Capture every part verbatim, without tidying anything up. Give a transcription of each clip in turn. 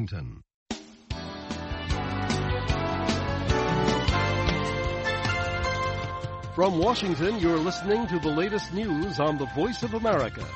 Washington. From Washington, you're listening to the latest news on the Voice of America.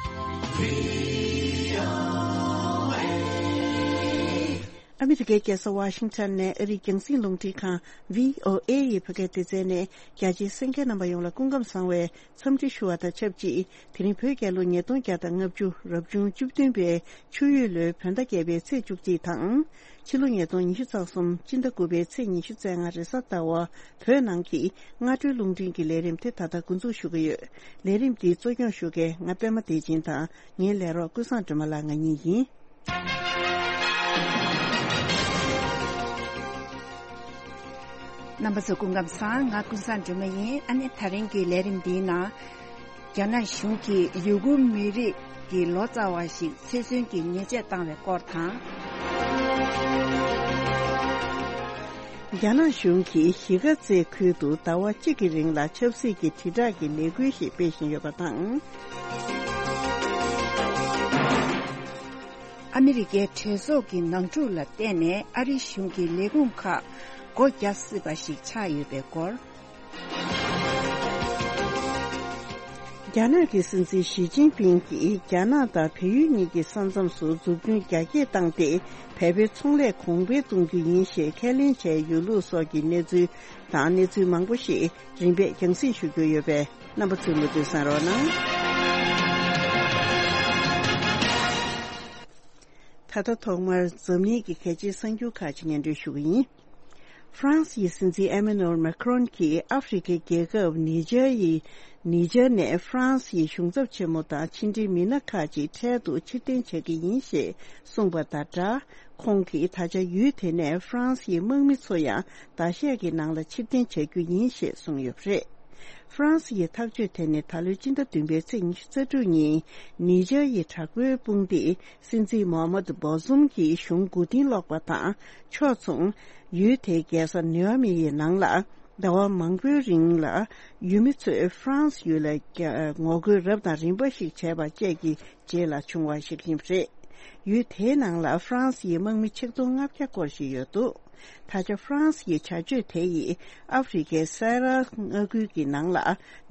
ཨ་མི་རི་ཀའི་རྒྱལ་ས་ཝ་ཤིང་ཊོན་ནས་ཨ་རིའི་རྒྱང་སྲིང་རླུང་འཕྲིན་ཁང་བྷི་ཨོ་ཨེ་ཡི་བོད་སྐད་སྡེ་ཚན་ནས་རྒྱ་ཆེའི་གསན་མཁན་རྣམ་པ་ཡོངས་ལ་སྐུ་ཁམས་བཟང་བའི་འཚམས་འདྲི་ཞུ་བ་དང་ཆབས་ཅིག་དེ་རིང་བོད་རྒྱལ་ལོ་ཉིས་སྟོང་བརྒྱ་དང་ལྔ་བཅུ་རབ་བྱུང་བཅུ་བདུན་པའི་ཆུ་ཡོས་ལོའི་བོད་ཟླ་བརྒྱད་པའི་ཚེས་བཅུ་གཅིག་དང་། ཕྱི་ལོ་ཉིས་སྟོང་ཉི་ཤུ་རྩ་གསུམ་སྤྱི་ཟླ་དགུ་པའི་ཚེས་ཉི་ཤུ་རྩ་ལྔ་རེས་གཟའ་ཟླ་བ་བོད་ནང་གི་སྔ་དྲོའི་རླུང་འཕྲིན་གྱི་ལས་རིམ་དེ་ད་ལྟ་འགོ་འཛུགས་ཞུ་གི་ཡོད། ལས་རིམ་འདི་གཙོ་སྐྱོང་ཞུ་མཁན་ང་པད་མ་བདེ་ཆེན་དང་། ངའི་ལས་རོགས་ཀུན་བཟང་སྒྲོལ་མ་ལགས་ང་གཉིས་ཡིན། རྣམ་པ་ཚོ་སྐུ་ཁམས་བཟང་། ང་ཀུན་བཟང་སྒྲོལ་མ་ཡིན། ཨ་ནི་དེ་རིང་གི་ལས་རིམ་འདིའི་ནང་། རྒྱ་ནག་གཞུང་གིས་ཡུ་གུར་མི་རིགས་ཀྱི་ལོ་ཙཱ་བ་ཞིག་ཚེ་བཙོན་གྱི་ཉེས་ཆད་བཏང་བའི་སྐོར་དང་། རྒྱ་ནག་གཞུང་གིས་གཞིས་ཀ་རྩེ་ཁུལ་དུ་ཟླ་བ་གཅིག་གི་རིང་ལ་ཆབ་སྲིད་ཀྱི་དྲིལ་བསྒྲགས་ཀྱི་ལས་འགུལ་ཞིག་སྤེལ་བཞིན་ཡོད་པ་དང་། ཨ་མི་རི་ཀའི་གྲོས་ཚོགས་ཀྱི་ནང་འཁྲུག་ལ་བརྟེན་ནས་ཨ་རིའི་གཞུང་གི་ལས་ཁུངས་ཁག་སྒོ་བརྒྱབ་སྲིད་པ་ཞིག་ཆགས་ཡོད་པའི་སྐོར། རྒྱ་ནག་གི་སྲིད་འཛིན་ཞི་ཅིན་ཕིང་གིས་རྒྱ་ནག་དང་བལ་ཡུལ་གཉིས་ཀྱི་ས་མཚམས་སུ་འཛུགས་སྐྲུན་རྒྱ་སྐྱེད་བཏང་སྟེ། བལ་པོའི་ཚོང་ལས་གོང་འཕེལ་གཏོང་རྒྱུ་ཡིན་ཞེས་ཁས་ལེན་བྱས་ཡོད་ལུགས་སོགས་ཀྱི་གནས་ཚུལ་དང་། གནས་ཚུལ་མང་པོ་ཞིག་རིམ་པས་རྒྱང་སྲིང་ཞུ་རྒྱུ་ཡོད་པས། རྣམ་པ་ཚོས་མུ་མཐུད་གསན་རོགས་གནང་། ད་ལྟ་ཐོག་མར་འཛམ་གླིང་གི་གལ་ཆེའི་གསར་འགྱུར་ཁག་ཅིག་སྙན་སྒྲོན་ཞུ་གི་ཡིན། ཧྥ་རན་སི་ཡི་སྲིད་འཛིན་ཨེ་མེ་ནུ་ཨེལ་མེ་ཁི་རོན་གྱིས་ཨ་ཧྥེ་རི་ཁའི་རྒྱལ་ཁབ་ནི་ཇར་ཡི་ནི་ཇར་ནས་ཧྥ་རན་སི་ཡི་གཞུང་ཚབ་ཆེན་མོ་དང་ཕྱི་འབྲེལ་མི་སྣ་ཁག་ཅིག་འཕྲལ་དུ་ཕྱིར་འཐེན་བྱ་གི་ཡིན་ཞེས་གསུངས་པ་དང་སྦྲགས། ཁོང་གིས་ད་ཆ་ཡུལ་དེ་ནས་ཧྥ་རན་སི་ཡི་དམག་མི་ཚོ་ཡང་ཟླ་ཤས་ཀྱི་ནང་ལ་ཕྱིར་འཐེན་བྱ་རྒྱུ་ཡིན་ཞེས་གསུངས་ཡོད་པ་རེད། ཧྥ་རན་སི་ཡི་ཐག་གཅོད་དེ་ནི་ད་ལོའི་སྤྱི་ཟླ་བདུན་པའི་ཚེས་ཉི་ཤུ་རྩ་དྲུག་ཉིན་ནི་ཇར་ཡི་དྲག་པོའི་དཔུང་སྡེས་སྲིད་འཛིན་མོ་ཧ་མད་བོ་ཟུམ་གྱི་གཞུང་མགོ་རྟིང་སློག་པ་དང་ཕྱོགས་མཚུངས། ཡུལ་དེའི་རྒྱལ་ས་ནེ་ཨ་མི་ཡི་ནང་ལ་ཟླ་བ་མང་པོའི་རིང་ལ་ཡུལ་མི་ཚོས་ཧྥ་རན་སི་ཡུལ་ལ་རྒྱ་ངོ་རྒོལ་རབ་དང་རིམ་པ་ཞིག་བྱས་པ་བཅས་ཀྱི་རྗེས་ལ་བྱུང་བ་ཞིག་ཡིན་པ་རེད། ཡུལ་དེའི་ནང་ལ་ཧྥ་རན་སི་ཡི་དམག་མི་ཆིག་སྟོང་ལྔ་བརྒྱ་སྐོར་ཞིག་ཡོད་འདུག་ད་ཆ་ཧྥ་རན་སི་ཡི་བྱ་སྤྱོད་དེ་ཡིས་ཨ་ཧྥེ་རི་ཁའི་སེ་ར་མངའ་ཁུལ་གྱི་ནང་ལ་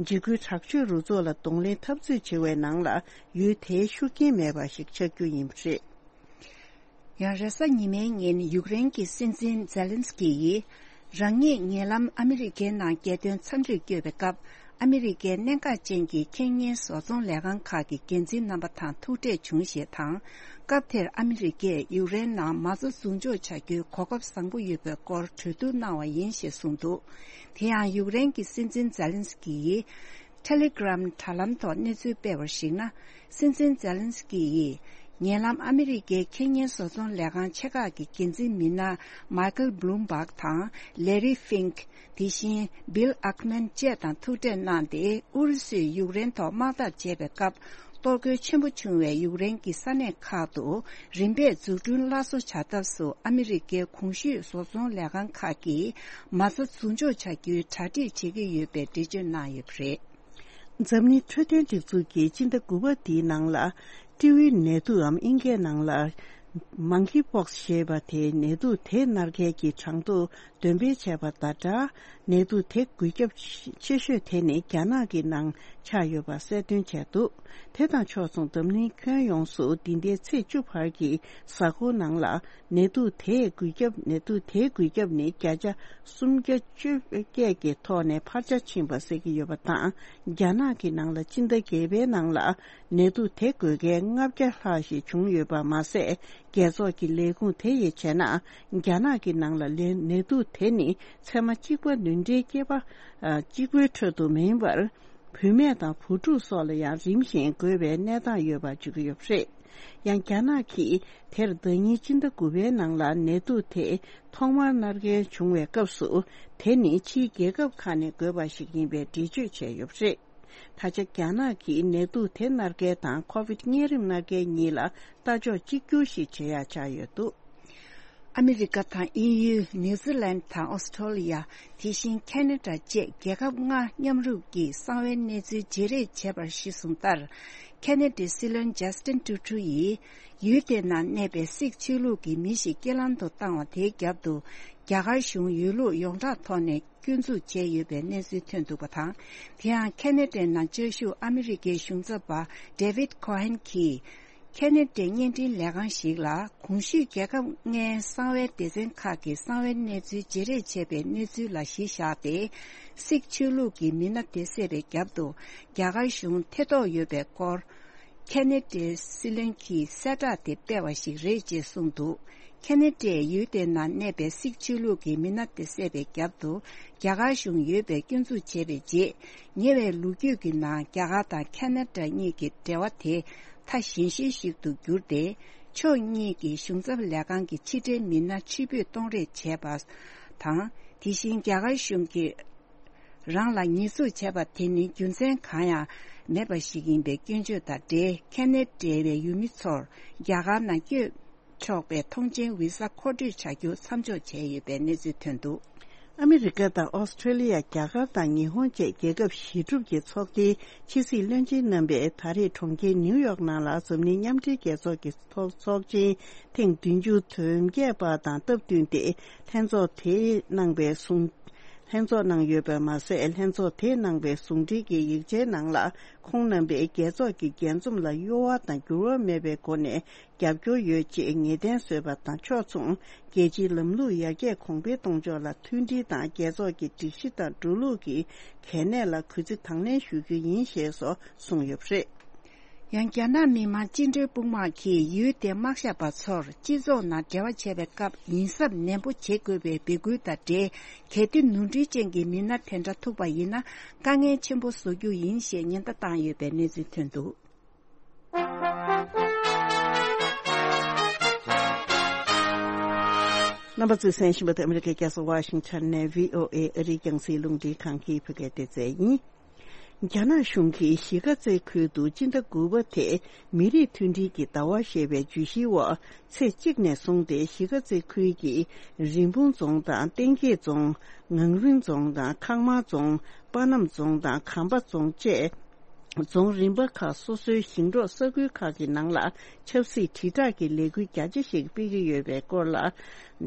འཇིགས་སྐུལ་དྲག་སྤྱོད་རུ་ཚོགས་ལ་གདོང་ལེན་འཐབ་རྩོད་བྱེད་པའི་ནང་ལ་ཡུལ་དེའི་ཤུགས་རྐྱེན་མེད་པ་ཞིག་ཆགས་རྒྱུ་ཡིན་པ་རེད། ཡང་རེས་གཟའ་ཉི་མའི་ཉིན་ཡུཀ་རེན་གྱི་སྲིད་འཛིན་ཛེ་ལན་སི་ཀི་ཡིས་རང་ཉིད་ཉེ་ལམ་ཨ་མི་རི་ཀའི་ནང་རྒྱལ་དོན་འཚམས་འདྲིར་བསྐྱོད་པའི་སྐབས། ཨ་མི་རི་ཀའི་གནད་འགག་ཅན་གྱི་ཁེ་གཉེར་བཟོ་ཚོང་ལས་ཁང་ཁག་གི་འགན་འཛིན་རྣམ་པ་དང་ཐུག་འཕྲད་བྱུང་ཞེས་དང་། སྐབས་དེར་ཨ་མི་རི་ཀས་ཡུཀ་རེན་ནང་མ་རྩ་འཛུགས་འཇོག་བྱ་རྒྱུའི་གོ་སྐབས་བཟང་པོ་ཡོད་པའི་སྐོར་གྲོས་བསྡུར་གནང་བ་ཡིན་ཞེས་གསུངས་འདུག་དེ་ཡང་ཡུཀ་རེན་གྱི་སྲིད་འཛིན་ཛེ་ལན་སི་ཀི་ཡིས། ཊེ་ལི་གྷི་རམ་དྲ་ལམ་ཐོག་གནས་ཚུལ་སྤེལ་བར་གཞིགས་ན། སྲིད་འཛིན་ཛེ་ལན་སི་ཀི་ཡིས་ཉེ་ལམ་ཨ་མི་རི་ཀའི་ཁེ་གཉེར་བཟོ་ཚོང་ལས་ཁང་ཆེ་ཁག་གི་འགན་འཛིན་མི་སྣ་མའི་ཁལ་བྷུ་ལུམ་བྷག་དང་ལེ་རི་ཧྥིང་། དེ་བཞིན་བྷིལ་ཨེག་མན་བཅས་དང་ཐུག་འཕྲད་གནང་སྟེ། ཨུ་རུ་སུས་ཡུཀ་རེན་ཐོག་དམག་འཐབ་བྱས་པའི་སྐབས། གཏོར་རྒོལ་ཆེན་པོ་བྱུང་བའི་ཡུཀ་རེན་གྱི་ས་གནས་ཁག་ཏུ་རིམ་པས་འཛུགས་སྐྲུན་སླར་གསོ་བྱ་ཐབས་སུ་ཨ་མི་རི་ཀའི་གོང་ཞུས་བཟོ་ཚོང་ལས་ཁང་ཁག་གིས་མ་རྩ་འཛུགས་འཇོག་བྱ་རྒྱུའི་གྲ་སྒྲིག་བྱེད་ཀྱི་ཡོད་པའི་འགྲེལ་བརྗོད་གནང་ཡོད་པ་རེད། འཛམ་གླིང་འཕྲོད་བསྟེན་སྒྲིག་འཛུགས་ཀྱིས་སྤྱི་ཟླ་དགུ་པ་འདིའི་ནང་ལ་ཏེའུ་ཝེན་ནད་དུག་འམ་དབྱིན་སྐད་ནང་ལ་མང་ཁི་པོག་སི་ཞེས་པ་དེའི་ནད་དུག་དེ་མནར་མཁན་གྱི་གྲངས་ཐོ་འདོན་སྤེལ་བྱས་པ་དང་སྦྲགས། ནད་དུག་དེ་འགོས་ཁྱབ་ཆེ་ཤོས་དེ་ནི་རྒྱ་ནག་གི་ནང་ཆགས་ཡོད་པ་གསལ་སྟོན་བྱས་འདུག་དེ་དང་ཕྱོགས་མཚུངས་འཛམ་གླིང་ཁྱོན་ཡོངས་སུ་འདི་ཟླའི་ཚེས་བཅུ་བར་གྱི་གཟའ་འཁོར་ནང་ལ་ནད་དུག་དེས་འགོས་ཁྱབ། ནད་དུག་དེའི་འགོས་ཁྱབ་ནི་བརྒྱ་ཆ་སུམ་བརྒྱ་བཅོ་བརྒྱད་ཀྱི་ཐོག་ནས་འཕར་ཆ་ཕྱིན་པ་གསལ་གྱི་ཡོད་པ་དང་། རྒྱ་ནག་གི་ནང་ལ་སྤྱི་ཟླ་བརྒྱད་པའི་ནང་ལ་ནད་དུག་དེ་འགོས་མཁན་ལྔ་བརྒྱ་ལྷག་ཞིག་བྱུང་ཡོད་པ་མ་ཟད། རྒྱལ་ཚོགས་ཀྱི་ལས་ཁུངས་དེ་ཡིས་བྱས་ན། རྒྱ་ནག་གི་ནང་ལ་ལན་ནད་དུག་དེ་ནི་ཚད་མ་གཅིག་པ་ནུས་འབྲེལ་སྐྱེས་པ་གཅིག་པུའི་ཁྲོད་དུ་མིན་པར། བུད་མེད་དང་བུ་ཕྲུག་སོགས་ལ་ཡང་རིམ་བཞིན་འགོས་པའི་གནས་སྟངས་ཡོད་པ་བརྗོད་ཀྱི་ཡོད་པ་རེད། ཡང་རྒྱ་ནག་གིས་དེར་ཟླ་ཉིན་སྤྱི་ཟླ་དགུ་པའི་ནང་ལ་ནད་དུག་དེ་ཐོག་མར་མནར་མཁན་བྱུང་བའི་སྐབས་སུ། དེ་ནི་ཕྱིའི་རྒྱལ་ཁབ་ཁག་ནས་འགོས་པ་ཞིག་ཡིན་པའི་འགྲེལ་བརྗོད་བྱས་ཡོད་པ་རེད། ད་ཆ་རྒྱ་ནག་གིས་ནད་དུག་དེ་མནར་མཁན་དང་ཁོ་ཝིད་གཉན་རིམས་མནར་མཁན་གཉིས་ལ་ལྟ་ཕྱོགས་གཅིག་གྱུར་ཞིག་བྱེད་ཡག་ཆགས་ཡོད་འདུག་ཨ་མི་རི་ཀ་དང་དབྱིན་ཡུལ། ནིའུ་ཛི་ལན་དང་ཨོ་སི་ཁྲོ་ལི་ཡ། དེ་བཞིན་ཁེ་ན་ཌ་བཅས་རྒྱལ་ཁབ་ལྔ་མཉམ་རུབ་ཀྱིས་གསང་བའི་གནས་ཚུལ་བརྗེ་རེས་བྱས་པར་གཞི་བཟུང་ལྟར། ཁེ་ན་ཌའི་སྲིད་བློན་ཇ་སི་ཊིན་ཊུ་ཊུ་ཡིས་ཡུལ་དེའི་ནང་གནས་པའི་སིག་ཆོས་ལུགས་ཀྱི་མི་ཞིག་རྐྱེན་ལམ་དུ་བཏང་བ་དེའི་རྒྱབ་ཏུ་རྒྱ་གར་གཞུང་ཡོད་ལུགས་ཡོངས་གྲགས་ཐོག་ནས་སྐྱོན་འཛུགས་བྱས་ཡོད་པའི་གནས་ཚུལ་ཐོན་འདུག་པ་དང་། དེ་ཡང་ཁེ་ན་ཌའི་ནང་བཅའ་བཞུགས་ཨ་མི་རི་ཀའི་གཞུང་ཚབ་པ་ཌེ་ཝིད་ཁོ་ཧན་གྱིས། ཁེ་ན་ཌའི་བརྙན་འཕྲིན་ལས་ཁང་ཞིག་ལ་གོང་ཞུས་རྒྱལ་ཁབ་ལྔའི་གསང་བའི་སྡེ་ཚན་ཁག་གི་གསང་བའི་གནས་ཚུལ་བརྗེ་རེས་བྱས་པའི་གནས་ཚུལ་ལ་གཞི་བཞག་སྟེ། སིག་ཆོས་ལུགས་ཀྱི་མི་སྣ་དེ་བསད་པའི་རྒྱབ་ཏུ་རྒྱ་གར་གཞུང་ཐེ་གཏོགས་ཡོད་པའི་སྐོར། ཁེ་ན་ཌའི་སྲིད་བློན་གྱིས་གསལ་བསྒྲགས་དེ་སྤེལ་བ་ཞིག་རེད་ཅེས་གསུངས་འདུག་ཁེ་ན་ཌའི་ཡུལ་དེའི་ནང་གནས་པའི་སིག་ཆོས་ལུགས་ཀྱི་མི་སྣ་དེ་བསད་པའི་རྒྱབ་ཏུ་རྒྱ་གར་གཞུང་ཡོད་པའི་སྐྱོན་འཛུགས་བྱས་པའི་རྗེས། ཉེ་བའི་ལོ་རྒྱུས་ཀྱི་ནང་རྒྱ་གར་དང་ཁེ་ན་ཌ་གཉིས་ཀྱི་འབྲེལ་བ་དེ་མཐའ་ཞན་ཤོས་ཤིག་ཏུ་གྱུར་ཏེ། ཕྱོགས་གཉིས་ཀྱི་གཞུང་ཚབ་ལས་ཁང་གི་ཕྱི་འབྲེལ་མི་སྣ་ཕྱིར་འབུད་གཏོང་རེས་བྱས་པ་དང་། དེ་བཞིན་རྒྱ་གར་གཞུང་གིས་རང་ལ་ཉེས་འཛུགས་བྱས་པ་དེ་ནི་རྒྱུ་མཚན་གང་ཡང་མེད་པ་ཞིག་ཡིན་པའི་སྐྱོན་བརྗོད་དང་འབྲེལ། ཁེ་ན་ཌའི་ཡུལ་མི་ཚོར་རྒྱ་གར་ནང་བསྐྱོད་ཆོག་པའི་ཐོངས་མཆན་ཝི་ས་མཁོ་སྤྲོད་བྱ་རྒྱུ་མཚམས་འཇོག་བྱས་ཡོད་པའི་གནས་ཚུལ་ཐོན་འདུག་ཨ་མི་རི་ཀ་དང་ཨོ་སི་ཁྲེ་ལི་ཡ། རྒྱ་གར་དང་ཉི་ཧོང་བཅས་རྒྱལ་ཁབ་བཞི་གྲུབ་ཀྱི་ཚོགས་སྡེའི་ཕྱི་སྲིད་བློན་ཆེན་རྣམ་པས་ད་རེས་གྲོང་ཁྱེར་ནིའུ་ཡོག་ནང་ལ་འཛམ་གླིང་མཉམ་འབྲེལ་རྒྱལ་ཚོགས་ཀྱི་ཚོགས་ཚོགས་ཆེན་ཐེངས་བདུན་ཅུ་དོན་བརྒྱད་པ་དང་སྟབས་བསྟུན་ཏེ། ལྷན་ཚོགས་དེས་གནང་བའི་གསུང་། ལྷན་ཚོགས་གནང་ཡོད་པ་མ་ཟད། ལྷན་ཚོགས་དེས་གནང་བའི་གསུང་འཕྲིན་གྱི་ཡིག་ཆའི་ནང་ལ། ཁོང་རྣམ་པས་རྒྱལ་ཚོགས་ཀྱི་རྒྱས་འཛོམས་ལ་གཡོ་བ་དང་འགྱུར་བ་མེད་པའི་སྒོ་ནས་རྒྱབ་སྐྱོར་ཡོད་ཅེས་ངེས་གཏན་བཟོས་པ་དང་ཕྱོགས་མཚུངས། རྒྱལ་སྤྱིའི་ལམ་ལུགས་ཡར་རྒྱས་གོང་འཕེལ་གཏོང་ཕྱོགས་ལ་མཐུན་སྒྲིལ་དང་། རྒྱལ་ཚོགས་ཀྱི་སྒྲིག་གཞི་དང་འགྲོ་ལུགས་ཀྱི་གལ་གནད་ལ་གུས་བརྩི་དང་ལེན་ཞུ་རྒྱུ་ཡིན་ཞེས་སོགས་གསུངས་ཡོད་པ་རེད། ཡང་རྒྱ་ནག་མི་དམངས་བཅིངས་འགྲོལ་དཔུང་དམག་གིས་ཡུལ་དེའི་དམག་ཞབས་པ་ཚོར་སྤྱི་ཚོགས་ནང་འབྲེལ་བ་བྱེད་པའི་སྐབས་ཡིན་གཟབ་ནན་པོ་བྱེད་དགོས་པའི་འབོད་སྐུལ་དང་འབྲེལ། གལ་ཏེ་ནོར་འཁྲུལ་ཅན་གྱི་མི་སྣ་དེ་འདྲ་ཐུག་པ་ཡིན་ན། དཀའ་ངལ་ཆེན་པོ་བཟོ་རྒྱུ་ཡིན་ཞེས་ཉེན་བརྡ་བཏང་ཡོད་པའི་གནས་ཚུལ་ཐོན་འདུག་རྣམ་པ་ཚོས་གསན་བཞིན་པ་དེ་ཨ་མི་རི་ཀའི་རྒྱལ་ས་ཝ་ཤིང་ཊོན་ནས་བྷི་ཨོ་ཨེ་ཨ་རིའི་རྒྱང་སྲིང་རླུང་འཕྲིན་ཁང་གི་བོད་སྐད་སྡེ་ཚན་ཡིན། རྒྱ་ནག་གཞུང་གིས་གཞིས་ཀ་རྩེ་ཁུལ་དུ་སྤྱི་ཟླ་དགུ་པ་དེ་མི་རིགས་མཐུན་སྒྲིལ་གྱི་ཟླ་བ་ཞེས་པའི་བརྗོད་གཞིའི་འོག་ཚེས་གཅིག་ནས་བཟུང་སྟེ་གཞིས་ཀ་རྩེ་ཁུལ་གྱི་རིན་སྤུངས་རྫོང་དང་། གཏན་སྐྱེས་རྫོང་། ངམ་རིང་རྫོང་དང་། འཁང་མར་རྫོང་། པ་སྣམ་རྫོང་དང་། གམ་པ་རྫོང་བཅས། རྫོང་རིམ་པ་ཁག་སོ་སོའི་ཞིང་འབྲོག་ས་ཁུལ་ཁག་གི་ནང་ལ་ཆབ་སྲིད་དྲིལ་བསྒྲགས་ཀྱི་ལས་འགུལ་རྒྱ་ཆེ་ཞིག་སྤེལ་གྱི་ཡོད་པའི་སྐོར་ལ།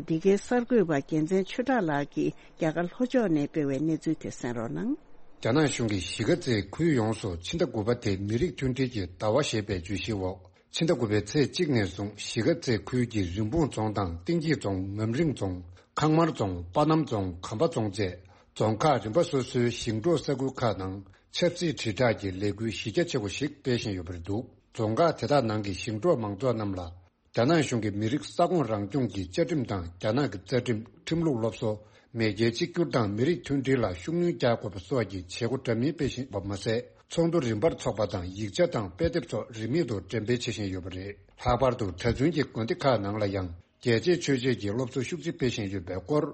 འདི་གའི་གསར་འགོད་པ་རྒྱལ་མཚན་ཆོས་གྲགས་ལགས་ཀྱིས་རྒྱ་གར་ལྷོ་ཕྱོགས་ནས་སྤེལ་བའི་གནས་ཚུལ་དེ་གསན་རོགས་གནང་། རྒྱ་ནག་གཞུང་གིས་གཞིས་ཀ་རྩེའི་ཁུལ་ཡོངས་སུ་ཕྱི་ཟླ་དགུ་པ་དེ་མི་རིགས་མཐུན་སྒྲིལ་གྱི་ཟླ་བ་ཞེས་པའི་བརྗོད་གཞིའི་འོག་ཕྱི་ཟླ་དགུ་པའི་ཚེས་གཅིག་ནས་བཟུང་གཞིས་ཀ་རྩེ་ཁུལ་གྱི་རིན་སྤུངས་རྫོང་དང་། གཏན་སྐྱེས་རྫོང་། ངམ་རིང་རྫོང་། འཁང་མར་རྫོང་། པ་སྣམ་རྫོང་། གམ་པ་རྫོང་བཅས་རྫོང་ཁག་རིམ་པ་སོ་སོའི་ཞིང་འབྲོག་ས་ཁུལ་ཁག་ནང་ཆབ་སྲིད་དྲིལ་བསྒྲགས་ཀྱི་ལས་འགུལ་གཞི་རྒྱ་ཆེ་བོ་ཞིག་སྤེལ་བཞིན་ཡོད་པ་རེད་འདུག་རྫོང་ཁག་དེ་དག་ནང་གི་ཞིང་འབྲོག་མང་ཚོགས་རྣམས་ལ། རྒྱ་ནག་གཞུང་གིས་མི་རིགས་ས་ཁོངས་རང་སྐྱོང་གི་བཅའ་ཁྲིམས་དང་། རྒྱ་ནག་གི་རྩ་ཁྲིམས། ཁྲིམས་ལུགས་སློབ་གསོ། མེས་རྒྱལ་གཅིག་གྱུར་དང་མི་རིགས་མཐུན་སྒྲིལ་ལ་ཤུགས་སྣོན་རྒྱག་དགོས་པ་སོགས་ཀྱི་བྱེད་སྒོ་འདྲ་མིན་སྤེལ་བཞིན་པ་མ་ཟད། ཚོགས་འདུ་རིམ་པར་འཚོགས་པ་དང་། ཡིག་ཆ་དང་དཔེ་དེབ་སོགས་རིན་མེད་དུ་འགྲེམས་སྤེལ་བྱེད་བཞིན་ཡོད་པ་རེད། ལྷག་པར་དུ་གྲྭ་བཙུན་གྱི་དགོན་སྡེ་ཁག་ནང་ལ་ཡང་རྒྱལ་གཅེས་ཆོས་གཅེས་ཀྱི་སློབ་གསོ་ཤུགས་ཆེ་སྤེལ་བཞིན་ཡོད་པའི་སྐོར།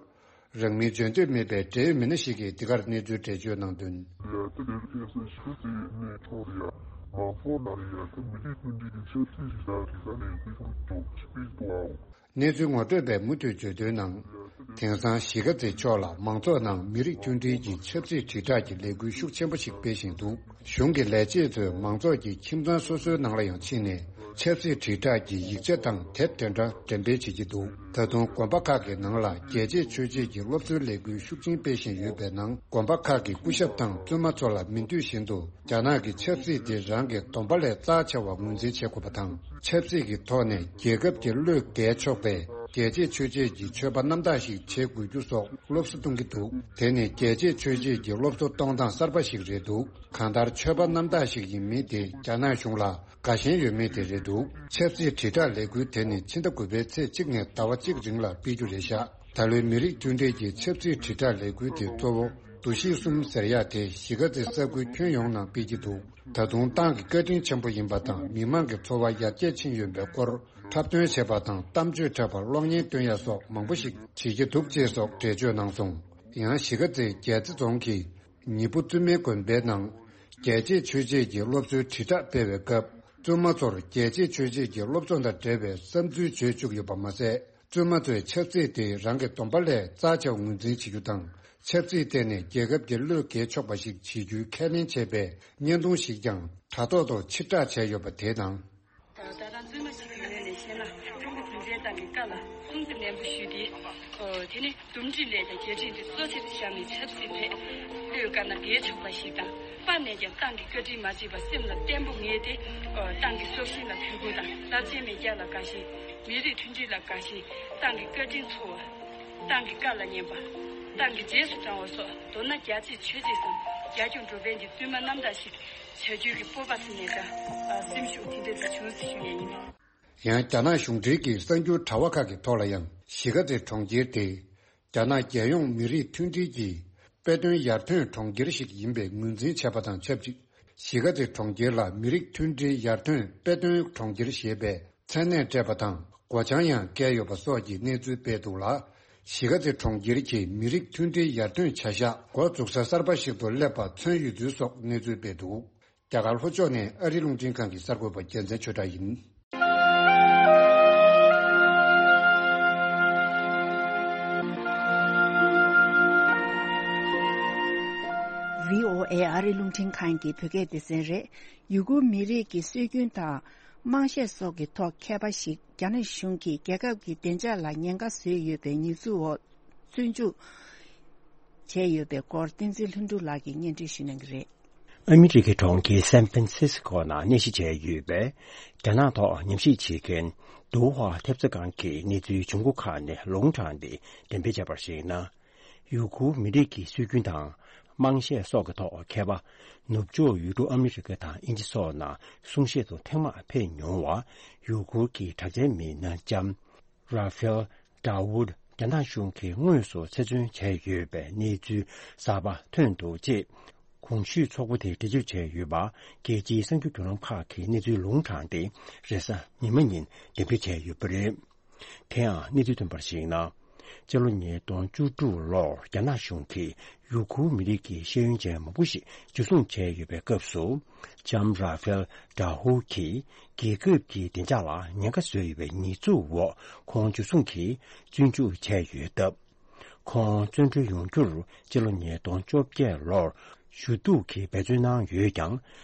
རང་མིང་བརྗོད་འདོད་མེད་པའི་འབྲེལ་ཡོད་མི་སྣ་ཞིག་གིས་འདི་གར་གནས་ཚུལ་འགྲེལ་བརྗོད་གནང་དོན། ཡ་ད་དེར་ཁ་སང་གཞིས་ཀ་རྩེ་ནས་ཕྱོགས་རེད་ཡ། མང་ཚོགས་ནང་རེད་ཡ། ད་མི་རིགས་མཐུན་སྒྲིལ་གྱི་ཆབ་སྲིད་རིག་གནས་རིག་གནས་ནས་སྐུལ་ཤུགས་ཅོག་ཅིག་སྤེལ་འདུག་ཨའོ། གནས་ཚུལ་ངོ་སྤྲོད་པས་མུ་མཐུད་བརྗོད་དོན་ནང་། དེང་སང་གཞིས་ཀ་རྩེ་ཕྱོགས་ལ་མང་ཚོགས་ནང་མི་རིགས་མཐུན་སྒྲིལ་གྱི་ཆབ་སྲིད་དྲིལ་བསྒྲགས་ཀྱི་ལས་འགུལ་ཤུགས་ཆེན་པོ་ཞིག་སྤེལ་བཞིན་འདུག་གཞུང་གི་ལས་བྱེད་ཚོས་མང་ཚོགས་ཀྱི་ཁྱིམ་ཚང་སོ་སོའི་ནང་ལ་ཡང་ཕྱིན་ནས་ཆབ་སྲིད་དྲིལ་བསྒྲགས་ཀྱི་ཡིག་ཆ་དང་དེབ་དེ་འདྲ་འགྲེམས་སྤེལ་བྱེད་ཀྱི་འདུག་ད་དུང་དགོན་པ་ཁག་གི་ནང་ལ་རྒྱལ་གཅེས་ཆོས་གཅེས་ཀྱི་སློབ་གསོའི་ལས་འགུལ་ཤུགས་ཆེན་སྤེལ་བཞིན་ཡོད་པའི་ནང་། དགོན་པ་ཁག་གི་སྐུ་ཞབས་དང་བཙུན་མ་ཚོ་ལ་མི་འདོད་བཞིན་དུ་རྒྱ་ནག་གི་ཆབ་སྲིད་དེ་རང་གི་སྡོམ་པ་ལས་རྩ་ཆེ་བ་ངོས་འཛིན་བྱེད་དགོས་པ་དང་། ཆབ་སྲིད་ཀྱི་ཐོག་ནས་རྒྱལ་ཁབ་ཀྱི་བློས་འགེལ་ཆོག་པའི་རྒྱལ་གཅེས་ཆོས་གཅེས་ཀྱི་ཆོས་པ་རྣམ་དག་ཞིག་བྱེད་དགོས་རྒྱུ་སོགས་སློབ་གསོ་གཏོང་གི་འདུག་དེ་ནི་རྒྱལ་གཅེས་ཆོས་གཅེས་ཀྱི་སློབ་གསོ་གཏོང་སྟངས་གསར་པ་ཞིག་རེད་འདུག་གང་ལྟར་ཆོས་པ་རྣམ་དག་ཞིག་ཡིན་མིན་དེ་རྒྱ་ནག་གཞུང་ལ་དགའ་ཞེན་ཡོད་མེད་དེ་རེད་འདུག་ཆབ་སྲིད་དྲིལ་བསྒྲགས་ལས་འགུལ་དེ་ནི་ཕྱི་ཟླ་དགུ་པའི་ཚེས་གཅིག་ནས་ཟླ་བ་གཅིག་རིང་ལ་སྤེལ་རྒྱུ་རེད་ཤག་ད་ལོའི་མི་རིགས་མཐུན་སྒྲིལ་གྱི་ཆབ་སྲིད་དྲིལ་བསྒྲགས་ལས་འགུལ་དེ་གཙོ་བོ་འདུ་ཤེས་གསུམ་ཟེར་ཡག་དེ་གཞིས་ཀ་རྩེ་ས་ཁུལ་ཁྱོན་ཡོངས་ནང་སྤེལ་གྱི་འདུག་ད་དུང་ཏང་གི་བཀའ་དྲིན་ཆེན་པོ་ཡིན་པ་དང་། མི་མང་གི་འཚོ་བ་ཡར་རྒྱས་ཕྱིན་ཡོད་པའི་སྐོར། འཁྲབ་སྟོན་བྱས་པ་དང་། གཏམ་བརྗོད་འཁྲབ་པར་གློག་བརྙན་སྟོན་ཡ་སོགས་མང་པོ་ཞིག་བྱེད་ཀྱི་འདུག་ཅེས་སོགས་འགྲེལ་བརྗོད་གནང་སོང་། ཡང་གཞིས་ཀ་རྩེའི་རྒྱལ་རྩེ་རྫོང་གི་ཉི་པོ་བཙུན་མའི་དགོན་པའི་ནང་རྒྱལ་གཅེས་ཆོས་གཅེས་ཀྱི་སློབ་གསོའི་དྲིལ་བསྒྲགས་སྤེལ་བའི་སྐབས། བཙུན་མ་ཚོར་རྒྱལ་གཅེས་ཆོས་གཅེས་ཀྱི་སློབ་གསོ་དང་འབྲེལ་བའི་བསམ་ཚུལ་བརྗོད་བཅུག་ཡོད་པ་མ་ཟད། བཙུན་མ་ཚོས་ཆབ་སྲིད་དེ་རང་གི་སྡོམ་པ་ལས་རྩ་ཆེ་བ་ངོས་འཛིན་བྱེད་རྒྱུ་དང་། ཆབ་སྲིད་ཐད་ནས་རྒྱལ་ཁབ་ཀྱི་བློས་འགེལ་ཆོག་པ་ཞིག་བྱེད་རྒྱུའི་ཁས་ལེན་བྱས་པའི་བརྙན་ཐུང་ཞིག་ཀྱང་དྲ་ཐོག་ཏུ་ཕྱིར་བསྒྲགས་བྱས་ཡོད་པ་དེ་དང་། ད་ལྟ་རང་བཙུན་མ་ཞིག་གི་ངོས་ནས་བཤད་ན། ཀྲུང་གོ་གུང་ཁྲན་ཏང་གི་བཀའ་ལ་སྲུང་བརྩི་ནན་པོ་ཞུས་ཏེ། ཨོ། དེ་ནི་འདུམ་འགྲིག་ལས་དང་རྒྱལ་ཁྲིམས་དེ་གཙོ་ཆེར་བཞག་ནས་ཆབ་སྲིད་ཐད་བློས་དཀར་ནག་འགལ་ཆོག་པ་ཞིག་དང་། སྤར་ནས་ཀྱང་ཏང་གི་བཀའ་དྲིན་མ་བརྗེད་པར་སེམས་ལ་བརྟན་པོ་ངེས་ཏེ། ཨོ། ཏང་གི་སྲོག་ཤིང་ལ་གུས་བཀུར་དང་། རླབས་ཆེན་མེས་རྒྱལ་ལ་དགའ་ཞེན། མི་རིགས་མཐུན་སྒྲིལ་ལ་དགའ་ཞེན། ཏང་གི་བཀའ་དྲིན་ཚོར་བ། ཏང་གི་བཀའ་ལ་ཉན་པ། ཏང་གི་རྗེས་སུ་འབྲང་བ་སོགས་མདོར་ན་རྒྱ་ཆེ་ཆོས་ཆེ་སམ་རྒྱ་སྐྱོང་འགྲོ་ཕན་གྱི་བསྟུད་མ་རྣམ་དག་ཞིག་བྱ་རྒྱུའི་གི་སྤོབས་པ་ཟེར་ནས་ད་སེམས་ཤུགས་དེ་འདྲ་ཞིག་བྱུང་ཟེར་ཞུ་ཡས་ཡིན། ཡང་རྒྱ་ནག་གཞུང་འབྲེལ་གྱི་གསར་འགྱུར་དྲ་བ་ཁག་གི་ཐོག་ལ་ཡང་གཞིས་ཀ་རྩེ་གྲོང་ཁྱེར་དེ་རྒྱ་ནག་རྒྱལ་ཡོངས་མི་རིགས་མཐུན་སྒྲིལ་གྱི་དཔེ་སྟོན་ཡར་ཐོན་གྲོང་ཁྱེར་ཞིག་ཡིན་པའི་ངོས་འཛིན་བྱས་པ་དང་ཆབས་ཅིག་གཞིས་ཀ་རྩེ་གྲོང་ཁྱེར་ལ་མི་རིགས་མཐུན་སྒྲིལ་ཡར་ཐོན་དཔེ་སྟོན་གྲོང་ཁྱེར་ཞེས་པའི་མཚན་གནས་སྤྲད་པ་དང་སྒོ་བྱང་ཡང་བཀལ་ཡོད་པ་སོགས་ཀྱི་གནས་ཚུལ་སྤེལ་འདུག་ལ། གཞིས་ཀ་རྩེ་གྲོང་ཁྱེར་གྱི་མི་རིགས་མཐུན་སྒྲིལ་ཡར་ཐོན་བྱ་གཞག་འགོ་འཛུགས་ས་གསར་པ་ཞིག་ཏུ་སླེབས་པ་མཚོན་ཡོད་ཚུལ་སོགས་གནས་ཚུལ་སྤེལ་འདུག་རྒྱ་གར་ལྷོ་ཕྱོགས་ནས་ཨ་རིའི་རླུང་འཕྲིན་ཁང་གི་གསར་འགོད་པ་རྒྱལ་མཚན་ཆོས་གྲགས་ཡིན། བྷི་ཨོ་ཨེ་ཨ་རིའི་རླུང་འཕྲིན་ཁང་གི་བོད་སྐད་སྡེ་ཚན་རེད། ཡུ་གུར་མི་རིགས་ཀྱི་སྲོལ་རྒྱུན་དང་། དམངས་གཞས་སོགས་ཀྱི་ཐོག་མཁས་པ་ཞིག་རྒྱ་ནག་གཞུང་གིས་རྒྱལ་ཁབ་ཀྱི་བདེ་འཇགས་ལ་ཉེན་ཁ་བཟོས་ཡོད་པའི་ཉེས་འཛུགས་འོག་བཙོན་འཇུག་བྱས་ཡོད་པའི་སྐོར་བསྟན་འཛིན་ལྷུན་གྲུབ་ལགས་ཀྱིས་སྙན་སྒྲོན་ཞུ་གནང་གི་རེད། ཨ་མི་རི་ཀའི་གྲོང་ཁྱེར་སན་ཧྥན་སིས་ཀོ་ནང་གནས་གཞི་བྱས་ཡོད་པའི་རྒྱ་ནག་ཐོག་ཉམས་ཞིབ་བྱེད་མཁན་ཏུའུ་ཧྭ་ཐེབས་རྩ་ཁང་གིས་གནས་ཚུལ་བྱུང་སྒོ་ཁག་ནས་ལུང་དྲངས་ཏེ་འགྲེམས་སྤེལ་བྱས་པར་གཞིགས་ན། ཡུ་གུར་མི་རིགས་ཀྱི་སྲོལ་རྒྱུན་དང་། དམངས་གཞས་སོགས་ཀྱི་ཐོག་མཁས་པ། ནུབ་ཕྱོགས་ཡུལ་གྲུ་ཨ་མི་རི་ཀ་དང་དབྱིན་ཇི་སོགས་ནང་གསུང་བཤད་དུ་ཐེངས་མང་ཕེབས་མྱོང་བ། ཡུ་གུར་གྱི་གྲགས་ཅན་མི་སྣ་ལྕམ། ར་ཧྥེལ་ཏྲ་ཝུད་རྒྱ་ནག་གཞུང་གིས་དངོས་སུ་ཚེ་བཙོན་བྱས་ཡོད་པའི་གནས་ཚུལ་གསར་པ་ཐོན་འདུག་ཅེས། གོང་ཞུས་ཚོགས་པ་དེས་འགྲེལ་བརྗོད་བྱས་ཡོད་པ། རྒྱལ་སྤྱིའི་གསར་འགྱུར་བརྒྱུད་ལམ་ཁག་གིས་གནས་ཚུལ་ལུང་དྲངས་ཏེ། རེས་གཟའ་ཉི་མ་ཉིན་འགྲེམས་སྤེལ་བྱས་ཡོད་པ་རེད། དེ་ཡང་གནས་ཚུལ་ཐོན་པར་གཞིགས་ན། སྤྱི་ལོ་ཉིས་སྟོང་བཅུ་དྲུག་ལོར་རྒྱ་ནག་གཞུང་གིས་ཡུ་གུར་མི་རིགས་ཀྱི་ཤེས་ཡོན་ཅན་མང་པོ་ཞིག་འཇུ་བཟུང་བྱས་ཡོད་པའི་སྐབས་སུ། ལྕམ་ར་ཧྥེལ་ཏྲ་ཧུ་གིས་རྒྱལ་ཁབ་ཀྱི་བདེ་འཇགས་ལ་ཉེན་ཁ་བཟོས་ཡོད་པའི་ཉེས་འཛུགས་འོག་ཁོང་འཇུ་བཟུང་གིས་བཙོན་འཇུག་བྱས་ཡོད་སྟབས། ཁོང་བཙོན་གྲོལ་ཡོང་རྒྱུར་སྤྱི་ལོ་ཉིས་སྟོང་བཅོ་བརྒྱད་ལོར་ཞུ་གཏུག་གིས་འབད་བརྩོན་གནང་ཡོད་ཀྱང་།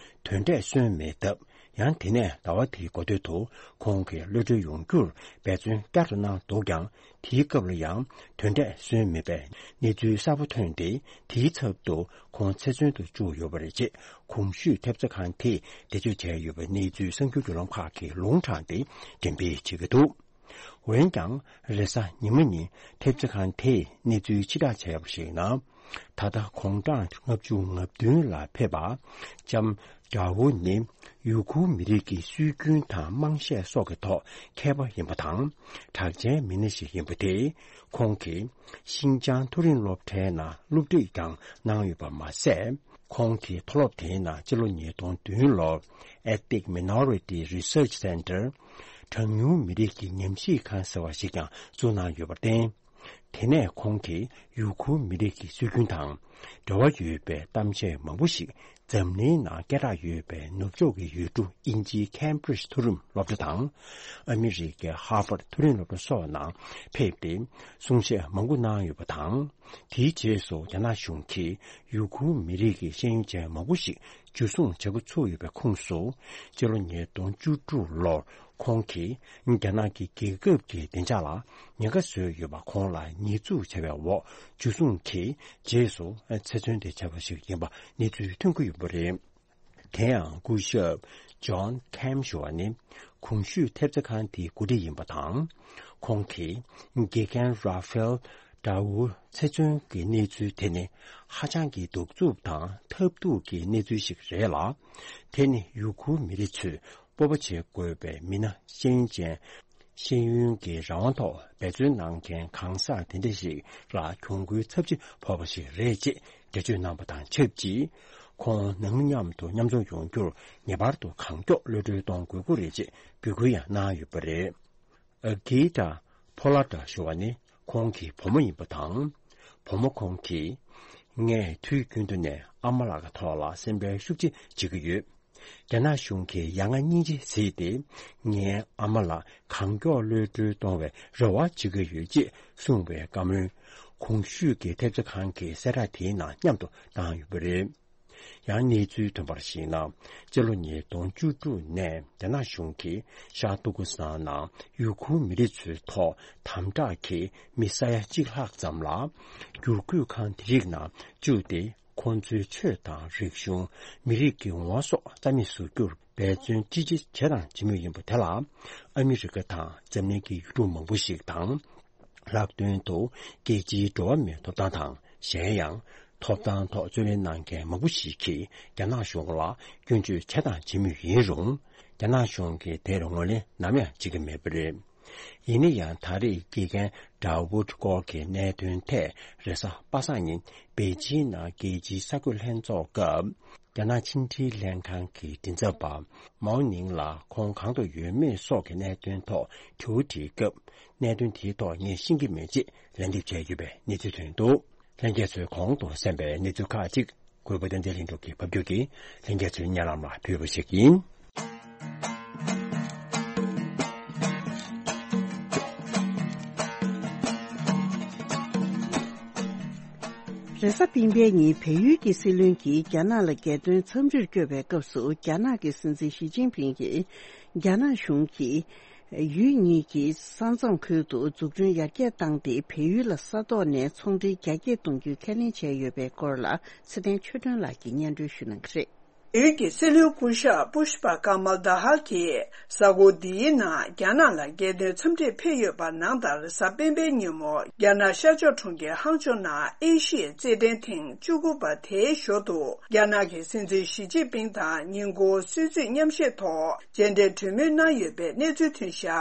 དོན་འབྲས་སོན་མེད་སྟབས། ཡང་དེ་ནས་ཟླ་བ་དེའི་འགོ་སྟོད་དུ་ཁོང་གིས་གློད་གྲོལ་ཡོང་རྒྱུར་འབད་བརྩོན་བསྐྱར་དུ་གནང་འདུག་ཀྱང་། དེའི་སྐབས་ལ་ཡང་དོན་འབྲས་སོན་མེད་པའི་གནས་ཚུལ་གསར་པ་ཐོན་ཏེ། དེའི་ཚབ་ཏུ་ཁོང་ཚེ་བཙོན་དུ་བཅུག་ཡོད་པ་རེད་ཅེས་གོང་ཞུས་ཐེབས་རྩ་ཁང་དེས་འགྲེལ་བརྗོད་བྱས་ཡོད་པའི་གནས་ཚུལ་གསར་འགྱུར་བརྒྱུད་ལམ་ཁག་གིས་ལུང་དྲངས་ཏེ་འགྲེམས་སྤེལ་བྱེད་ཀྱི་འདུག་འོན་ཀྱང་། རེས་གཟའ་ཉི་མ་ཉིན་ཐེབས་རྩ་ཁང་དེས་གནས་ཚུལ་ཕྱིར་བསྒྲགས་བྱས་པར་གཞིགས་ན། ད་ལྟ་དགུང་གྲངས་ལྔ་བཅུ་ང་བདུན་ལ་ཕེབས་པ། ལྕམ་ཏྲ་ཝུ་ནི་ཡུ་གུར་མི་རིགས་ཀྱི་སྲོལ་རྒྱུན་དང་དམངས་གཞས་སོགས་ཀྱི་ཐོག་མཁས་པ་ཡིན་པ་དང་། གྲགས་ཅན་མི་སྣ་ཞིག་ཡིན་པ་དེས། ཁོང་གིས་ཤིན་ཅང་མཐོ་རིམ་སློབ་གྲྭའི་ནང་སློབ་ཁྲིད་ཀྱང་གནང་ཡོད་པ་མ་ཟད། ཁོང་གིས་མཐོ་སློབ་དེའི་ནང་སྤྱི་ལོ་ཉིས་སྟོང་བདུན་ལོར་Ethnic Minority Research Center། གྲངས་ཉུང་མི་རིགས་ཀྱི་ཉམས་ཞིབ་ཁང་ཟེར་བ་ཞིག་ཀྱང་བཙུགས་གནང་ཡོད་པར་བརྟེན། དེ་ནས་ཁོང་གིས་ཡུ་གུར་མི་རིགས་ཀྱི་སྲོལ་རྒྱུན་དང་འབྲེལ་བ་ཡོད་པའི་གཏམ་བཤད་མང་པོ་ཞིག་འཛམ་གླིང་ནང་སྐད་གྲགས་ཡོད་པའི་ནུབ་ཕྱོགས་ཀྱི་ཡུལ་གྲུ་དབྱིན་ཇིའི་Cambridge་མཐོ་རིམ་སློབ་གྲྭ་དང་། ཨ་མི་རི་ཀའི་Harvard་མཐོ་རིམ་སློབ་གྲྭ་སོགས་ནང་ཕེབས་ཏེ་གསུང་བཤད་མང་པོ་གནང་ཡོད་པ་དང་། དེའི་རྗེས་སུ་རྒྱ་ནག་གཞུང་གིས་ཡུ་གུར་མི་རིགས་ཀྱི་ཤེས་ཡོན་ཅན་མང་པོ་ཞིག་འཇུ་བཟུང་བྱ་འགོ་ཚུགས་ཡོད་པའི་ཁོངས་སུ། སྤྱི་ལོ་ཉིས་སྟོང་བཅུ་དྲུག་ལོར་ཁོང་གིས་རྒྱ་ནག་གི་རྒྱལ་ཁབ་ཀྱི་བདེ་འཇགས་ལ་ཉེན་ཁ་བཟོས་ཡོད་པ་ཁོང་ལ་ཉེས་འཛུགས་བྱས་པའི་འོག་འཇུ་བཟུང་གིས་རྗེས་སུ་ཚེ་བཙོན་དུ་བཅད་པ་ཞིག་ཡིན་པ་གནས་ཚུལ་ཐོན་གྱི་ཡོད་པ་རེད། དེ་ཡང་སྐུ་ཞབས་John Cam་ཞུ་བ་ནི་གོང་ཞུས་ཐེབས་རྩ་ཁང་དེའི་འགོ་ཁྲིད་ཡིན་པ་དང་། ཁོང་གིས་དགེ་རྒན་Rafael Dawood་ཚེ་བཙོན་གྱི་གནས་ཚུལ་དེ་ནི་ཧ་ཅང་གི་གདུག་རྩུབ་དང་ཐབས་སྡུག་གི་གནས་ཚུལ་ཞིག་རེད་ལ། དེ་ནི་ཡུ་གུར་མི་རིགས་ཚོས་སྤོབས་པ་བྱེད་དགོས་པའི་མི་སྣ་ཤེས་ཡོན་ཅན། ཤེས་ཡོན་གྱི་རང་དབང་ཐོག་འབད་བརྩོན་གནང་མཁན་གང་ཟག་དེ་འདྲ་ཞིག་ལ་གྱོང་གུན་ཚབས་ཆེ་ཕོག་པ་ཞིག་རེད་ཅེས་འགྲེལ་བརྗོད་གནང་བ་དང་ཆབས་ཅིག་ཁོང་ནང་མཉམ་དུ་མཉམ་འཛོམས་ཡོང་རྒྱུར་ངེས་པར་དུ་གང་མགྱོགས་གློད་གྲོལ་གཏོང་དགོས་ཀྱི་རེད་ཅེས་འབོད་སྐུལ་ཡང་གནང་ཡོད་པ་རེད། ཨ་གི་ཏྲ་ཕོ་ལ་ཏྲ་ཞུ་བ་ནི་ཁོང་གི་བུ་མོ་ཡིན་པ་དང་། བུ་མོ་ཁོང་གིས། ངས་དུས་རྒྱུན་དུ་ནས་ཨ་མ་ལགས་ཀྱི་ཐོག་ལ་སེམས་ཁྲལ་ཤུགས་ཆེ་བྱེད་ཀྱི་ཡོད། རྒྱ་ནག་གཞུང་གིས་ཡ་ང་སྙིང་རྗེ་བྱས་ཏེ། ངའི་ཨ་མ་ལགས་གང་མགྱོགས་གློད་གྲོལ་གཏོང་བའི་རེ་བ་བྱེད་ཀྱི་ཡོད་ཅེས་གསུངས་པའི་བཀའ་མོལ། གོང་ཞུས་ཀྱི་ཐེབས་རྩ་ཁང་གི་གསལ་བསྒྲགས་དེའི་ནང་མཉམ་དུ་བཏང་ཡོད་པ་རེད། ཡང་གནས་ཚུལ་ཐོན་པར་གཞིགས་ན། སྤྱི་ལོ་ཉིས་སྟོང་བཅུ་དྲུག་ནས་རྒྱ་ནག་གཞུང་གིས་ཤར་ཏུར་ཀི་སི་ཐན་ནང་ཡུ་གུར་མི་རིགས་ཚོའི་ཐོག་དམ་དྲག་གིས་མི་ས་ཡ་གཅིག་ལྷག་ཙམ་ལ་བསྒྱུར་བཀོད་ཁང་དེ་རིགས་ནང་བཅུག་སྟེ། ཁོང་ཚོའི་ཆོས་དང་རིག་གཞུང་། མི་རིགས་ཀྱི་ངོ་བོ་སོགས་རྩ་མེད་བཟོ་རྒྱུར་འབད་བརྩོན་ཅི་ཆེ་བྱས་དང་བྱེད་མུས་ཡིན་པ་དེ་ལ། ཨ་མི་རི་ཀ་དང་འཛམ་གླིང་གི་ཡུལ་གྲུ་མང་པོ་ཞིག་དང་། ལྷག་དོན་དུ་རྒྱལ་སྤྱིའི་འགྲོ་བ་མིའི་ཐོབ་ཐང་དང་གཞན་ཡང་། ཐོབ་ཐང་ཐོག་རྩོད་ལེན་གནང་མཁན་མང་པོ་ཞིག་གིས་རྒྱ་ནག་གཞུང་ལ་སྐྱོན་བརྗོད་བྱས་དང་བྱེད་མུས་ཡིན་རུང་། རྒྱ་ནག་གཞུང་གིས་དེར་ངོས་ལེན་ནམ་ཡང་བྱེད་ཀྱི་མེད་པ་རེད། ཡིན་ན་ཡང་ད་རེས་དགེ་རྒན་ཌ་ཝུཌ་སྐོར་གྱི་གནད་དོན་ཐད་རེས་གཟའ་པ་སངས་ཉིན་པེ་ཅིན་ནང་རྒྱལ་སྤྱིའི་གསར་འགོད་ལྷན་ཚོགས་སྐབས། རྒྱ་ནག་ཕྱི་འབྲེལ་ལྷན་ཁང་གི་མགྲིན་ཚབ་པ་མའོ་ནིང་ལ་ཁོང་གང་དུ་ཡོད་མེད་སོགས་ཀྱི་གནད་དོན་ཐོག་དྲི་བ་དྲིས་སྐབས། གནད་དོན་དེའི་ཐོག་ངས་ཤེས་ཀྱི་མེད་ཅེས་ལན་འདེབས་བྱས་ཡོད་པའི་གནས་ཚུལ་ཐོན་འདུག་ལྷན་རྒྱས་ཚོས་གོང་དུ་གསན་པའི་གནས་ཚུལ་ཁག་ཅིག་གུས་པ་བསྟན་འཛིན་ལྷུན་གྲུབ་ཀྱིས་ཕབ་སྒྱུར་གྱིས་ལྷན་རྒྱས་ཚོའི་སྙན་ལམ་ལ་ཕུལ་བ་ཞིག་ཡིན། རེས་གཟའ་སྤེན་པའི་ཉིན་བལ་ཡུལ་གྱི་སྲིད་བློན་གྱིས་རྒྱ་ནག་ལ་རྒྱལ་དོན་འཚམས་འདྲིར་བསྐྱོད་པའི་སྐབས་སུ། རྒྱ་ནག་གི་སྲིད་འཛིན་ཞི་ཅིན་ཕིང་གིས་རྒྱ་ནག་གཞུང་གིས་ཡུལ་གཉིས་ཀྱི་ས་མཚམས་ཁུལ་དུ་འཛུགས་སྐྲུན་ཡར་རྒྱས་བཏང་སྟེ། བལ་ཡུལ་ལ་ས་ཐོག་ནས་ཚོང་འབྲེལ་རྒྱ་སྐྱེད་གཏོང་རྒྱུའི་ཁས་ལེན་བྱས་ཡོད་པའི་སྐོར་ལ། ཚེ་བརྟན་ཆོས་སྒྲོན་ལགས་ཀྱིས་སྙན་སྒྲོན་ཞུ་གནང་གི་རེད། བལ་ཡུལ་གྱི་སྲིད་བློན་སྐུ་ཞབས་པུཤ་པ་ཀ་མལ་དཱ་ཧལ་གྱིས་གཟའ་འཁོར་འདིའི་ནང་རྒྱ་ནག་ལ་རྒྱལ་དོན་འཚམས་འདྲིར་ཕེབས་ཡོད་པ་ནང་ལྟར། གཟའ་སྤེན་པའི་ཉིན་མོ་རྒྱ་ནག་ཤར་ཕྱོགས་གྲོང་ཁྱེར་ཧང་ཆོ་ནང་ཨེ་ཤི་ཡའི་རྩེད་འགྲན་ཐེངས་བཅུ་དགུ་པ་དེའི་ཞོར་དུ། རྒྱ་ནག་གི་སྲིད་འཛིན་ཞི་ཅིན་ཕིང་དང་ཉིན་གུང་གསོལ་ཚིགས་མཉམ་བཞེས་ཐོག་མཇལ་འཕྲད་གྲོས་མོལ་གནང་ཡོད་པའི་གནས་ཚུལ་ཐོན་བཞག་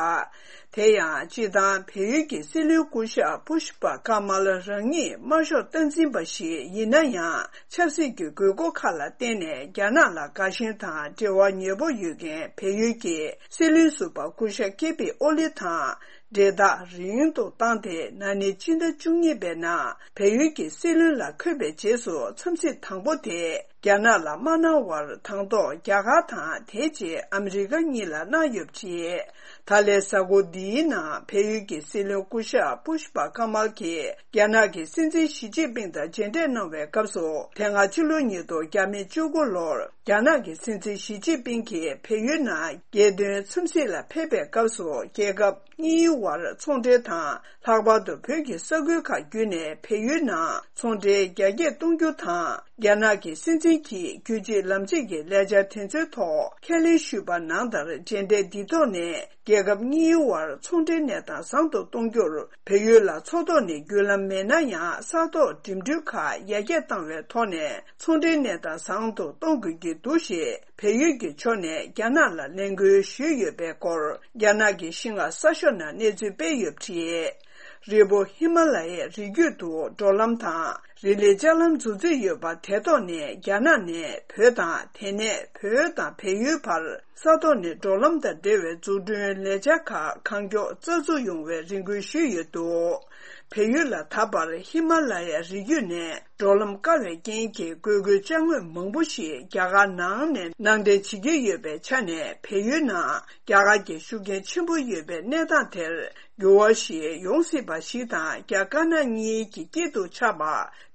དེ་ཡང་སྤྱིར་བཏང་བལ་ཡུལ་གྱི་སྲིད་བློན་སྐུ་ཞབས་པུཤ་པ་ཀ་མལ་རང་ཉིད་དམར་ཤོག་སྟངས་འཛིན་པ་ཞིག་ཡིན་ན་ཡང་། ཆབ་སྲིད་ཀྱི་དགོས་མཁོ་ཁག་ལ་བརྟེན་ནས་རྒྱ་ནག་ལ་དགའ་ཞེན་དང་འབྲེལ་བ་ཉེ་པོ་ཡོད་མཁན་བལ་ཡུལ་གྱི་སྲིད་བློན་ཟུར་པ་སྐུ་ཞབས་ཀེ་པི་ཨོ་ལི་དང་འབྲེལ་ཐག་རིང་དུ་བཏང་སྟེ། ན་ནིང་ཕྱི་ཟླ་བཅུ་གཉིས་པའི་ནང་བལ་ཡུལ་གྱི་སྲིད་བློན་ལ་འཁོད་པའི་རྗེས་སུ། འཚམས་གཟིགས་དང་པོ་དེ་རྒྱ་ནག་ལ་མ་གནང་བར། དང་ཐོག་རྒྱ་གར་དང་། དེའི་རྗེས་ཨ་མི་རི་ཀ་གཉིས་ལ་གནང་ཡོད་པ་རེད། ད་ལན་གཟའ་འཁོར་འདིའི་ནང་བལ་ཡུལ་གྱི་སྲིད་བློན་སྐུ་ཞབས་པུཤ་པ་ཀ་མལ་གྱིས་རྒྱ་ནག་གི་སྲིད་འཛིན་ཞི་ཅིན་ཕིང་དང་མཇལ་འཕྲད་གནང་བའི་སྐབས་སུ། དེ་སྔ་ཕྱི་ལོ་ཉིས་སྟོང་བརྒྱ་མེད་བཅུ་དགུ་ལོར་རྒྱ་ནག་གི་སྲིད་འཛིན་ཞི་ཅིན་ཕིང་གིས་བལ་ཡུལ་ནང་རྒྱལ་དོན་འཚམས་གཟིགས་ལ་ཕེབས་པའི་སྐབས་སུ། རྒྱལ་ཁབ་གཉིས་བར་ཚོང་འབྲེལ་དང་། ལྷག་པར་དུ་བོད་ཀྱི་ས་ཁུལ་ཁག་བརྒྱུད་ནས་བལ་ཡུལ་ནང་ཚོང་འབྲེལ་རྒྱ་སྐྱེད་གཏོང་རྒྱུ་དང་། རྒྱ་ནག་གི་སྲིད་འཛིན་གྱིས་རྒྱུད་གཅིག་ལམ་གཅིག་གི་ལས་འཆར་དེ་ཚོའི་ཐོག་ཁས་ལེན་ཞུས་པ་ནང་ལྟར། མཇལ་འཕྲད་འདིའི་ཐོག་ནས་རྒྱལ་ཁབ་གཉིས་བར་ཚོང་འབྲེལ་གནས་སྟངས་བཟང་དུ་གཏོང་རྒྱུར། བལ་ཡུལ་ལ་མཚོ་ཐོག་ནས་བརྒྱུད་ལམ་མེད་ན་ཡང་། ས་ཐོག་འགྲིམ་འགྲུལ་ཁག་ཡར་རྒྱས་བཏང་བའི་ཐོག་ནས་ཚོང་འབྲེལ་གནས་སྟངས་བཟང་དུ་གཏོང་དགོས་ཀྱི་འདུག་ཞེས་བལ་ཡུལ་གྱི་ཕྱོགས་ནས་རྒྱ་ནག་ལ་ལས་འགུལ་ཞུས་ཡོད་པའི་སྐོར། རྒྱ་ནག་གི་ཤིན་ཧྭ་གསར་ཤོག་ནང་གནས་ཚུལ་སྤེལ་ཡོད་པ་རེད། རི་བོ་ཧི་མ་ལ་ཡའི་རི་རྒྱུད་དུ་འགྲོ་ལམ་དང་རི་ལི་ལྕགས་ལམ་འཛུགས་རྩིས་ཡོད་པ་དེ་ཐོག་ནས་རྒྱ་ནག་ནས་བོད་དང་། དེ་ནས་བོད་དང་བལ་ཡུལ་བར་ས་ཐོག་ནས་འགྲོ་ལམ་དང་འབྲེལ་བའི་འཛུགས་སྐྲུན་ལས་འཆར་ཁག་གང་མགྱོགས་རྩ་འཛུགས་ཡོང་བའི་རེ་སྐུལ་ཞུས་ཡོད་འདུག་བལ་ཡུལ་ལ་ད་བར་ཧི་མ་ལ་ཡའི་རི་རྒྱུད་ནས་འགྲོ་ལམ་བཀག་པའི་རྐྱེན་གྱིས་འགོས་མཁོའི་ཅ་དངོས་མང་པོ་ཞིག་རྒྱ་གར་ནང་ནས་ནང་འདྲེན་བྱེད་ཀྱི་ཡོད་པའི་ཆ་ནས། བལ་ཡུལ་ནང་རྒྱ་གར་གྱི་ཤུགས་རྐྱེན་ཆེན་པོ་ཡོད་པའི་གནས་སྟངས་དེར་འགྱུར་བ་ཞིག་ཡོང་སྲིད་པ་ཞིག་དང་། རྒྱ་དཀར་ནག་གཉིས་ཀྱི་དཀྱིལ་དུ་ཆགས་པ་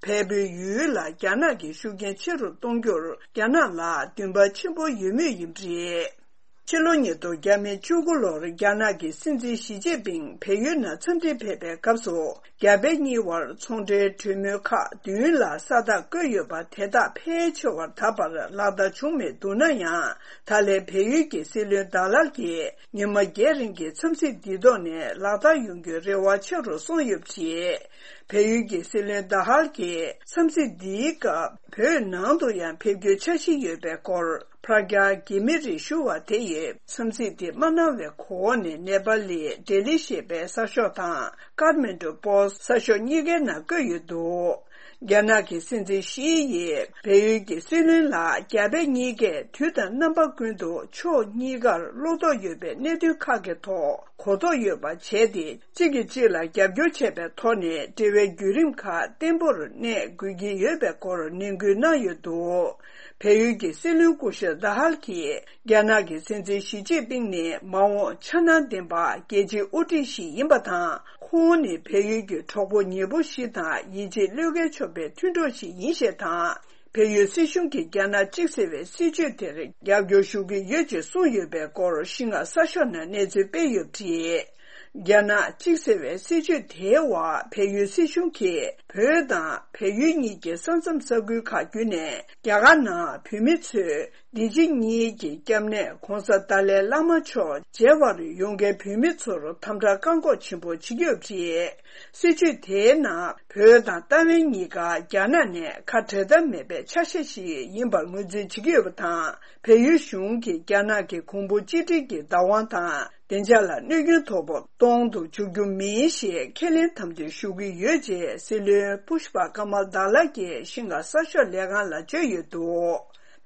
བལ་པོའི་ཡུལ་ལ་རྒྱ་ནག་གི་ཤུགས་རྐྱེན་ཆེ་རུ་གཏོང་རྒྱུར་རྒྱ་ནག་ལ་འདུན་པ་ཆེན་པོ་ཡོད་མུས་ཡིན་པ་རེད། ཕྱི་ལོ་ཉིས་སྟོང་བརྒྱ་མེད་བཅུ་དགུ་ལོར་རྒྱ་ནག་གི་སྲིད་འཛིན་ཞི་ཅིན་ཕིང་བལ་ཡུལ་ནང་འཚམས་འདྲིར་ཕེབས་པའི་སྐབས་སུ། རྒྱ་བལ་གཉིས་བར་ཚོང་འབྲེལ་གྲོས་མོལ་ཁག་བདུན་ལ་ས་རྟགས་བཀོད་ཡོད་པ་དེ་དག་ཕལ་ཆེ་བར་ད་བར་ལག་བསྟར་བྱུང་མེད་འདུག་ན་ཡང་། ད་ལན་བལ་ཡུལ་གྱི་སྲིད་བློན་ཌ་ལར་གྱིས་ཉི་མ་བརྒྱད་རིང་གི་འཚམས་གཟིགས་འདིའི་ཐོག་ནས་ལག་བསྟར་ཡོང་རྒྱུའི་རེ་བ་ཆེ་རུ་སོང་ཡོད་པ་རེད། བལ་ཡུལ་གྱི་སྲིད་བློན་ཌ་ཧལ་གྱིས་འཚམས་གཟིགས་འདིའི་སྐབས་བོད་ནང་དུ་ཡང་ཕེབས་རྒྱུའི་འཆར་གཞི་ཡོད་པའི་སྐོར། པྲ་ཀྱཱ་གྷི་མི་རི་ཞུ་བ་དེ་ཡིས་འཚམས་གཟིགས་དེ་མ་གནང་བའི་གོང་ནས་ནེ་པ་ལི་ཌེ་ལི་ཞེས་པའི་གསར་ཤོག་དང་ཀཱཐ་མན་ཌུ་པོ་སི་ཊི་གསར་ཤོག་གཉིས་ཀའི་ནང་བཀོད་ཡོད་འདུག་རྒྱ་ནག་གི་སྲིད་འཛིན་ཞི་ཡིས་བལ་ཡུལ་གྱི་སྲིད་བློན་ལ་རྒྱ་བལ་གཉིས་ཀས་དུས་དང་རྣམ་པ་ཀུན་ཏུ་ཕྱོགས་གཉིས་ཀར་བློ་དོགས་ཡོད་པའི་གནད་དོན་ཁག་གི་ཐོག་གོ་རྟོགས་ཡོད་པ་བྱས་ཏེ། གཅིག་གིས་གཅིག་ལ་རྒྱབ་སྐྱོར་བྱས་པའི་ཐོག་ནས་འབྲེལ་བའི་བརྒྱུད་རིམ་ཁག་བརྟན་པོར་གནས་དགོས་ཀྱི་ཡོད་པའི་སྐོར་ནན་སྐུལ་གནང་ཡོད་འདུག་བལ་ཡུལ་གྱི་སྲིད་བློན་སྐུ་ཞབས་ཌ་ཧལ་གྱིས་རྒྱ་ནག་གི་སྲིད་འཛིན་ཞི་ཅིན་ཕིང་ནི་མ་འོངས་འཆར་སྣང་ལྡན་པ་རྒྱལ་སྤྱིའི་དབུ་ཁྲིད་ཞིག་ཡིན་པ་དང་། ཁོང་ནི་བལ་ཡུལ་གྱི་གྲོགས་པོ་ཉེ་པོ་ཞིག་དང་ཡིད་ཆེས་བློས་འགེལ་ཆོག་པའི་མཐུན་གྲོགས་ཤིག་ཡིན་ཞེས་དང་། བལ་ཡུལ་སྲིད་གཞུང་གིས་རྒྱ་ནག་གཅིག་ཟེར་བའི་སྲིད་བྱུས་དེར་རྒྱབ་སྐྱོར་ཞུ་གི་ཡོད་ཅེས་གསུངས་ཡོད་པའི་སྐོར་ཤིན་ཧྭ་གསར་ཤོག་ནང་གནས་ཚུལ་སྤེལ་ཡོད་པ་རེད། རྒྱ་ནག་གཅིག་ཟེར་བའི་སྲིད་བྱུས་དེའི་འོག་བལ་ཡུལ་སྲིད་གཞུང་གིས་བོད་དང་བལ་ཡུལ་གཉིས་ཀྱི་ས་མཚམས་ས་ཁུལ་ཁག་བརྒྱུད་ནས་རྒྱ་གར་ནང་བོད་མི་ཚོས་འདི་ཕྱི་གཉིས་ཀྱི་སྐྱབས་གནས་༧གོང་ས་ཏཱ་ལའི་བླ་མ་མཆོག་མཇལ་བར་ཡོང་མཁན་བོད་མི་ཚོར་དམ་དྲག་བཀག་འགོག་ཆེན་པོ་བྱེད་ཀྱི་ཡོད་པ་རེད། སྲིད་བྱུས་དེའི་ནང་བོད་དང་ཏཱ་ཝན་གཉིས་ཀ་རྒྱ་ནག་ནས་ཁ་བྲལ་ཐབས་མེད་པའི་ཆ་ཤས་ཤིག་ཡིན་པར་ངོས་འཛིན་བྱེད་ཀྱི་ཡོད་པ་དང་། བལ་ཡུལ་གཞུང་གིས་རྒྱ་ནག་གི་གོང་བུ་གཅིག་སྒྲིལ་གྱི་བདག་དབང་དང་བདེ་འཇགས་ལ་གནོད་སྐྱོན་དོ་ཕོག་གཏོང་དུ་འཇུག་རྒྱུ་མིན་ཞེས་ཁས་ལེན་དམ་དོད་ཞུ་གི་ཡོད་ཅེས་སྲིད་བློན་པུཤ་པ་ཀ་མལ་དཱ་ལ་གིས་ཤིན་ཧྭ་གསར་ཤོག་ལས་ཁང་ལ་བརྗོད་ཡོད་འདུག་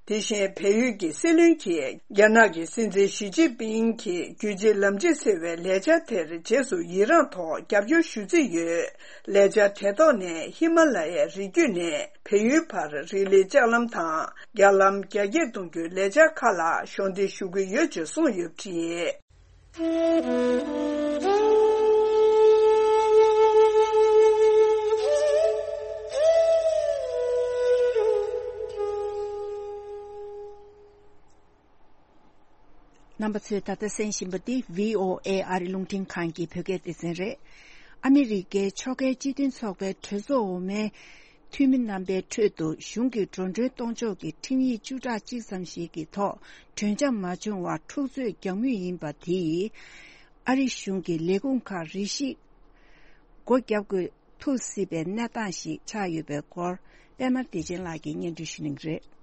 དེ་བཞིན་བལ་ཡུལ་གྱི་སྲིད་བློན་གྱིས་རྒྱ་ནག་གི་སྲིད་འཛིན་ཞི་ཅིན་ཕིང་གི་རྒྱུད་གཅིག་ལམ་གཅིག་ཟེར་བའི་ལས་འཆར་དེར་རྗེས་སུ་ཡི་རངས་ཐོག་རྒྱབ་སྐྱོར་ཞུ་རྩིས་ཡོད། ལས་འཆར་དེ་ཐོག་ནས་ཧི་མ་ལ་ཡའི་རི་རྒྱུད་ནས་བལ་ཡུལ་བར་རི་ལི་ལྕགས་ལམ་དང་རྒྱ་ལམ་རྒྱ་སྐྱེད་གཏོང་རྒྱུའི་ལས་འཆར་ཁག་ལ་གཞོགས་འདེགས་ཞུ་གི་ཡོད་ཅེས་གསུངས་ཡོད་པ་རེད། རྣམ་པ་ཚོས་ད་ལྟ་གསན་བཞིན་པ་འདི་བྷི་ཨོ་ཨེ་ཨ་རི་རླུང་འཕྲིན་ཁང་གི་བོད་སྐད་སྡེ་ཚན་རེད། ཨ་མི་རི་ཀའི་ཕྱོགས་འགལ་སྤྱི་མཐུན་ཚོགས་པའི་གྲོས་ཚོགས་འོག་མའི་འཐུས་མི་རྣམ་པའི་ཁྲོད་དུ་གཞུང་གི་འགྲོ་གྲོན་གཏོང་ཕྱོགས་ཀྱི་ཁྲིམས་ཡིག་བཅུ་ཕྲག་གཅིག་ཙམ་ཞིག་གི་ཐོག་གྲོས་འཆམ་མ་བྱུང་བར་འཁྲུག་རྩོད་རྒྱག་མུས་ཡིན་པ་དེས་ཨ་རི་གཞུང་གི་ལས་ཁུངས་ཁག་རེ་ཞིག་སྒོ་བརྒྱབ་དགོས་ཐུག་སྲིད་པའི་གནས་སྟངས་ཤིག་ཆགས་ཡོད་པའི་སྐོར་པད་མ་བདེ་ཆེན་ལགས་ཀྱིས་སྙན་སྒྲོན་ཞུ་གནང་གི་རེད།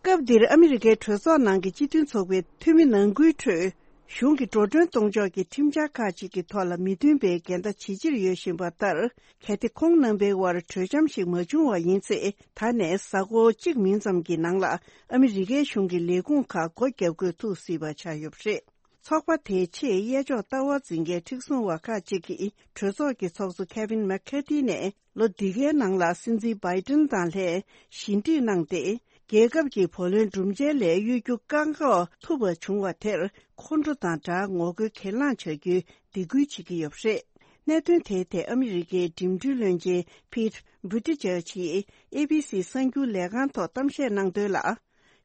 སྐབས་འདིར་ཨ་མི་རི་ཀའི་གྲོས་ཚོགས་ནང་གི་སྤྱི་མཐུན་ཚོགས་པའི་འཐུས་མི་ནང་ཁུལ་ཁྲོད་གཞུང་གི་འགྲོ་གྲོན་གཏོང་ཕྱོགས་ཀྱི་ཁྲིམས་འཆར་ཁག་ཅིག་གི་ཐོག་ལ་མི་མཐུན་པའི་འགལ་ཟླ་ཇེ་ཆེར་ཡོད་བཞིན་པ་ལྟར། གལ་ཏེ་ཁོང་རྣམ་པའི་དབར་གྲོས་འཆམ་ཞིག་མ་བྱུང་བ་ཡིན་ཚེ། ད་ནས་གཟའ་འཁོར་གཅིག་མིན་ཙམ་གྱི་ནང་ལ་ཨ་མི་རི་ཀའི་གཞུང་གི་ལས་ཁུངས་ཁག་སྒོ་བརྒྱབ་དགོས་ཐུག་སྲིད་པ་ཆགས་ཡོད་པ་རེད། ཚོགས་པ་དེའི་ཆེས་གཡས་ཕྱོགས་ལྟ་བ་འཛིན་མཁན་མཁྲེགས་བཟུང་བ་ཁག་ཅིག་གིས་གྲོས་ཚོགས་ཀྱི་ཚོགས་གཙོ་ཁེ་ཝིན་མེག་ཁེ་ཏི་ནས་ལོ་འདི་གའི་ནང་ལ་སྲིད་འཛིན་བྷའི་ཏིན་དང་ལྷན་ཞི་འགྲིག་གནང་སྟེ། རྒྱལ་ཁབ་ཀྱི་བུ་ལོན་སྒྲུབ་འཇལ་ལས་གཡོལ་རྒྱུ་བཀག་འགོག་ཐུབ་པ་བྱུང་བ་དེར་ཁོང་ཁྲོ་དང་སྦྲགས་ངོ་རྒོལ་གྱེན་ལངས་བྱ་རྒྱུའི་སྡིགས་སྐུལ་བྱེད་ཀྱི་ཡོད་པ་རེད། གནད་དོན་དེའི་ཐད་ཨ་མི་རི་ཀའི་འགྲིམ་འགྲུལ་བློན་ཆེན་ཕིད་བྷུ་ཏི་ཇར་ཇི་ཡིས་ཨེ་བྷི་སི་གསར་འགྱུར་ལས་ཁང་ཐོག་གཏམ་བཤད་གནང་དོན་ལ།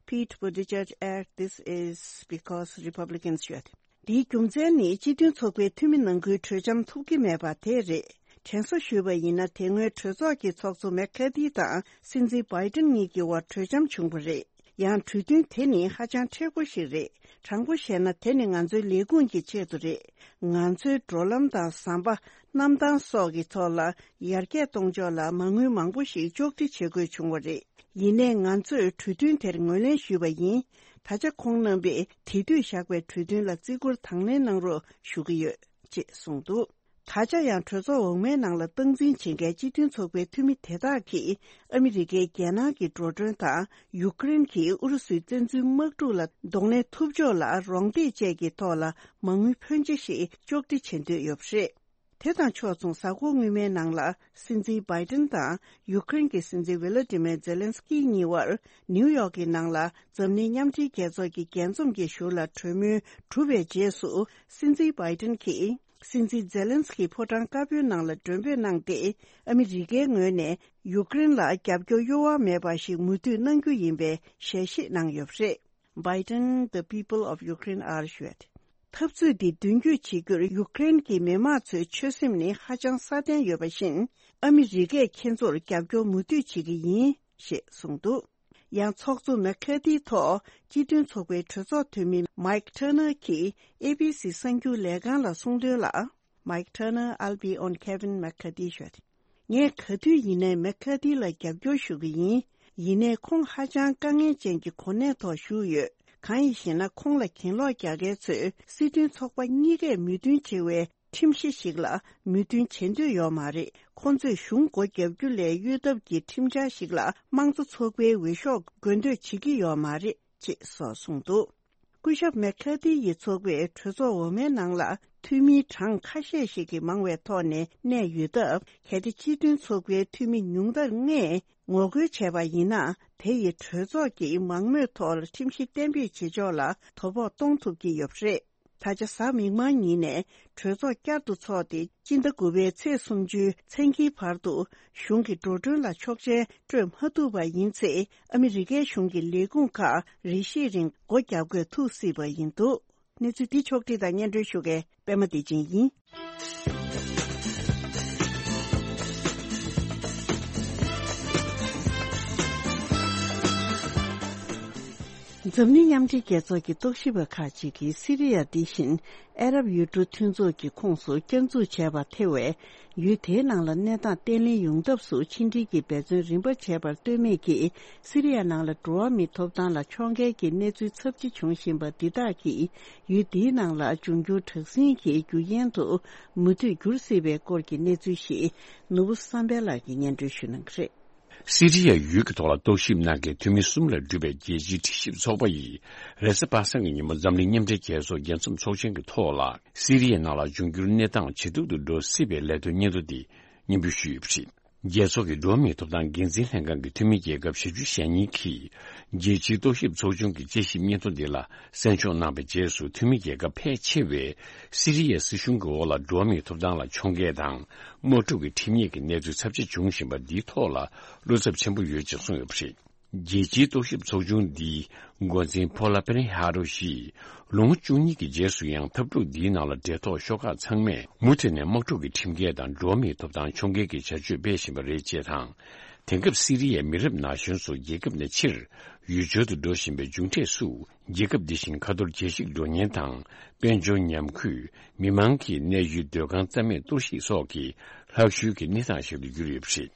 Pete Buttigieg added, "This is because Republicans should." འདིའི་རྒྱུ་མཚན་ནི་སྤྱི་མཐུན་ཚོགས་པའི་འཐུས་མི་ནང་ཁུལ་གྲོས་འཆམ་ཐུབ་ཀྱི་མེད་པ་དེ་རེད། དྲན་གསོ་ཞུས་པ་ཡིན་ན། དེ་སྔོན་གྲོས་ཚོགས་ཀྱི་ཚོགས་གཙོ་མེག་ཁ་ཐི་དང་སྲིད་འཛིན་བྷའི་ཏིན་གཉིས་ཀྱི་དབར་གྲོས་འཆམ་བྱུང་བ་རེད། ཡང་གྲོས་མཐུན་དེ་ནི་ཧ་ཅང་མཁྲེགས་པོ་ཞིག་རེད། དྲང་པོ་བཤད་ན། དེ་ནི་ང་ཚོའི་ལས་ཁུངས་ཀྱི་ཆེད་དུ་རེད། ང་ཚོའི་འགྲོ་ལམ་དང་ཟམ་པ། གནམ་ཐང་སོགས་ཀྱི་ཐོག་ལ་ཡར་རྒྱས་གཏོང་ཕྱོགས་ལ་མ་དངུལ་མང་པོ་ཞིག་གཅོག་འཕྲི་བྱེད་དགོས་བྱུང་བ་རེད། ཡིན་ནའི་ང་ཚོས་གྲོས་མཐུན་དེར་ངོས་ལེན་ཞུས་པ་ཡིན། ད་ཆ་ཁོང་རྣམ་པས་དེ་དུས་བཞག་པའི་གྲོས་མཐུན་ལ་བརྩི་བཀུར་དང་ལེན་གནང་རོགས་ཞུ་གི་ཡོད་ཅེས་གསུངས་འདུག་ད་ཆ་ཡང་གྲོས་ཚོགས་འོག་མའི་ནང་ལ་སྟངས་འཛིན་བྱེད་མཁན་སྤྱི་མཐུན་ཚོགས་པའི་འཐུས་མི་དེ་དག་གིས་ཨ་མི་རི་ཀའི་རྒྱལ་ནང་གི་འགྲོ་གྲོན་དང་ཡུཀ་རེན་གྱིས་ཨུ་རུ་སུའི་བཙན་འཛུལ་དམག་འཁྲུག་ལ་གདོང་ལེན་ཐུབ་ཕྱོགས་ལ་རོགས་འདེགས་བཅས་ཀྱི་ཐོག་ལ་མ་དངུལ་ཕོན་ཆེ་ཞིག་གཅོག་འཕྲི་བྱེད་འདོད་ཡོད་པ་རེད། དེ་དང་ཕྱོགས་མཚུངས། གཟའ་འཁོར་སྔོན་མའི་ནང་ལ་སྲིད་འཛིན་བྷའི་ཏིན་དང་ཡུཀ་རེན་གྱི་སྲིད་འཛིན་ཝི་ལ་ཏི་མེ་ཛེ་ལན་སི་ཀི་གཉིས་དབར་ནིའུ་ཡོག་གི་ནང་ལ་འཛམ་གླིང་མཉམ་འབྲེལ་རྒྱལ་ཚོགས་ཀྱི་རྒྱས་འཛོམས་ཀྱི་ཞུ་ལ་གྲོས་མོལ་གྲུབ་པའི་རྗེས་སུ། སྲིད་འཛིན་བྷའི་ཏིན་གྱིས་སྲིད་འཛིན་ཛེ་ལན་སི་ཀི་ཕོ་བྲང་དཀར་པོའི་ནང་ལ་མགྲོན་འབོད་གནང་སྟེ། ཨ་མི་རི་ཀའི་ངོས་ནས་ཡུཀ་རེན་ལ་རྒྱབ་སྐྱོར་གཡོ་བ་མེད་པ་ཞིག་མུ་མཐུད་གནང་རྒྱུ་ཡིན་པའི་ཞལ་བཞེས་གནང་ཡོད་པ་རེད། Biden, the people of Ukraine are assured. འཐབ་རྩོད་འདི་མདུན་སྐྱོད་བྱེད་རྒྱུར་ཡུཀ་རེན་གྱི་མི་དམངས་ཚོའི་ཆོད་སེམས་ནི་ཧ་ཅང་སྲ་བརྟན་ཡོད་པ་བཞིན། ཨ་མི་རི་ཀས་ཁྱེད་ཚོར་རྒྱབ་སྐྱོར་མུ་མཐུད་བྱེད་ཀྱི་ཡིན་ཞེས་གསུངས་འདུག་ཡང་ཚོགས་གཙོ་མེག་ཁ་ཐིའི་ཐོག་སྤྱི་མཐུན་ཚོགས་པའི་གྲོས་ཚོགས་འཐུས་མི་མའིག་ཊར་ནར་གྱིས་ཨེ་བྷི་སི་གསར་འགྱུར་ལས་ཁང་ལ་གསུངས་དོན་ལ། Mike Turner, I'll be on Kevin McCarthy show. ངས་ག་དུས་ཡིན་ནའི་མེག་ཁ་ཐི་ལ་རྒྱབ་སྐྱོར་ཞུ་གི་ཡིན། ཡིན་ནའི་ཁོང་ཧ་ཅང་དཀའ་ངལ་ཅན་གྱི་གོ་གནས་ཐོག་བཞུགས་ཡོད། གང་ཡིན་ཞེ་ན། ཁོང་ལ་གྱེན་ལོག་རྒྱག་མཁན་ཚོས་སྲིད་དོན་ཚོགས་པ་གཉིས་ཀས་མོས་མཐུན་བྱེད་པའི་ཁྲིམས་གཞི་ཞིག་ལ་མོས་མཐུན་བྱེད་འདོད་ཡོད་མ་རེད། ཁོང་ཚོས་གཞུང་སྒོ་བརྒྱབ་རྒྱུ་ལས་གཡོལ་ཐབས་ཀྱི་ཁྲིམས་འཆར་ཞིག་ལ་དམངས་གཙོ་ཚོགས་པའི་འོས་ཤོག་དགོས་འདོད་བྱེད་ཀྱི་ཡོད་མ་རེད། ཅེས་སོགས་གསུངས་འདུག་སྐུ་ཞབས་མེག་ཁ་ཐི་ཡི་ཚོགས་པས་གྲོས་ཚོགས་འོག་མའི་ནང་ལ་འཐུས་མིའི་གྲངས་ཁ་ཤས་ཤིག་གིས་མང་བའི་ཐོག་ནས་གནས་ཡོད་སྟབས། གལ་ཏེ་སྤྱི་མཐུན་ཚོགས་པའི་འཐུས་མི་ཉུང་མཐར་ལྔས་ངོ་རྒོལ་བྱས་པ་ཡིན་ན། དེ་ཡིས་གྲོས་ཚོགས་ཀྱིས་མང་མོས་ཐོག་ཁྲིམས་གཞི་གཏན་འབེབས་བྱེད་ཕྱོགས་ལ་དོ་ཕོག་གཏོང་ཐུབ་ཀྱི་ཡོད་པ་རེད། ད་ཆ་གཟའ་མིག་དམར་ཉིན་ནས་གྲོས་ཚོགས་བསྐྱར་དུ་འཚོགས་ཏེ། སྤྱི་ཟླ་དགུ་པའི་ཚེས་སུམ་ཅུའི་མཚན་དཀྱིལ་བར་དུ་གཞུང་གི་འགྲོ་གྲོན་ལ་ཆོག་མཆན་སྤྲོད་མ་ཐུབ་པ་ཡིན་ཚེ། ཨ་མི་རི་ཀའི་གཞུང་གི་ལས་ཁུངས་ཁག་རེ་ཞིག་རིང་སྒོ་རྒྱབ་དགོས་ཐུག་སྲིད་པ་ཡིན་འདུག། གནས་ཚུལ་འདི་ཕྱོགས་བསྒྲིགས་དང་སྙན་སྒྲོན་ཞུ་མཁན་པད་མ་བདེ་ཆེན་ཡིན། འཛམ་གླིང་མཉམ་འབྲེལ་རྒྱལ་ཚོགས་ཀྱི་རྟོག་ཞིབ་པ་ཁག་ཅིག་གིས་སི་རི་ཡ་འདི་བཞིན་ཨ་རབ་ཡུལ་གྲུ་མཐུན་ཚོགས་ཀྱི་ཁོངས་སུ་བསྐྱར་འཛུགས་བྱས་པར་ཐེ་བའི་ཡུལ་དེའི་ནང་ལ་གནས་སྟངས་བརྟན་ལྷིང་ཡོང་ཐབས་སུ་ཕྱི་འབྲེལ་གྱི་འབད་བརྩོན་རིམ་པ་བྱས་པར་ལྟོས་མེད་ཀྱིས། སི་རི་ཡ་ནང་ལ་འགྲོ་བ་མིའི་ཐོབ་ཐང་ལ་ཕྱོགས་འགལ་གྱི་གནས་ཚུལ་ཚབས་ཆེ་འབྱུང་བཞིན་པ་འདི་དག་གིས་ཡུལ་འདིའི་ནང་ལ་འབྱུང་འགྱུར་དྲག་ཟིང་གི་རྒྱུ་རྐྱེན་དུ་མུ་མཐུད་འགྱུར་སྲིད་པའི་སྐོར་གྱི་གནས་ཚུལ་ཞིག་ནོར་བུ་བསམ་འཕེལ་ལགས་ཀྱིས་སྙན་སྒྲོན་ཞུ་གནང་གི་རེད། སི་རི་ཡ་ཡུལ་གྱི་ཐོག་ལ་རྟོག་ཞིབ་གནང་མཁན་འཐུས་མི་གསུམ་ལས་གྲུབ་པའི་རྒྱལ་སྤྱིའི་དྲི་ཞིབ་ཚོགས་པ་ཡིས་རེས་གཟའ་པ་སངས་ཀྱི་ཉིན་མོ་འཛམ་གླིང་མཉམ་འབྲེལ་རྒྱལ་ཚོགས་རྒྱལ་འཛོམས་ཚོགས་ཆེན་གྱི་ཐོག་ལ། སི་རི་ཡའི་ནང་ལ་འབྱུང་འགྱུར་གནས་སྟངས་ཇེ་སྡུག་ཏུ་འགྲོ་སྲིད་པའི་ལས་དོན་སྙན་ཐོ་འདི་སྙན་འབུལ་ཞུས་ཡོད་པ་རེད། རྒྱལ་ཚོགས་ཀྱི་འགྲོ་བ་མིའི་ཐོབ་ཐང་འགན་འཛིན་ལྷན་ཁང་གི་འཐུས་མི་རྒྱལ་ཁབ་ཞེ་བཅུ་ཞེ་གཉིས་ཀྱིས་རྒྱལ་སྤྱིའི་རྟོག་ཞིབ་ཚོགས་ཆུང་གི་དཔྱད་ཞིབ་སྙན་ཐོ་འདི་ལ་གསན་འཇོག་གནང་བའི་རྗེས་སུ། འཐུས་མི་རྒྱལ་ཁབ་ཕལ་ཆེ་བས་སི་རི་ཡའི་སྲིད་གཞུང་གི་འོག་ལ་འགྲོ་བ་མིའི་ཐོབ་ཐང་ལ་ཕྱོགས་འགལ་དང་། དམག་འཁྲུག་གི་ཁྲིམས་ཉེས་ཀྱི་གནས་ཚུལ་ཚབས་ཆེ་འབྱུང་བཞིན་པ་འདིའི་ཐོག་ལ་བློ་འཚབ་ཆེན་པོ་ཡོད་ཅེས་གསུངས་ཡོད་པ་རེད། རྒྱལ་སྤྱིའི་རྟོག་ཞིབ་ཚོགས་ཆུང་འདིའི་འགོ་འཛིན་ཕོ་ལ་པེ་ནེ་ཧ་རོ་ཡིས། ལོ་ངོ་བཅུ་གཉིས་ཀྱི་རྗེས་སུ་ཡང་། འཐབ་འཁྲུག་འདིའི་ནང་ལ་འབྲེལ་ཐོགས་ཤོག་ཁག་ཚང་མས་མུ་མཐུད་ནས་དམག་འཁྲུག་གི་ཁྲིམས་འགལ་དང་། འགྲོ་བ་མིའི་ཐོབ་ཐང་ཕྱོགས་འགལ་གྱི་བྱ་སྤྱོད་སྤེལ་བཞིན་པ་རེད་ཅེས་དང་། དེང་སྐབས་སི་རི་ཡའི་མི་རབས་ན་གཞོན་ཚོ་རྒྱལ་ཁབ་ནས་ཕྱིར་ཡུལ་སྦྱོར་དུ་འགྲོ་བཞིན་པའི་མཇུག་འབྲས་སུ། རྒྱལ་ཁབ་འདི་བཞིན་ཁ་ཐོར་རྒྱས་ཤིང་འགྲོ་ཉེན་དང་། དཔལ་འབྱོར་ཉམས་རྒུད། མི་མང་གི་གནས་ཡུལ་སྡོད་ཁང་རྩ་མེད་གཏོར་བཤིག་སོགས་ཀྱི་ལྷག་ཤུལ་གྱི་གནས་སྟངས་ཤིག་ཏུ་གྱུར་ཡོད་པ་རེད།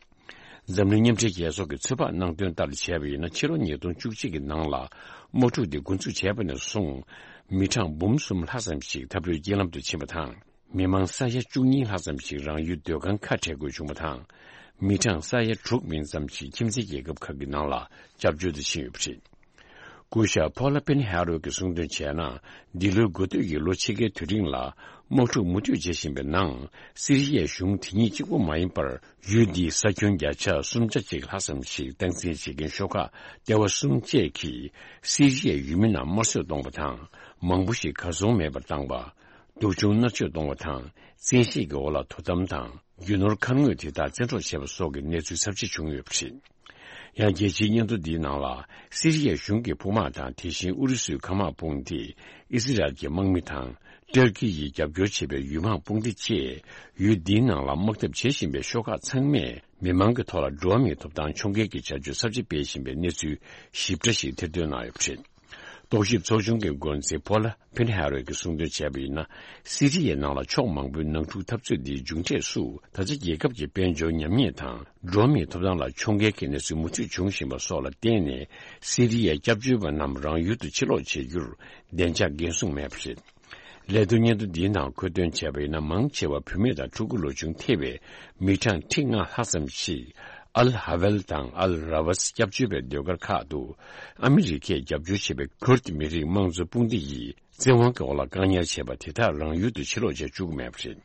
འཛམ་གླིང་མཉམ་འབྲེལ་རྒྱལ་ཚོགས་ཀྱིས་ཚོད་དཔག་གནང་དོན་ལྟར་བྱས་པ་ཡིན་ན། ཕྱི་ལོ་ཉིས་སྟོང་བཅུ་གཅིག་གི་ནང་ལ་དམག་འཁྲུག་འདི་འགོ་འཛུགས་བྱས་པ་ནས་བཟུང་། མི་གྲངས་འབུམ་གསུམ་ལྷག་ཙམ་ཞིག་འཐབ་རྩོད་རྐྱེན་ལམ་དུ་ཕྱིན་པ་དང་། མི་མང་ས་ཡ་བཅུ་གཉིས་ལྷག་ཙམ་ཞིག་རང་ཡུལ་སྡོད་ཁང་ཁ་བྲལ་དགོས་བྱུང་བ་དང་། མི་གྲངས་ས་ཡ་དྲུག་མིན་ཙམ་ཞིག་ཁྱིམ་མཚེས་རྒྱལ་ཁབ་ཁག་གི་ནང་ལ་སྐྱབས་བཅོལ་དུ་ཕྱིན་ཡོད་པ་རེད། སྐུ་ཞབས་ཕོ་ལ་པེན་ཧེ་རོ་གིས་གསུངས་དོན་བྱས་ན། འདི་ལོའི་འགོ་སྟོད་ཀྱི་ལོ་ཕྱེད་ཀའི་དུས་རིང་ལ་དམག་འཁྲུག་མུ་མཐུད་བྱེད་བཞིན་པའི་ནང་། སི་རི་ཡའི་གཞུང་དེ་ཉིད་གཅིག་པོ་མ་ཡིན་པར། ཡུལ་འདིའི་ས་ཁྱོན་བརྒྱ་ཆ་སུམ་ཆ་གཅིག་ལྷག་ཙམ་ཞིག་སྟངས་འཛིན་བྱེད་མཁན་ཤོག་ཁག་ལྟེ་བ་གསུམ་བཅས་ཀྱིས་སི་རི་ཡའི་ཡུལ་མི་རྣམས་དམར་གསོད་གཏོང་བ་དང་། མང་པོ་ཞིག་གར་སོང་མེད་པར་བཏང་བ། སྡུག་སྦྱོང་མནར་གཅོད་གཏོང་བ་དང་། བཙན་ཤེད་ཀྱི་འོག་ལ་དོ་དམ་དང་། རྒྱུ་ནོར་ཁང་དངོས་དེ་དག་བཙན་འཕྲོག་བྱས་པ་སོགས་ཀྱི་གནས་ཚུལ་ཚབས་ཆེ་བྱུང་ཡོད་པ་རེད། ཡང་རྒྱལ་སྤྱིའི་སྙན་ཐོ་འདིའི་ནང་ལ། སི་རི་ཡའི་གཞུང་གི་དཔུང་དམག་དང་། དེ་བཞིན་ཨུ་རུ་སུའི་མཁའ་དམག་དཔུང་སྡེ། ཨི་སི་རལ་གྱི་དམག་མི་དང་། ཏུར་ཀི་ཡིས་རྒྱབ་སྐྱོར་བྱེད་པའི་ཡུལ་དམག་དཔུང་སྡེ་བཅས་ཡུལ་འདིའི་ནང་ལ་དམག་འཐབ་བྱེད་བཞིན་པའི་ཤོག་ཁག་ཚང་མས་མི་མང་གི་ཐོག་ལ་འགྲོ་བ་མིའི་ཐོབ་ཐང་ཕྱོགས་འགལ་གྱི་བྱ་སྤྱོད་ཚབས་ཆེ་སྤེལ་བཞིན་པའི་གནས་ཚུལ་ཞིབ་ཕྲ་ཞིག་ཐེར་འདོན་གནང་ཡོད་པ་རེད། རྟོག་ཞིབ་ཚོགས་ཆུང་གི་འགོ་འཛིན་ཕོ་ལ་པེན་ཧེ་རོ་གིས་གསུངས་དོན་བྱས་པ་ཡིན་ན། སི་རི་ཡའི་ནང་ལ་ཕྱོགས་མང་པོའི་ནང་འཁྲུག་འཐབ་རྩོད་འདིའི་མཇུག་འབྲས་སུ། ད་ཆ་རྒྱལ་ཁབ་ཀྱི་དཔལ་འབྱོར་ཉམས་ཉེས་དང་། འགྲོ་བ་མིའི་ཐོབ་ཐང་ལ་ཕྱོགས་འགལ་གྱི་གནས་ཚུལ་མུ་མཐུད་འབྱུང་བཞིན་པ་སོགས་ལ་བརྟེན་ནས། སི་རི་ཡའི་སྐྱབས་བཅོལ་བ་རྣམས་རང་ཡུལ་དུ་ཕྱིར་ལོག་བྱེད་རྒྱུར་བདེ་འཇགས་འགན་སྲུང་མེད་པ་རེད། ལས་དོན་སྙན་ཐོ་འདིའི་ནང་འཁོད་དོན་བྱས་པ་ཡིན་ན། མང་ཆེ་བ་བུད་མེད་དང་ཕྲུ་གུ་ལོ་ཆུང་ཐེ་བའི་མི་གྲངས་ཁྲི་ལྔ་ལྷག་ཙམ་ཞིག་ཨལ་ཧ་ཝལ་དང་ཨལ་ར་ཝས་སྐྱབས་བཅོལ་བའི་སྡོད་སྒར་ཁག་ཏུ། ཨ་མི་རི་ཀས་རྒྱབ་སྐྱོར་བྱེད་པའི་ཁུར་ཏི་མི་རིགས་དམངས་གཙོ་དཔུང་སྡེ་ཡིས་བཙན་དབང་གི་འོག་ལ་བཀག་ཉར་བྱས་པ་དེ་དག་རང་ཡུལ་དུ་ཕྱིར་ལོག་བྱེད་བཅུག་གི་མེད་པ་རེད།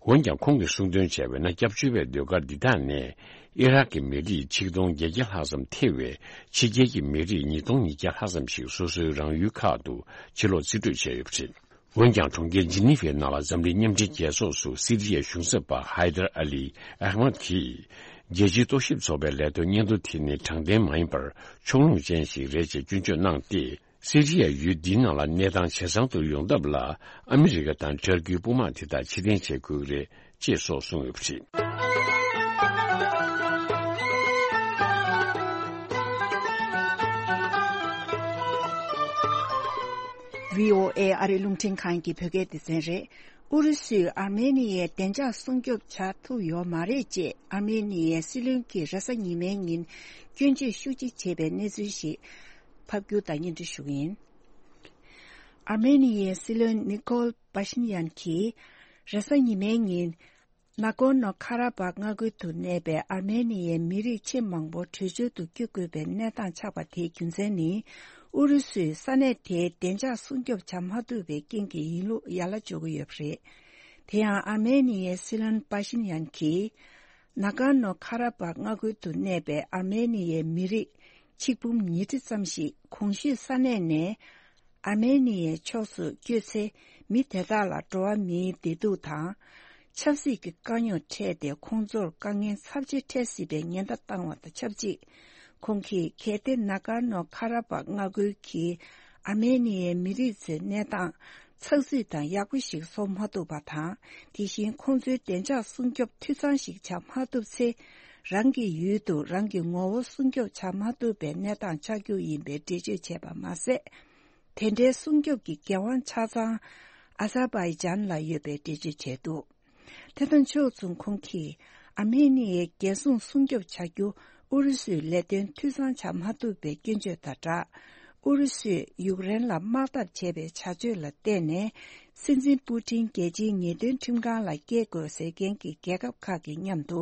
འོན་ཀྱང་། ཁོང་གིས་གསུངས་དོན་བྱས་པ་ཡིན་ན། སྐྱབས་བཅོལ་བའི་སྡོད་སྒར་འདི་དག་ནས་ཨི་རག་གི་མི་རིགས་ཆིག་སྟོང་བརྒྱད་བརྒྱ་ལྷག་ཙམ་ཐེ་བའི་ཕྱི་རྒྱལ་གྱི་མི་རིགས་ཉིས་སྟོང་ཉིས་བརྒྱ་ལྷག་ཙམ་ཞིག་སོ་སོའི་རང་ཡུལ་ཁག་ཏུ་ཕྱིར་ལོག་རྩིས་སྤྲོད་བྱས་ཡོད་པ་རེད། འོན་ཀྱང་། གྲོང་ཁྱེར་ཇི་ནི་ཝའི་ནང་ལ་འཛམ་གླིང་མཉམ་འབྲེལ་རྒྱལ་ཚོགས་སུ་སི་རི་ཡའི་གཞུང་ཚབ་པ་ཧའི་དར་ཨ་ལི་ཨ་ཧ་མད་ཀྱིས། རྒྱལ་སྤྱིའི་རྟོག་ཞིབ་ཚོགས་པའི་ལས་དོན་སྙན་ཐོ་དེ་ནི་དྲང་བདེན་མ་ཡིན་པར་ཕྱོགས་ལྷུང་ཅན་ཞིག་རེད་ཅེས་སྐྱོན་བརྗོད་གནང་སྟེ། སི་རི་ཡ་ཡུལ་འདིའི་ནང་ལ་གནས་སྟངས་ཇེ་བཟང་དུ་ཡོང་ཐབས་ལ་ཨ་མི་རི་ཀ་དང་ཏུར་ཀིའི་དཔུང་དམག་དེ་དག་ཕྱིར་འཐེན་བྱེད་དགོས་ཀྱི་རེད། ཅེས་སོགས་གསུངས་ཡོད་པ་རེད། བྷི་ཨོ་ཨེ་ཨ་རིའི་རླུང་འཕྲིན་ཁང་གི་བོད་སྐད་སྡེ་ཚན་རེད། ཨུ་རུ་སུས་ཨར་མེ་ནི་ཡའི་བདེ་འཇགས་སྲུང་སྐྱོབ་བྱ་ཐུབ་ཡོད་མ་རེད་ཅེས་ཨར་མེ་ནི་ཡའི་སྲིད་བློན་གྱིས་རེས་གཟའ་ཉི་མའི་ཉིན་སྐྱོན་བརྗོད་ཤུགས་ཆེ་བྱས་པའི་གནས་ཚུལ་ཞིག་ཕབ་སྒྱུར་དང་སྙན་སྒྲོན་ཞུ་གི་ཡིན། ཨར་མེ་ནི་ཡའི་སྲིད་བློན་ནི་ཀོལ་པ་ཤིན་ཡན་གྱིས། རེས་གཟའ་ཉི་མའི་ཉིན། ན་གོར་ནོ་ཁ་ར་བག་མངའ་ཁུལ་དུ་གནས་པའི་ཨར་མེ་ནི་ཡའི་མི་རིགས་ཆེས་མང་པོ་བྲོས་བྱོལ་དུ་བསྐྱོད་དགོས་པའི་གནས་སྟངས་ཆགས་པ་དེའི་རྒྱུ་མཚན་ནི། ཨུ་རུ་སུས་ས་གནས་དེའི་བདེ་འཇགས་སྲུང་སྐྱོབ་བྱ་མ་ཐུབ་པའི་རྐྱེན་གྱིས་ཡིན་ལུགས་ཡ་ལ་འཇོག་གི་ཡོད་པ་རེད། དེ་ཡང་ཨར་མེ་ནི་ཡའི་སྲིད་བློན་པ་ཤིན་ཡན་གྱིས། ན་གོར་ནོ་ཁ་ར་བག་མངའ་ཁུལ་དུ་གནས་པའི་ཨར་མེ་ནི་ཡའི་མི་རིགས་ཆིག་འབུམ་ཉིས་ཁྲི་ཙམ་ཞིག་གོང་ཞུས་ས་གནས་ནས། ཨར་མེ་ནི་ཡའི་ཕྱོགས་སུ་བསྐྱོད་ཚེ། མི་དེ་དག་ལ་འགྲོ་བ་མིའི་བདེ་སྡུག་དང་། ཆབ་སྲིད་ཀྱི་དཀའ་རྙོག་འཕྲད་དེ། ཁོང་ཚོར་དཀའ་ངལ་ཚབས་ཆེ་འཕྲད་སྲིད་པའི་ཉེན་བརྡ་བཏང་བ་དང་ཆབས་ཅིག་ཁོང་གིས་གལ་ཏེ་ན་ཀར་ནོ་ཁ་ར་པག་མངའ་ཁུལ་གྱི་ཨར་མེ་ནི་ཡའི་མི་རིགས་ཚོའི་གནས་སྟངས་ཚགས་ཚུད་དང་ཡག་པོ་ཞིག་བཟོ་མ་ཐུབ་པ་དང་། དེ་བཞིན་ཁོང་ཚོའི་བདེ་འཇགས་སྲུང་སྐྱོབ་འཐུས་ཚང་ཞིག་བྱ་མ་ཐུབ་ཚེ། རང་གི་ཡུལ་དུ་རང་གི་ངོ་བོ་སྲུང་སྐྱོབ་བྱ་མ་ཐུབ་པའི་གནས་སྟངས་ཆགས་རྒྱུ་ཡིན་པའི་འགྲེལ་བརྗོད་བྱས་པ་མ་ཟད། དེ་འདྲའི་སྲུང་སྐྱོབ་ཀྱི་འགན་དབང་ཆ་ཚང་ཨ་ཟར་བྷའི་ཇན་ལ་ཡོད་པའི་འགྲེལ་བརྗོད་བྱས་འདུག་དེ་དང་ཕྱོགས་མཚུངས། ཁོང་གིས་ཨར་མེ་ནི་ཡའི་རྒྱལ་སྲུང་སྲུང་སྐྱོབ་བྱ་རྒྱུ་ཨུ་རུ་སུའི་ལས་དོན་འཐུས་ཚང་བྱ་མ་ཐུབ་པའི་སྐྱོན་བརྗོད་དང་སྦྲགས། ཨུ་རུ་སུས་ཡུཀ་རེན་ལ་དམག་འཐབ་བྱས་པའི་བྱ་སྤྱོད་ལ་བརྟེན་ནས། སྲིད་འཛིན་པུ་ཏིན་རྒྱལ་སྤྱིའི་ཉེས་དོན་ཁྲིམས་ཁང་ལ་སྐྱེལ་དགོས་ཟེར་མཁན་གྱི་རྒྱལ་ཁབ་ཁག་གི་མཉམ་དུ་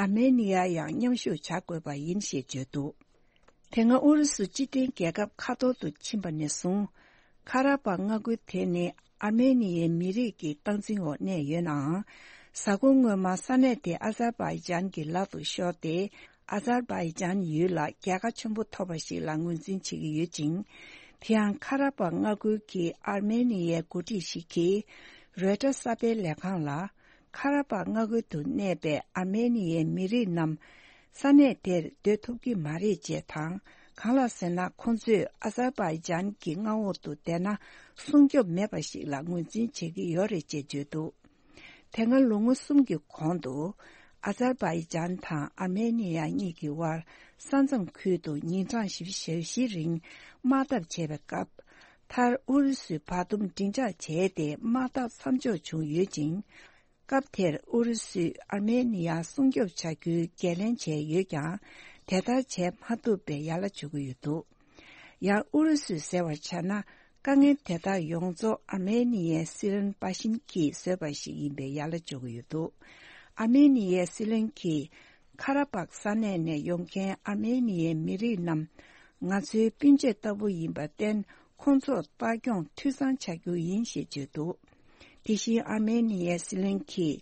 ཨར་མེ་ནི་ཡ་ཡང་མཉམ་ཞུགས་བྱ་དགོས་པ་ཡིན་ཞེས་བརྗོད་འདུག་དེ་སྔ་ཨུ་རུ་སུ་སྤྱི་མཐུན་རྒྱལ་ཁབ་ཁ་ཐོར་དུ་ཕྱིན་པ་ནས་བཟུང་། ཁ་ར་པག་མངའ་ཁུལ་དེ་ནི་ཨར་མེ་ནི་ཡའི་མི་རིགས་ཀྱི་སྟངས་འཛིན་འོག་གནས་ཡོད་ནའང་། གཟའ་འཁོར་སྔོན་མ་ས་གནས་དེ་ཨ་ཟར་བྷའི་ཇན་གྱི་ལག་ཏུ་ཤོར་ཏེ། ཨ་ཟར་བྷའི་ཇན་ཡུལ་ལ་རྒྱལ་ཁ་ཆེན་པོ་ཐོབ་པ་ཞིག་ལ་ངོས་འཛིན་བྱེད་ཀྱི་ཡོད་ཅིང་། དེ་ཡང་ཁ་ར་པག་མངའ་ཁུལ་གྱི་ཨར་མེ་ནི་ཡའི་འགོ་ཁྲིད་ཞིག་གིས་རོའི་ཊར་གསར་སྤེལ་ལས་ཁང་ལ། ཁ་ར་པག་མངའ་ཁུལ་དུ་གནས་པའི་ཨར་མེ་ནི་ཡའི་མི་རིགས་རྣམས་ས་གནས་དེར་སྡོད་ཐུབ་ཀྱི་མ་རེད་ཅེས་དང་། གང་ལགས་ཟེར་ན། ཁོང་ཚོས་ཨ་ཟར་བྷའི་ཇན་གྱི་མངའ་འོག་ཏུ་བསྡད་ན་སྲུང་སྐྱོབ་མེད་པ་ཞིག་ལ་ངོས་འཛིན་བྱེད་ཀྱི་ཡོད་རེད་ཅེས་བརྗོད་འདུག་དེ་སྔ་ལོ་ངོ་གསུམ་གྱི་གོང་དུ། ཨ་ཟར་བྷའི་ཇན་དང་ཨར་མེ་ནི་ཡ་གཉིས་ཀྱི་དབར་ས་མཚམས་ཁུལ་དུ་ཉིན་གྲངས་བཞི་བཅུ་ཞེ་བཞི་རིང་དམག་འཐབ་བྱས་པའི་སྐབས། མཐར་ཨུ་རུ་སུས་བར་འདུམ་མགྲིན་ཆགས་བྱས་ཏེ་དམག་འཐབ་མཚམས་འཇོག་བྱུང་ཡོད་ཅིང་། སྐབས་དེར་ཨུ་རུ་སུས་ཨར་མེ་ནི་ཡ་སྲུང་སྐྱོབ་བྱ་རྒྱུའི་འགན་ལེན་བྱས་ཡོད་ཀྱང་། དེ་ལྟར་བྱས་མ་ཐུབ་པའི་ཡ་ལ་འཇོག་གི་ཡོད་འདུག་ཡང་ཨུ་རུ་སུས་ཟེར་བར་བྱས་ན། དཀའ་ངལ་དེ་དག་ཡོངས་རྫོགས་ཨར་མེ་ནི་ཡའི་སྲིད་བློན་པ་ཤིན་གྱིས་བཟོས་པ་ཞིག་ཡིན་པའི་ཡ་ལ་འཇོག་གི་ཡོད་འདུག་ཨར་མེ་ནི་ཡའི་སྲིད་བློན་གྱིས། ཁ་ར་པག་ས་གནས་ནས་ཡོང་མཁན་ཨར་མེ་ནི་ཡའི་མི་རིགས་རྣམས་ང་ཚོའི་སྤུན་མཆེད་ལྟ་བུ་ཡིན་པར་བརྟེན། ཁོང་ཚོར་ལྟ་སྐྱོང་འཐུས་ཚང་བྱ་རྒྱུ་ཡིན་ཞེས་བརྗོད་འདུག་དེ་བཞིན་ཨར་མེ་ནི་ཡའི་སྲིད་བློན་གྱིས།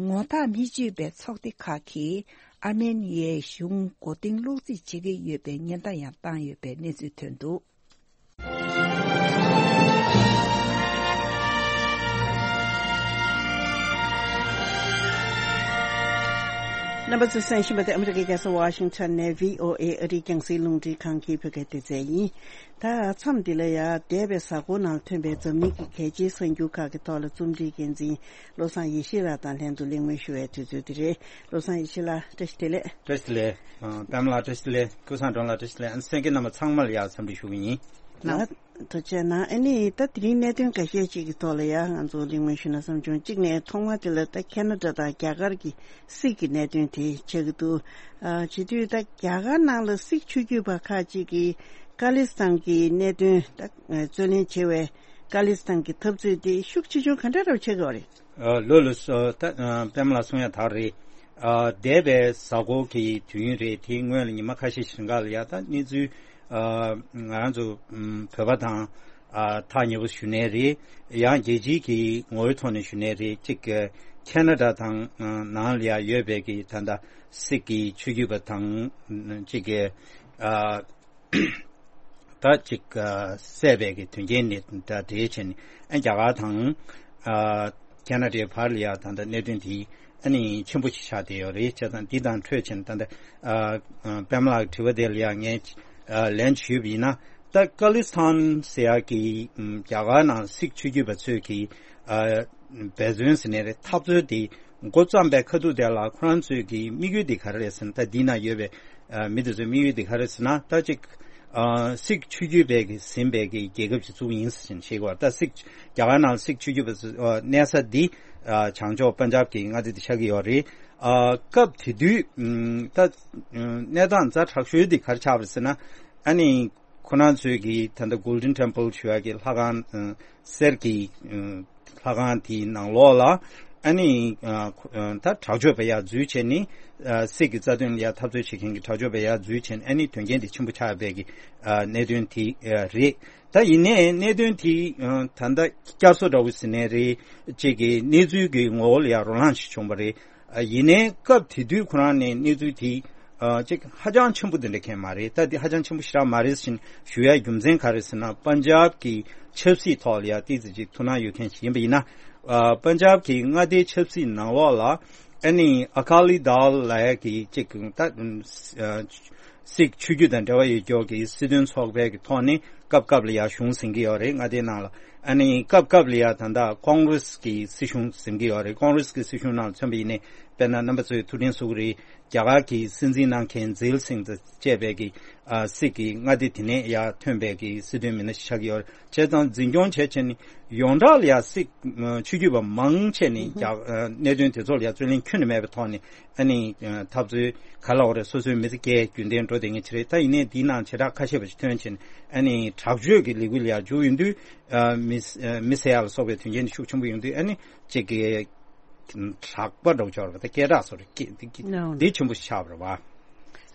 ངོ་ཐག་མི་ཆོད་པའི་ཚོགས་སྡེ་ཁག་གིས་ཨར་མེ་ནི་ཡའི་གཞུང་མགོ་རྟིང་སློག་རྩིས་བྱེད་ཀྱི་ཡོད་པའི་ཉེན་བརྡ་ཡང་བཏང་ཡོད་པའི་གནས་ཚུལ་ཐོན་འདུག་རྣམ་པ་ཚོས་གསན་བཞིན་པ་དེ་ཨ་མི་རི་ཀའི་རྒྱལ་ས་ཝ་ཤིང་ཊོན་ནས་བྷི་ཨོ་ཨེ་ཨ་རིའི་རྒྱང་སྲིང་རླུང་འཕྲིན་ཁང་གི་བོད་སྐད་སྡེ་ཚན་ཡིན། ད་མཚམས་འདི་ལ་ཡང་འདས་པའི་གཟའ་འཁོར་ནང་ཐོན་པའི་འཛམ་གླིང་གི་གལ་ཆེའི་གསར་འགྱུར་ཁག་གི་ཐོག་ལ་རྩོམ་སྒྲིག་འགན་འཛིན་བློ་བཟང་ཡེ་ཤེས་ལགས་དང་ལྷན་དུ་གླེང་མོལ་ཞུ་བའི་དུས་ཚོད་འདི་རེད། བློ་བཟང་ཡེ་ཤེས་ལགས་བཀྲ་ཤིས་བདེ་ལེགས། བཀྲ་ཤིས་བདེ་ལེགས། ཨ། པདྨ་ལགས་བཀྲ་ཤིས་བདེ་ལེགས། ཀུན་བཟང་སྒྲོན་ལགས་བཀྲ་ཤིས་བདེ་ལེགས། ཨ་ནི་གསན་མཁན་རྣམ་པ་ཚང་མ་ལ་ཡང་འཚམས་འདྲི་ཞུ་གི་ཡིན། ལགས། ཐུགས་རྗེ་གནང་། ཨ་ནི་ད་དེ་རིང་གནད་དོན་འགའ་ཤས་ཅིག་གི་ཐོག་ལ་ཡང་ང་ཚོ་གླེང་མོལ་ཞུ་ན་བསམ་བྱུང་། གཅིག་ནས་ཐོག་མ་དེ་ལ་ད་ཁེ་ན་ཌ་དང་རྒྱ་གར་གྱི་སིག་གི་གནད་དོན་དེ་ཆགས་ཀྱི་འདུག་ཨ། བྱེད་དུས་ད་རྒྱ་གར་ནང་ལ་སིག་ཆོས་བརྒྱུད་པ་ཁག་ཅིག་གིས་ཀ་ལི་སི་ཐན་གྱི་གནད་དོན་ད་རྩོད་ལེན་བྱེད་པའི་ཀ་ལི་སི་ཐན་གྱི་འཐབ་རྩོད་དེ་ཤུགས་ཆེ་ཆུང་ག་འདྲ་རབ་ཆགས་ཀྱི་ཡོད་རེད། ཨ། ལགས་ལགས་སོ། ད་ཨ་པདྨ་ལགས་གསུང་ཡ་དག་རེད། ཨ། འདས་པའི་གཟའ་འཁོར་གྱི་དུས་ཡུན་རེད། དེའི་སྔོན་ལ་ཉི་མ་ཁ་ཤས་ཤིག་རིང་ག་ལ་ཡ་ད་གནས་ཚུལ། ཨ། ང་རང་ཚོ་ཨམ་བོད་པ་དང་ཨ་ཐག་ཉེ་པོ་ཞུ་ནའི་རེད། ཡང་རྒྱལ་སྤྱིའི་གི་ངོ་བོའི་ཐོག་ནས་ཞུ་ནའི་རེད། གཅིག་ཁེ་ན་ཌ་དང་ཨ་ནང་ལ་ཡ་ཡོད་པའི་གི་ད་ལྟ་སིག་གི་ཆོས་བརྒྱུད་པ་དང་གཅིག་གི་ཨ་ད་ཅིག་ཨ་བསད་པའི་གི་དོན་རྐྱེན་ནི་ད་དེ་བྱས་ནས་ཨ་རྒྱ་གར་དང་ཨ་ཁེ་ན་ཌའི་བར་ལ་ཡ་ད་ལྟ་གནད་དོན་དེ་ཨ་ནི་ཆེན་པོ་ཞིག་ཆགས་བསྡད་ཡོད་རེད། བྱས་ཙང་འདི་དང་འཕྲོས་བྱས་ནས་ད་ལྟ་ཨ་ཨ་པདྨ་ལགས་ཀྱི་དྲི་བ་དེ་ལ་ཡ་ངས་ཨ་ལན་ཞུས་པ་ཡིན་ན། ད་ཀ་ལི་སི་ཐན་ཟེར་ཡག་གི་ཨམ་རྒྱ་གར་ནང་སིག་ཆོས་བརྒྱུད་པ་ཚོས་ཀྱི་ཨ་འབད་བརྩོན་ཟེར་ནའི་རེད། འཐབ་རྩོད་དེ་འགོ་བརྩམས་པའི་ཁ་ཐུག་དེ་ལ་ཁོ་རང་ཚོས་ཀྱི་དམིགས་ཡུལ་དེ་ག་རེ་རེད་ཟེར་ན། ད་འདི་ན་ཡོད་པའི་ཨ་མི་དེ་ཚོའི་དམིགས་ཡུལ་དེ་ག་རེ་ཟེར་ན། ད་ཅིག་ཨ་སིག་ཆོས་བརྒྱུད་པའི་གི་ཟིན་པའི་གི་རྒྱལ་ཁབ་ཅིག་བཙུགས་ཡིན་ཟེར་བཤད་ཀྱི་ཡོད་རེད། ད་སིག་རྒྱ་གར་ནང་སིག་ཆོས་བརྒྱུད་པ་ཚོ་ཨ་གནས་ས་འདི་ཨ་བྱང་ཕྱོགས་པན་ཇབ་ཀྱི་མངའ་སྡེ་དེ་ཆགས་ཀྱི་ཡོད་རེད། ཨ་སྐབས་དེ་དུས་ཨམ་ད་ཨམ་གནས་སྟངས་ཛ་དྲག་ཤོས་དེ་ག་རེ་ཆགས་པ་རེད་ཟེར་ན། ཨ་ནི་ཁོ་རང་ཚོས་ཀྱི་ད་ལྟ་Golden Temple ཞུ་ཡག་གི་ལྷ་ཁང་ཨ་གསེར་གྱི་ཨ་ལྷ་ཁང་དེའི་ནང་ལོགས་ལ་ཨ་ནི་ཨ་ཁོ་ཨ་ད་དྲག་སྤྱོད་པ་ཡར་འཛུལ་བྱས་ནས་ཨ་སིག་གི་རྩ་དོན་ལ་ཡར་འཐབ་རྩོད་བྱེད་མཁན་གྱི་དྲག་སྤྱོད་པ་ཡར་འཛུལ་བྱས་ནས་ཨ་ནི་དོན་རྐྱེན་དེ་ཆེན་པོ་ཆགས་པའི་གི་ཨ་གནད་དོན་དེ་ཨ་རེད། ད་ཡིན་ནའི་གནད་དོན་དེ་ཨ་ད་ལྟ་བསྐྱར་གསོ་འདྲ་བོ་ཟེར་ནའི་རེད། གཅིག་གི་གནས་ཚུལ་གྱི་ངོ་བོ་ལ་ཡར་རོ་ལངས་ཤིག་བྱུང་བ་རེད། ཨ་ཡིན་ནའི་སྐབས་དེ་དུས་ཁོ་རང་ནས་གནས་ཚུལ་དེ་ ཨ་ཅིག་ཧ་ཅང་ཆེན་པོ་དེ་འདྲ་མཁན་མ་རེད། ད་དེ་ཧ་ཅང་ཆེན་པོ་ཞེ་དྲག་མ་རེད་ཟེར་ཞུ་ཡ་རྒྱུ་མཚན་ག་རེ་ཟེར་ན། པན་ཇབ་ཀྱི་ཆབ་སྲིད་ཐོག་ལ་ཡ་ཏོག་ཙམ་ཅིག་ཐུགས་སྣང་ཡོད་མཁན་ཞིག་ཡིན་པ་ཡིན་ན། ཨ་པན་ཇབ་ཀྱི་མངའ་སྡེའི་ཆབ་སྲིད་ནང་ལོགས་ལ་ཨ་ནི་ཨ་ཀ་ལི་དལ་ལབ་ཡ་གི་ཅིག་ད་ཨ་སིག་ཆོས་བརྒྱུད་དང་འབྲེལ་བ་ཡོད་ཀྱོག་གི་སྲིད་དོན་ཚོགས་པའི་གི་ཐོག་ནས་སྐབས་སྐབས་ལ་ཡ་གཞུང་ཟིན་གྱི་ཡོད་རེད། མངའ་སྡེའི་ནང་ལ་ཨ་ནི་སྐབས་སྐབས་ལ་ཡ་ད་ལྟ་ཀོང་རེས་ཀྱི་སྲིད་གཞུང་ཟིན་གྱི་ཡོད་རེད། ཀོང་རེས་ཀྱི་སྲིད་གཞུང་ནང་ལ་མཚོན་པ་ཡིན་ནའི་དཔེར་ན་རྣམ་པ་ཚོས་ཐུགས་དྲན་གསོ་གི་རེད། རྒྱ་གར་གྱི་སྲིད་འཛིན་གནང་མཁན་ཛིལ་སིང་དང་བཅས་པའི་གི་ཨ་སིག་གི་མངའ་སྡེ་དེ་ནས་ཡར་ཐོན་པའི་གི་སྲིད་དོན་མི་སྣ་ཞིག་ཆགས་ཀྱི་ཡོད་རེད། བྱས་ཙང་འཛིན་སྐྱོང་བྱས་བྱས་ནས་ཡོངས་གྲགས་ལ་ཡ་སིག་ཆོས་བརྒྱུད་པ་མང་ཆེ་ནས་རྒྱ་ཨ་གནད་དོན་དེ་ཚོ་ལ་ཡ་རྩོད་གླེང་ཁྱོན་ནས་མེད་པའི་ཐོག་ནས་ཨ་ནི་ཨ་འཐབ་རྩོད་ག་ལ་འོ་རེད། སོ་སོའི་མི་ཚེ་སྐྱེལ་རྒྱུན་ལྡན་འགྲོ་བསྡད་མཁན་ཅིག་རེད། ད་ཡིན་ནའི་འདིའི་ནང་བྱེ་བྲག་ཁ་ཤས་པ་ཞིག་ཐོན་བྱས་ནས་ཨ་ནི་དྲག་སྤྱོད་ཀྱི་ལས་འགུལ་ལ་ཡ་འཇུག་ཡོང་དུས་ཨ་མི་ཨ་མི་བསད་ཡ་ལ་སོགས་པའི་དོན་རྐྱེན་དེ་ཤུགས་ཆེན་པོ་ཡོང་དུས་ཨ་ནི་ཅིག་གི་དྲག་པ་འདྲ་བོ་ཆགས་རེད་པ། ད་སྐད་གྲགས་སོགས་རེད་སྐད་འདི་ནའོ། འདི་ཆེན་པོ་ཆགས་པ་རེད་པ།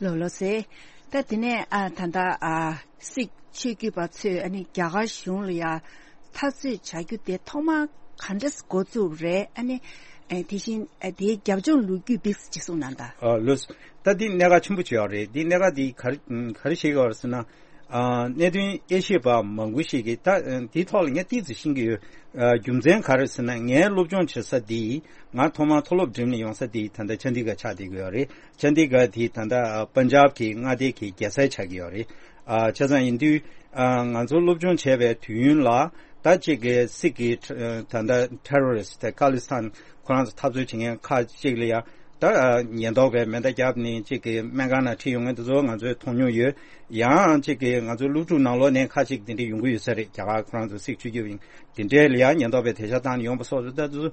ལོ་ལོ་ཟེར། ད་དེ་ནས་ཨ་ད་ལྟ་ཨ་སིག་ཆོས་བརྒྱུད་པ་ཚོས་ཨ་ནི་རྒྱ་གར་གཞུང་ལ་ཡ་འཐབ་རྩོད་བྱ་རྒྱུ་དེ་ཐོག་མར་ག་འདྲས་འགོ་བཙུགས་རེད། ཨ་ནི་ཨ་དེ་བཞིན་ཨ་དེའི་རྒྱབ་ལྗོངས་ལོ་རྒྱུས་ཏོག་ཙམ་ཅིག་གསུངས་གནང་དང་། ཨ་ལོས། ད་འདི་གནད་འགག་ཆེན་པོ་ཅིག་ཡོད་རེད། འདི་གནད་འགག་འདི་ག་རེ་ག་རེ་བཤད་ཀྱི་ཡོད་རེད་ཟེར་ན། ཨ་གནད་དོན་དབྱེ་ཞིབ་པ་མང་པོ་ཞིག་གིས་ད་ཨ་འདིའི་ཐོག་ལ་ངས་ཏོག་ཙམ་ཤེས་ཀྱི་ཡོད། ཨ་རྒྱུ་མཚན་ག་རེ་ཟེར་ན་ངའི་སློབ་སྦྱོང་བྱེད་ས་འདི་ང་ཐོག་མར་མཐོ་སློབ་འགྲིམས་ནས་ཡོང་ས་འདི་ད་ལྟ་ཅན་དི་གྷར་ཆགས་བསྡད་ཀྱི་ཡོད་རེད། ཅན་དི་གྷར་འདི་ད་ལྟ་ཨ་པན་ཇབ་ཀྱི་མངའ་སྡེ་གི་རྒྱལ་ས་ཆགས་ཀྱི་ཡོད་རེད། ཨ་བྱས་ཙང་ཡིན་དུས་ཨ་ང་ཚོ་སློབ་སྦྱོང་བྱས་པའི་དུས་ཡུན་ལ་ད་ཅིག་གི་སིག་གི་ཨ་ད་ལྟ་ཊེ་རོ་རི་སི་ཊི་ཁ་ལི་སི་ཐན་ཁོ་རང་ཚོ་འཐབ་རྩོད་བྱེད་མཁན་ཁག་ཅིག་ལ་ཡ། ད་ཉེན་རྟོག་པས་མེ་མདའ་བརྒྱབ་ནས་གཅིག་གི་སྨན་ཁང་ནང་ཁྲིད་ཡོང་མཁན་དེ་ཚོ་ང་ཚོས་མཐོང་མྱོང་ཡོད། ཡང་གཅིག་གི་ང་ཚོའི་སློབ་ཕྲུག་ནང་ལོགས་ནས་ཁ་ཅིག་དེ་འདྲ་ཡོང་གི་ཡོད་ས་རེད། རྒྱ་གར་ཁོ་རང་ཚོ་སིག་ཆོས་བརྒྱུད་ཡིན་དེ་འདྲའི་ལ་ཡང་ཉེན་རྟོག་པས་དེ་ཤ་བཏང་ནས་ཡོང་པ་སོགས་རེད། ད་དེ་ཚོ་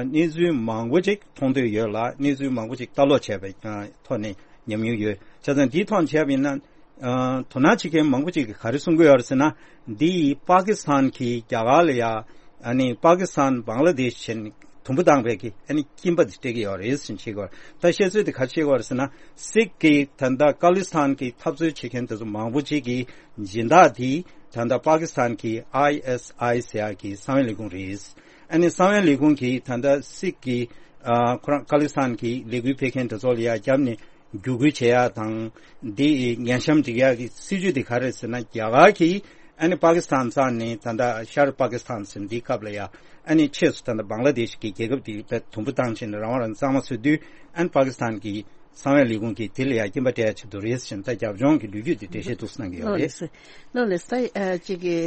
གནས་ཚུལ་མང་པོ་ཅིག་མཐོང་འདོད་ཡོད་ལ་གནས་ཚུལ་མང་པོ་ཅིག་ལྟ་ཀློག་བྱས་པའི་ཐོག་ནས་ཉམས་མྱོང་ཡོད། བྱས་ཙང་འདིའི་ཐོག་བྱས་པ་ཡིན་ན། ཨ་དོ་སྣང་བྱེད་མཁན་མང་པོ་ཅིག་གིས་ག་རེ་གསུང་གི་ཡོད་རེད་ཟེར་ན། འདི་ཡིས་པ་ཀི་སི་ཐན་གྱིས་རྒྱ་གར་ལ་ཡ་ཨ་ནི་པ་ཀི་སི་ཐན་བང་ལ་དེཤ་བྱས་ནས་དུམ་བུ་བཏང་བའི་གི་ཨ་ནི་སྐྱིན་པ་དེ་སྤྲད་ཀྱི་ཡོད་རེད་ཟེར་བཤད་ཀྱི་ཡོད་རེད། ད་བཤད་ཚུལ་དེ་ག་རེ་བཤད་ཀྱི་ཡོད་རེད་ཟེར་ན། སིག་གི་ད་ལྟ་ཁ་ལི་སི་ཐན་གྱི་འཐབ་རྩོད་བྱེད་མཁན་དེ་ཚོ་མང་པོ་ཅིག་གིས་སྦྱིན་བདག་དེ་ད་ལྟ་པ་ཀི་སི་ཐན་གྱི་ཨའི་ཨེས་ཨའི་ཟེར་ཡ་གི་གསང་བའི་ལས་ཁུངས་རེད། ཨ་ནི་གསང་བའི་ལས་ཁུངས་ཀྱིས་ད་ལྟ་སིག་གི་ཨ་ཁོ་རང་ཁ་ལི་སི་ཐན་གྱི་ལས་འགུལ་སྤེལ་མཁན་དེ་ཚོ་ལ་ཡ་བརྒྱབ་ནས། བརྒྱུད་སྐུལ་བྱེད་ཡག་དང་། འདི་ཉེན་བཤམས་སྒྲིག་ཡག་གི་སྲིད་ཇུས་དེ་ག་རེ་རེད་ཟེར་ན། རྒྱ་གར་གྱིས་ཨ་ནི་པ་ཀི་སི་ཐན་བཙལ་ནས་ད་ལྟ་ཤར་པ་ཀི་སི་ཐན་ཟེར་འདིའི་སྐབས་ལ་ཡ་ཨ་ནི་ཕྱིས་སུ་ད་ལྟ་བང་ལ་དེཤ་གི་རྒྱལ་ཁབ་དེ་དཔེ་དུམ་བུ་བཏང་ཕྱིན་ནས་རང་དབང་རང་གཙང་མ་བཟོ་དུས་ཨ་ནི་པ་ཀི་སི་ཐན་གྱི་གསང་བའི་ལས་ཁུངས་ཀྱིས་དེ་ལ་ཡ་སྐྱིན་པ་སྤྲད་ཡག་བྱེད་དུ་རེད་ཟེར་ནས་ད་རྒྱབ་ལྗོངས་ཀྱི་ལོ་རྒྱུས་དེ་འགྲེལ་བཤད་ཏོག་ཙམ་གནང་གི་ཡོད་ལོ་རེད། ལེགས་སོ། ལོ་ལེགས་སོ། ཨ་ཅིག་གི་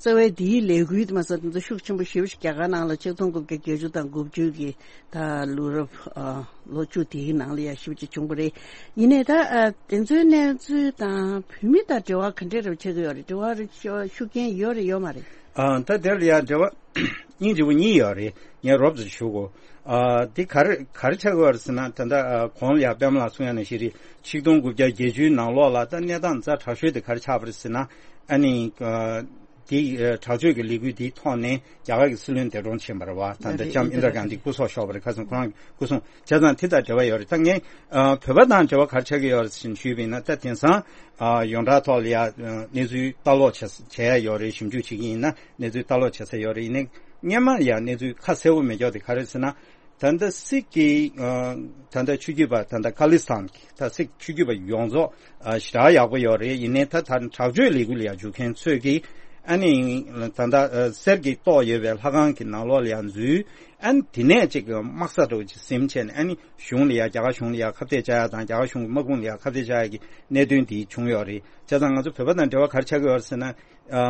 རྩ་བའི་འདིའི་ལས་འགུལ་དེ་མ་ཟད་དེ་ཚོ་ཤུགས་ཆེན་པོ་ཞེ་པོ་ཞིག་རྒྱ་གར་ནང་ལ་ཆིག་སྟོང་དགུ་བརྒྱ་བརྒྱད་ཅུ་དང་དགུ་བཅུ་གི་ད་ལོ་རབས་ཨ་ལོ་བཅུ་དེའི་ནང་ལ་ཡ་ཞེ་པོ་ཅིག་བྱུང་བ་རེད། ཡིན་ནའི་ད་ཨ་དེ་ཚོའི་གནས་ཚུལ་དང་བོད་མི་དང་འབྲེལ་བ་ག་འདྲས་རབ་ཆགས་ཀྱི་ཡོད་རེད། འབྲེལ་བ་རེ་ཤུགས་རྐྱེན་ཡོད་རེད་ཡོད་མ་རེད། ཨ་ད་དེ་ལ་ཡ་འབྲེལ་བ་སྙིང་རྗེ་པོ་གཉིས་ཡོད་རེད། ངས་རོབ་ཙམ་ཞུ་གོ་ཨ་དེ་ག་རེ་ག་རེ་ཆགས་ཀྱི་ཡོད་རེད་ཟེར་ན། ད་ལྟ་ཨ་གོང་ལ་ཡ་པདྨ་ལགས་གསུང་ཡ་ནང་བཞིན་རེད། ཆིག་སྟོང་དགུ་བརྒྱ་བརྒྱད་ཅུའི་ནང་ལོགས་ལ་ད་གནས་སྟངས་ཛ་དྲག་ཤོས་དེ་ག་རེ་ཆགས་པ་རེད་ཟེར་ན། ཨ་ནི་ཨ་དེ་ཨ་དྲག་སྤྱོད་ཀྱི་ལས་འགུལ་དེའི་ཐོག་ནས་རྒྱ་གར་གྱི་སྲིད་བློན་འདས་གྲོངས་ཕྱིན་པ་རེད་བ། ད་ལྟ་ལྕམ་ཨིན་དྲ་གྷན་དྷི་སྐུ་སྲོག་ཤོར་བ་རེད། ཁ་སང་ཁོ་རང་སྐུ་སྲུང་བྱས་ཙང་དེ་དང་འབྲེལ་བ་ཡོད་རེད། ད་ངས་ཨ་བོད་པ་དང་འབྲེལ་བ་ག་རེ་ཆགས་ཀྱི་ཡོད་རེད་ཟེར་ཞུས་པ་ཡིན་ན། ད་དེང་སང་ཨ་ཡོངས་གྲགས་ཐོག་ལ་ཡ་ཨ་གནས་ཚུལ་ལྟ་ཀློག་བྱས་བྱས་ཡ་ཡོད་རེད། ཞིབ་འཇུག་བྱེད་ཀྱི་ཡིན་ན་གནས་ཚུལ་ལྟ་ཀློག་བྱེད་ས་ཡོད་རེད། ཡིན་ནའི་སྔོན་མ་ཡ་གནས་ཚུལ་ཁ་གསལ་པོ་མེད་ཀྱོག་དེ་ག་རེ་ཟེར་ན། ད་ལྟ་སིག་གི་ཨ་ད་ལྟ་ཆོས་བརྒྱུད་པ་ད་ལྟ་ཁ་ལི་སི་ཐན་གྱི་ད་སིག་ཆོས་བརྒྱུད་པ་ཡོངས་རྫོགས་ཨ་ཞེ་དྲག་ཡག་པོ་ཡོད་རེད། ཡིན་ནའི་ད་ད་དྲག་སྤྱོད་ལས་འགུལ་ལ་ཡ་འཇུག་མཁན་ཚོས་ཀྱིས་ཨ་ནི་ད་ལྟ་ཨ་གསེར་གྱི་ཏོག་ཡོད་པའི་ལྷ་ཁང་གི་ནང་ལོགས་ལ་ཡ་འཛུལ། ཨ་ནི་དེ་ནས་ཅིག་དམག་ས་འདྲ་བོ་ཅིག་ཟིན་བྱས་ནས་ཨ་ནི་གཞུང་ལ་ཡ་རྒྱ་གར་གཞུང་ལ་ཡ་ཁ་གཏད་བཅག་ཡ་དང་རྒྱ་གར་གཞུང་གི་དམག་དཔུང་ལ་ཡ་ཁ་གཏད་བཅག་ཡ་གི་གནད་དོན་དེ་བྱུང་ཡོད་རེད། བྱས་ཙང་ང་ཚོ་བོད་པ་དང་འབྲེལ་བ་ག་རེ་ཆགས་ཀྱི་ཡོད་རེད་ཟེར་ན། ཨ་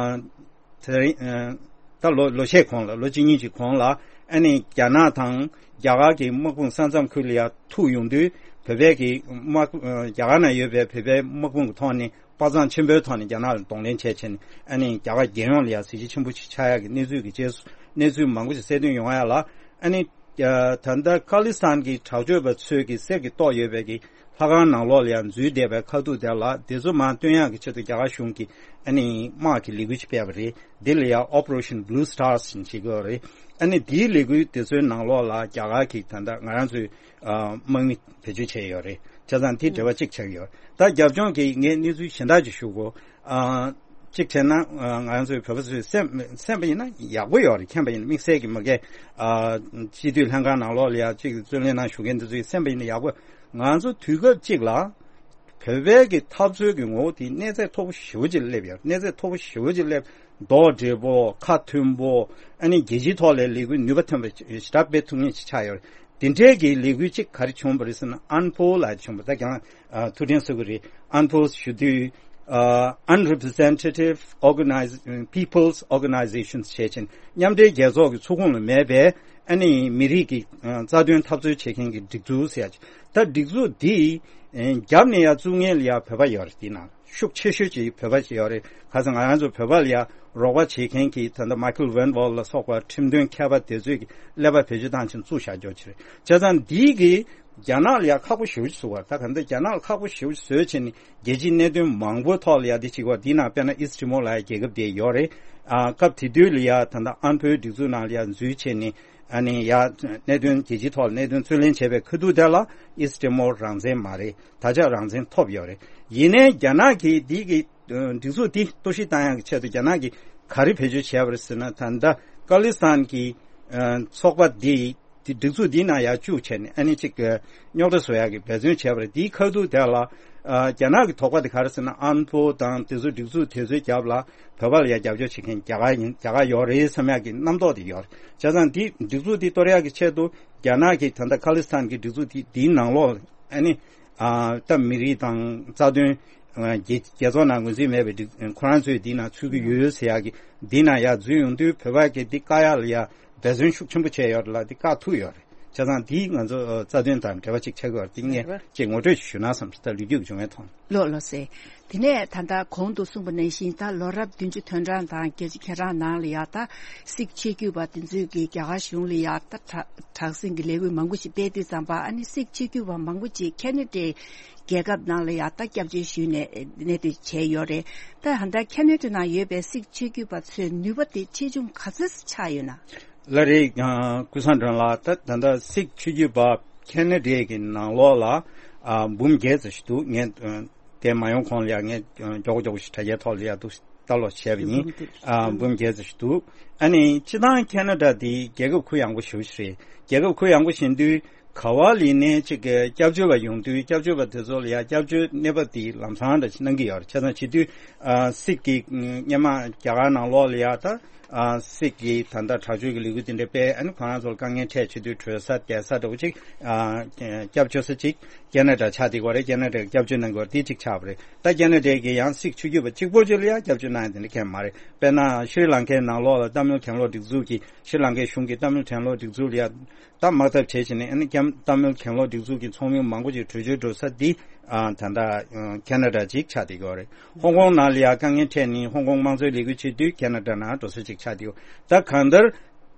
དེ་རིང་ཨ་ད་ལོ་ལོ་ཤས་གོང་ལ་ལོ་གཅིག་གཉིས་ཀྱི་གོང་ལ་ཨ་ནི་རྒྱ་ནག་དང་རྒྱ་གར་གྱི་དམག་དཔུང་ས་མཚམས་ཁུལ་ལ་ཡ་ཐུག་ཡོང་དུས་བོད་པའི་གི་དམག་ཨ་རྒྱ་གར་ནང་ཡོད་པའི་བོད་པའི་དམག་དཔུང་གི་ཐོག་ནས་དཔའ་མཛངས་ཆེན་པོའི་ཐོག་ནས་རྒྱ་ནག་ལ་གདོང་ལེན་བྱས་བྱས་ནས་ཨ་ནི་རྒྱ་གར་རྒྱལ་ཡོངས་ལ་ཡ་གཟི་བརྗིད་ཆེན་པོ་ཞིག་ཆགས་ཡག་གི་གནས་ཚུལ་གྱི་རྗེས་སུ་གནས་ཚུལ་མང་པོ་ཞིག་གསལ་སྟོན་ཡོང་ཡ་ལ་ཨ་ནི། ད་ལྟ་ཁ་ལི་སི་ཐན་གྱི་དྲག་སྤྱོད་པ་ཚོས་ཀྱི་གསེར་གྱི་ཏོག་ཡོད་པའི་གི་ལྷ་ཁང་ནང་ལོགས་ལ་ཡང་འཛུལ་བསྡད་པའི་ཁ་ཐུག་དེ་ལ་དེ་ཚོ་མར་བཏོན་ཡག་གི་ཆེད་དུ་རྒྱ་གར་གཞུང་གིས་ཨ་ནི་དམག་གི་ལས་འགུལ་ཅིག་སྤེལ་བ་རེད། འདི་ལ་ཡང་Operation Blue Stars ཞེས་བྱེད་ཀྱི་ཡོད་རེད། ཨ་ནི་དེའི་ལས་འགུལ་དེ་ཚོའི་ནང་ལོགས་ལ་རྒྱ་གར་གྱིས་ད་ལྟ་ང་རང་ཚོའི་ཨ་དམག་མི་བེད་སྤྱོད་བྱས་ཡོད་རེད། བྱས་ཙང་དེ་འབྲེལ་བ་གཅིག་ཆགས་ཀྱི་ཡོད། ད་རྒྱབ་ལྗོངས་ཀྱི་ངས་གནས་ཚུལ་གཞན་དག་ཅིག་ཞུ་དགོས། ཨ་གཅིག་བྱས་ན་ཨ་ང་རང་ཚོའི་བོད་པ་ཚོས་སེམས་སེམས་པ་ཡིན་ན་ཡག་པོ་ཡོད་རེད། མཁྱེན་པ་ཡིན་ན་དམིགས་བསལ་གྱི་མ་གི་ཨ་སྤྱི་འཐུས་ལྷན་ཁང་ནང་ལོགས་ལ་ཡ་གཅིག་རྩོད་ལེན་ནང་ཞུགས་མཁན་འདི་ཚོའི་སེམས་པ་ཡིན་ན་ཡག་པོ། ང་ཚོ་དུས་སྐབས་གཅིག་ལ་ བོད་པའི་གི་འཐབ་རྩོད་ཀྱི་ངོ་བོ་དེ་གནས་ཚད་མཐོ་པོ་ཞེ་པོ་ཅིག་སླེབས་ཡོད། གནས་ཚད་མཐོ་པོ་ཞེ་པོ་ཅིག་སླེབས། རྡོག་སྒྲིལ་པོ། ཁ་མཐུན་པོ། ཨ་ནི་རྒྱལ་སྤྱིའི་ཐོག་ལ་ལས་འགུལ་ནུས་པ་ཐོན་པ་ཞེ་དྲག་སྤེལ་ཐུབ་མཁན་ཞིག་ཆགས་ཡོད་རེད། དེ་འདྲའི་གི་ལས་འགུལ་གཅིག་ག་རེ་བྱུང་བ་རེད་ཟེར་ན། ཨན་ཕོ་ལབ་བྱུང་བ། ད་ཀྱང་ཨ་ཐུགས་དྲན་གསོ་གི་རེད། ཨན་ཕོ་ཞུ་དུས། ཨ་Unrepresentative Organize- People's Organizations ཞེས་བྱས་ནས། མཉམ་འབྲེལ་རྒྱལ་ཚོགས་ཀྱི་ཚོགས་ཁོངས་ལ་མེད་པའི་ཨ་ནི་མི་རིགས་ཀྱི་ཨ་རྩ་དོན་འཐབ་རྩོད་བྱེད་མཁན་གྱི་སྒྲིག་འཛུགས་ཟེར་ཡ་ཅིག་ད་སྒྲིག་འཛུགས་འདི་ཨ་རྒྱབ་ནས་ཡ་བཙུགས་མཁན་ལ་ཡ་བོད་པ་ཡོད་རེད། དེ་ནང་ཤུགས་ཆེ་ཤོས་ཅིག་བོད་པ་ཞིག་ཡོད་རེད། ཁ་སང་ང་རང་ཚོ་བོད་པ་ལ་ཡ་རོགས་པ་བྱེད་མཁན་གྱི་ད་ལྟ་Michael Van Wall ལ་སོགས་པ་ཁྲིམས་དོན་མཁས་པ་དེ་ཚོས་ཀྱི་ཀླད་པ་བེད་སྤྱོད་བཏང་ཕྱིན་བཙུགས་བཞག་རྒྱུ་ཅིག་རེད། བྱས་ཙང་འདི་གི་རྒྱ་ནག་ལ་ཡ་ཁག་པོ་ཞེ་པོ་ཅིག་བཟོས་པ། ད་ག་འདི་རྒྱ་ནག་ལ་ཁག་པོ་ཞེ་པོ་ཅིག་བཟོས་བྱས་ནས་རྒྱལ་སྤྱིའི་གནད་དོན་མང་པོའི་ཐོག་ལ་ཡ་འདི་བྱེད་ཀྱི་ཡོད། འདི་ནང་དཔེར་ན་ཨིས་ཊི་མོར་ལབ་ཡ་རྒྱལ་ཁབ་དེ་ཡོད་རེད། ཨ་སྐབས་དེ་དུས་ལ་ཡ་ད་ལྟ་ཨན་ཕོའི་སྒྲིག་འཛུགས་ནང་ལ་ཡ་འཛུལ་བྱས་ནས་ཨ་ནི་ཡ་གནད་དོན་རྒྱལ་སྤྱིའི་ཐོག་ལ་གནད་དོན་རྩོད་ལེན་བྱས་པའི་ཁ་ཐུག་དེ་ལ་ཨིས་ཊི་མོར་རང་བཙན་མ་རེད། ད་ཆ་རང་བཙན་ཐོབ་ཡོད་རེད། ཡིན་ནའི་རྒྱ་ནག་གིས་འདི་གི་ཨ་སྒྲིག་འཛུགས་འདི་གཏོར་བཤིག་བཏང་ཡག་གི་ཆེད་དུ་རྒྱ་ནག་གིས་ག་རེ་བེད་སྤྱོད་བྱས་པ་རེད་ཟེར་ན། ད་ལྟ་ཁ་ལི་སི་ཐན་གྱི་ཨ་ཚོགས་པ་འདི་འདི་སྒྲིག་འཛུགས་འདིའི་ནང་ཡར་བཅུག་བྱས་ནས་ཨ་ནི་ཅིག་ཨ་རྙོག་དྲ་བཟོ་ཡག་གི་འབད་བརྩོན་བྱས་པ་རེད། འདིའི་ཁ་ཐུག་དེ་ལ་ཨ་རྒྱ་ནག་གི་དོགས་པ་དེ་ག་རེ་ཟེར་ན། ཨན་ཕོ་དང་དེ་ཚོ་སྒྲིག་འཛུགས་དེ་ཚོའི་རྒྱབ་ལ་བོད་པ་ལ་ཡ་རྒྱབ་སྐྱོར་བྱེད་མཁན་རྒྱ་གར་ཡིན། རྒྱ་གར་ཡོད་རེད་བསམ་ཡག་གི་རྣམ་རྟོག་དེ་ཡོད་རེད། བྱས་ཙང་འདི་སྒྲིག་འཛུགས་འདི་གཏོར་ཡག་གི་ཆེད་དུ་རྒྱ་ནག་གིས་ད་ལྟ་ཁ་ལི་སི་ཐན་གྱི་སྒྲིག་འཛུགས་འདི་འདིའི་ནང་ལོགས་ཨ་ནི་ཨ་ད་མི་རིགས་དང་རྩ་དོན་ཨ་རྒྱལ་རྒྱལ་ཚོགས་ནང་ངོས་འཛིན་མེད་པའི་སྒྲིག་ཁོ་རང་ཚོས་འདི་ནང་ཚུད་ཀྱི་ཡོད་ཟེར་ཡག་གི་འདི་ནང་ཡར་འཛུལ་ཡོང་དུས་བོད་པ་གིས་འདི་བཀག་ཡག་ལ་ཡ་འབད་བརྩོན་ཤུགས་ཆེན་པོ་བྱས་ཡོད་རེད་ལ། འདི་བཀག་ཐུབ་ཡོད་རེད། བྱས་ཙང་འདི་ང་ཚོ་ཨ་རྩ་དོན་དང་འབྲེལ་བ་ཅིག་ཆགས་ཀྱི་ཡོད་རེད། འདི་ངས་རེད་པ། ཅིག་ངོ་སྤྲོད་ཞུ་ན་བསམ་ད་ལོ་རྒྱུས་ཀྱི་བྱུང་བའི་ཐོག་ནས། ལགས་ལགས་སེ། དེ་ནས་ད་ལྟ་གོང་དུ་གསུངས་པ་ནང་བཞིན་ད་ལོ་རབས་བདུན་ཅུ་དོན་གྲངས་དང་བརྒྱད་ཅུ་གྱ་གྲངས་ནང་ལ་ཡ་ད་སིག་ཆོས་བརྒྱུད་པ་དེ་ཚོས་ཀྱིས་རྒྱ་གར་གཞུང་ལ་ཡ་ད་དྲག་དྲག་ཟིང་གི་ལས་འགུལ་མང་པོ་ཞིག་སྤེལ་དུས་ཙམ་པ། ཨ་ནི་སིག་ཆོས་བརྒྱུད་པ་མང་པོ་ཅིག་ཁེ་ན་ཌའི་རྒྱལ་ཁབ་ནང་ལ་ཡ་ད་སྐྱབས་བཅོལ་ཞུས་ནས་གནས་སྡོད་བྱས་ཡོད་རེད། ད་ད་ལྟ་ཁེ་ན་ཌ་ནང་ཡོད་པའི་སིག་ཆོས་བརྒྱུད་པ་ཚོའི་ནུས་པ་དེ་ཆེ་ཆུང་ག་ཚོད་ཆགས་ཡོད་ན། ལགས་རེད། ཨ་ཀུན་བཟང་སྒྲོན་ལགས། ད་ད་ལྟ་སིག་ཆོས་བརྒྱུད་པ་ཁེ་ན་ཌའི་གི་ནང་ལོགས་ལ་ཨ་འབུམ་བརྒྱད་ཙམ་ཞིག་འདུག་ངས་ཨ་དེ་མ་ཡོང་གོང་ལ་ཡ་ངས་ཨ་མགྱོགས་པོ་མགྱོགས་པོ་ཞིག་དྲ་རྒྱའི་ཐོག་ལ་ཡ་འདུག་ལྟ་ཀློག་བྱས་པ་ཡིན། ཨ་འབུམ་བརྒྱད་ཙམ་ཞིག་འདུག་ཨ་ནི་སྤྱིར་བཏང་ཁེ་ན་ཌ་འདི་རྒྱལ་ཁབ་གུ་ཡངས་པོ་ཞེ་པོ་ཞིག་རེད། རྒྱལ་ཁབ་གུ་ཡངས་པོ་ཞིག་ཡིན་དུས་ག་བ་ལ་ཡིན་ནའི་ཅིག་གི་སྐྱབས་བཅོལ་བ་ཡོང་དུས་སྐྱབས་བཅོལ་བ་དེ་ཚོ་ལ་ཡ་སྐྱབས་བཅོལ་གནས་བབ་དེ་ལམ་སང་འདྲ་ཞིག་གནང་གི་ཡོད་རེད། བྱས་ཙང་བྱེད་དུས་ཨ་སིག་གི་སྔོན་མ་རྒྱ་གར་ནང་ལོགས་ལ་ཡ་ད་ཨ་སིག་གི་ད་ལྟ་དྲག་སྤྱོད་ཀྱི་ལས་འགུལ་དེ་འདྲ་སྤེལ། ཨ་ནི་ཁོ་རང་ཚོར་དཀའ་ངལ་འཕྲད་བྱེད་དུས་བྲོས་ས་བསྡད་ས་འདྲ་བོ་ཅིག་ཨ་སྐྱབས་བཅོལ་ས་ཅིག་ཁེ་ན་ཌ་ཆགས་བསྡད་ཀྱི་ཡོད་རེད། ཁེ་ན་ཌ་སྐྱབས་བཅོལ་གནང་གི་ཡོད་རེད། དེ་གཅིག་ཆགས་པ་རེད། ད་ཁེ་ན་ཌའི་གི་ཡང་སིག་ཆོས་བརྒྱུད་པ་གཅིག་པོ་གཅིག་ལ་ཡང་སྐྱབས་བཅོལ་གནང་ཡ་དེ་འདྲ་གང་ཡང་མ་རེད། དཔེར་ན་ཤྲི་ལང་ཀའི་ནང་ལོགས་ལ་ཏཱ་མིལ་གྱེན་ལོག་སྒྲིག་འཛུགས་ཀྱི་ཤྲི་ལང་ཀའི་གཞུང་གི་ཏཱ་མིལ་གྱེན་ལོག་སྒྲིག་འཛུགས་ལ་ཡ་ད་དམག་འཐབ་བྱས་བྱས་ནས་ཨ་ནི་ཀྱང་ཏཱ་མིལ་གྱེན་ལོག་སྒྲིག་འཛུགས་ཀྱི་ཚོགས་མི་མང་པོ་ཅིག་བྲོས་བྱོལ་འགྲོ་ས་འདི་ཨ་ད་ལྟ་ཨ་ཁེ་ན་ཌ་ཅིག་ཆགས་བསྡད་ཀྱི་ཡོད་རེད། ཧོང་ཀོང་ནང་ལ་ཡ་དཀའ་ངལ་འཕྲད་ནས་ཧོང་ཀོང་དམངས་གཙོའི་ལས་འགུལ་བྱེད་དུས་ཁེ་ན་ཌ་ནང་འགྲོ་ས་ཅིག་ཆགས་བསྡད་ཡོད། ད་གང་ལྟར་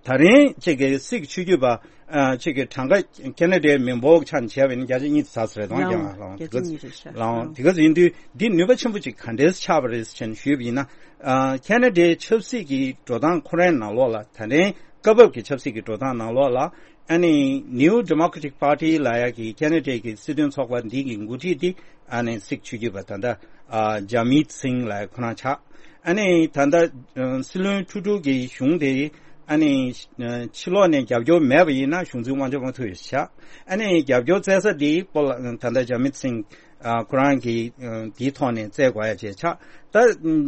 ད་རིང་ཅིག་གི་སིག་ཆོས་བརྒྱུད་པ་ཨ་ཅིག་གི་གྲངས་ཀ་ཁེ་ན་ཌའི་མི་འབོར་ཆ་ནས་བྱས་པ་ཡིན་ན་བརྒྱ་ཆ་གཉིས་ཙམ་ཟེར་དང་ལའང་ཀྱང་ལའང་དེ་ག་ཙམ་ཡིན་རེད་ཤག་ལའང་དེ་ག་ཙམ་ཡིན་དུས་འདི་ནུས་པ་ཆེན་པོ་ཅིག་ག་འདྲས་ཆགས་པ་རེད་ཟེར་ནས་ཞུས་པ་ཡིན་ན། ཨ་ཁེ་ན་ཌའི་ཆབ་སྲིད་ཀྱི་འགྲོ་སྟངས་ཁོ་རའི་ནང་ལོགས་ལ་ད་ལན་སྐབས་བབ་ཀྱི་ཆབ་སྲིད་ཀྱི་འགྲོ་སྟངས་ནང་ལོགས་ལ་ཨ་ནི་New Democratic Party ལབ་ཡ་གི་ཁེ་ན་ཌའི་གི་སྲིད་དོན་ཚོགས་པ་འདི་གི་འགོ་ཁྲིད་འདི་ཨ་ནི་སིག་ཆོས་བརྒྱུད་པ་ད་ལྟ་ཨ་ཇ་མིད་སིང་ལབ་ཡ་ཁོ་རང་ཆགས། ཨ་ནི་ད་ལྟ་ཨ་སྲིད་བློན་ཁྲུ་ཌོ་གི་གཞུང་དེ་ཨ་ནི་ཨ་ཕྱི་ལོགས་ནས་རྒྱབ་སྐྱོར་མེད་པ་ཡིན་ན་གཞུང་འཛིན་དབང་ཆ་མ་ཐུབ་ཡོད་ཤག་ཨ་ནི་རྒྱབ་སྐྱོར་བཙལ་ས་དེ་སྤོ་ལགས་ད་ལྟ་ཇ་མིད་སིང་ཨ་ཁོ་རང་གི་ཨ་དེའི་ཐོག་ནས་བཙལ་དགོས་ཡ་བྱས་ཆགས། ད་ཨ་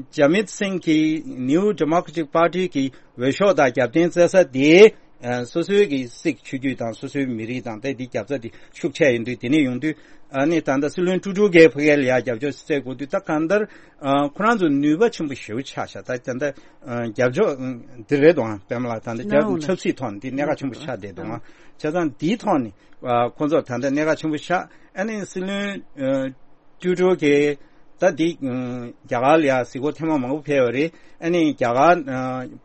ཇ་མིད་སིང་གི་New Democratic Party གི་འོས་ཤོག་དང་རྒྱབ་རྟེན་བཙལ་ས་དེ་ཨ་སོ་སོའི་གི་སིག་ཆོས་བརྒྱུད་དང་སོ་སོའི་མི་རིགས་དང་ད་དེ་རྒྱབ་རྩ་དེ་ཤུགས་ཆེ་ཡིན་དུས། དེ་ནས་ཡོང་དུས་ཨ་ནི་ད་ལྟ་སྲིད་བློན་ཀྲུ་ཀྲུ་གའི་ཕ་གི་ལ་ཡ་རྒྱབ་སྐྱོར་བཙལ་དགོས་དུས། ད་གང་ལྟར་ཨ་ཁོ་རང་ཚོ་ནུས་པ་ཆེན་པོ་ཞེ་པོ་ཆགས་ཤག་ད་ད་ལྟ་ཨ་རྒྱབ་ཕྱོགས་ཨ་འདི་རེད་དོ། ཨ་པད་མ་ལགས་ད་ལྟ་རྒྱབ་ཆབ་སྲིད་ཐོག་ནས་འདི་གནད་འགག་ཆེན་པོ་ཆགས་བསྡད་དོ། ཨ་བྱས་ཙང་འདིའི་ཐོག་ནས་ཨ་ཁོ་ཚོར་ད་ལྟ་གནད་འགག་ཆེན་པོ་ཆགས། ཨ་ནི་སྲིད་བློན་ཨ་ཀྲུ་ཀྲུ་གིས་ད་འདི་ཨ་རྒྱ་གར་ལ་ཡ་གཟིགས་སྐོར་ཐེངས་མ་མང་པོ་ཕེབས་ཡོད་རེད། ཨ་ནི་རྒྱ་གར་ཨ་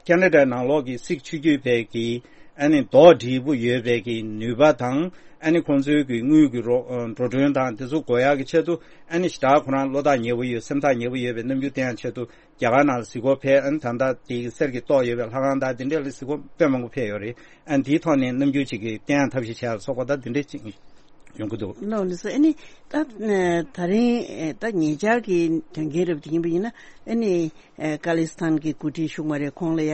ཁེ་ན་ཌའི་ནང་ལོགས་ཀྱི་སིག་ཆོས་བརྒྱུད་པའི་གི་ཨ་ནི་རྡོག་སྒྲིལ་པོ་ཡོད་པའི་གི་ནུས་པ་དང་། ཨ་ནི་ཁོང་ཚོའི་གི་དངུལ་གི་རོ་ཨ་འགྲོ་གྲོན་དང་དེ་ཚོ་དགོས་ཡག་གི་ཆེད་དུ། ཨ་ནི་ཞེ་དྲག་ཁོ་རང་བློ་ཐག་ཉེ་པོ་ཡོད། སེམས་ཐག་ཉེ་པོ་ཡོད་པའི་རྣམ་འགྱུར་བསྟན་ཡག་ཆེད་དུ་རྒྱ་གར་ནང་གཟིགས་སྐོར་ཕེབས། ཨ་ནི་ད་ལྟ་དེ་གི་གསེར་གྱི་ཏོག་ཡོད་པའི་ལྷ་ཁང་དང་དེ་འདྲའི་ལ་གཟིགས་སྐོར་དཔེ་མང་པོ་ཕེབས་ཡོད་རེད། ཨ་ནི་དེའི་ཐོག་ནས་རྣམ་འགྱུར་ཅིག་གི་བསྟན་ཡག་ཐབས་ཤེས་བྱས་ལ་སོགས་པ་ད་དེ་འདྲའི་ཅིག་ཡོང་གི་འདུག་ལགས་ལགས་སོ། ཨ་ནི་ད་ད་རིང་ད་ཉེ་ཆར་གྱི་དོན་རྐྱེན་རབ་དེ་ཡིན་པ་ཡིན་ན། ཨ་ནི་ཁ་ལི་སི་ཐན་གྱི་འགོ་ཁྲིད་ཤུག་མ་རེ་ཁོང་ལ་ཡ་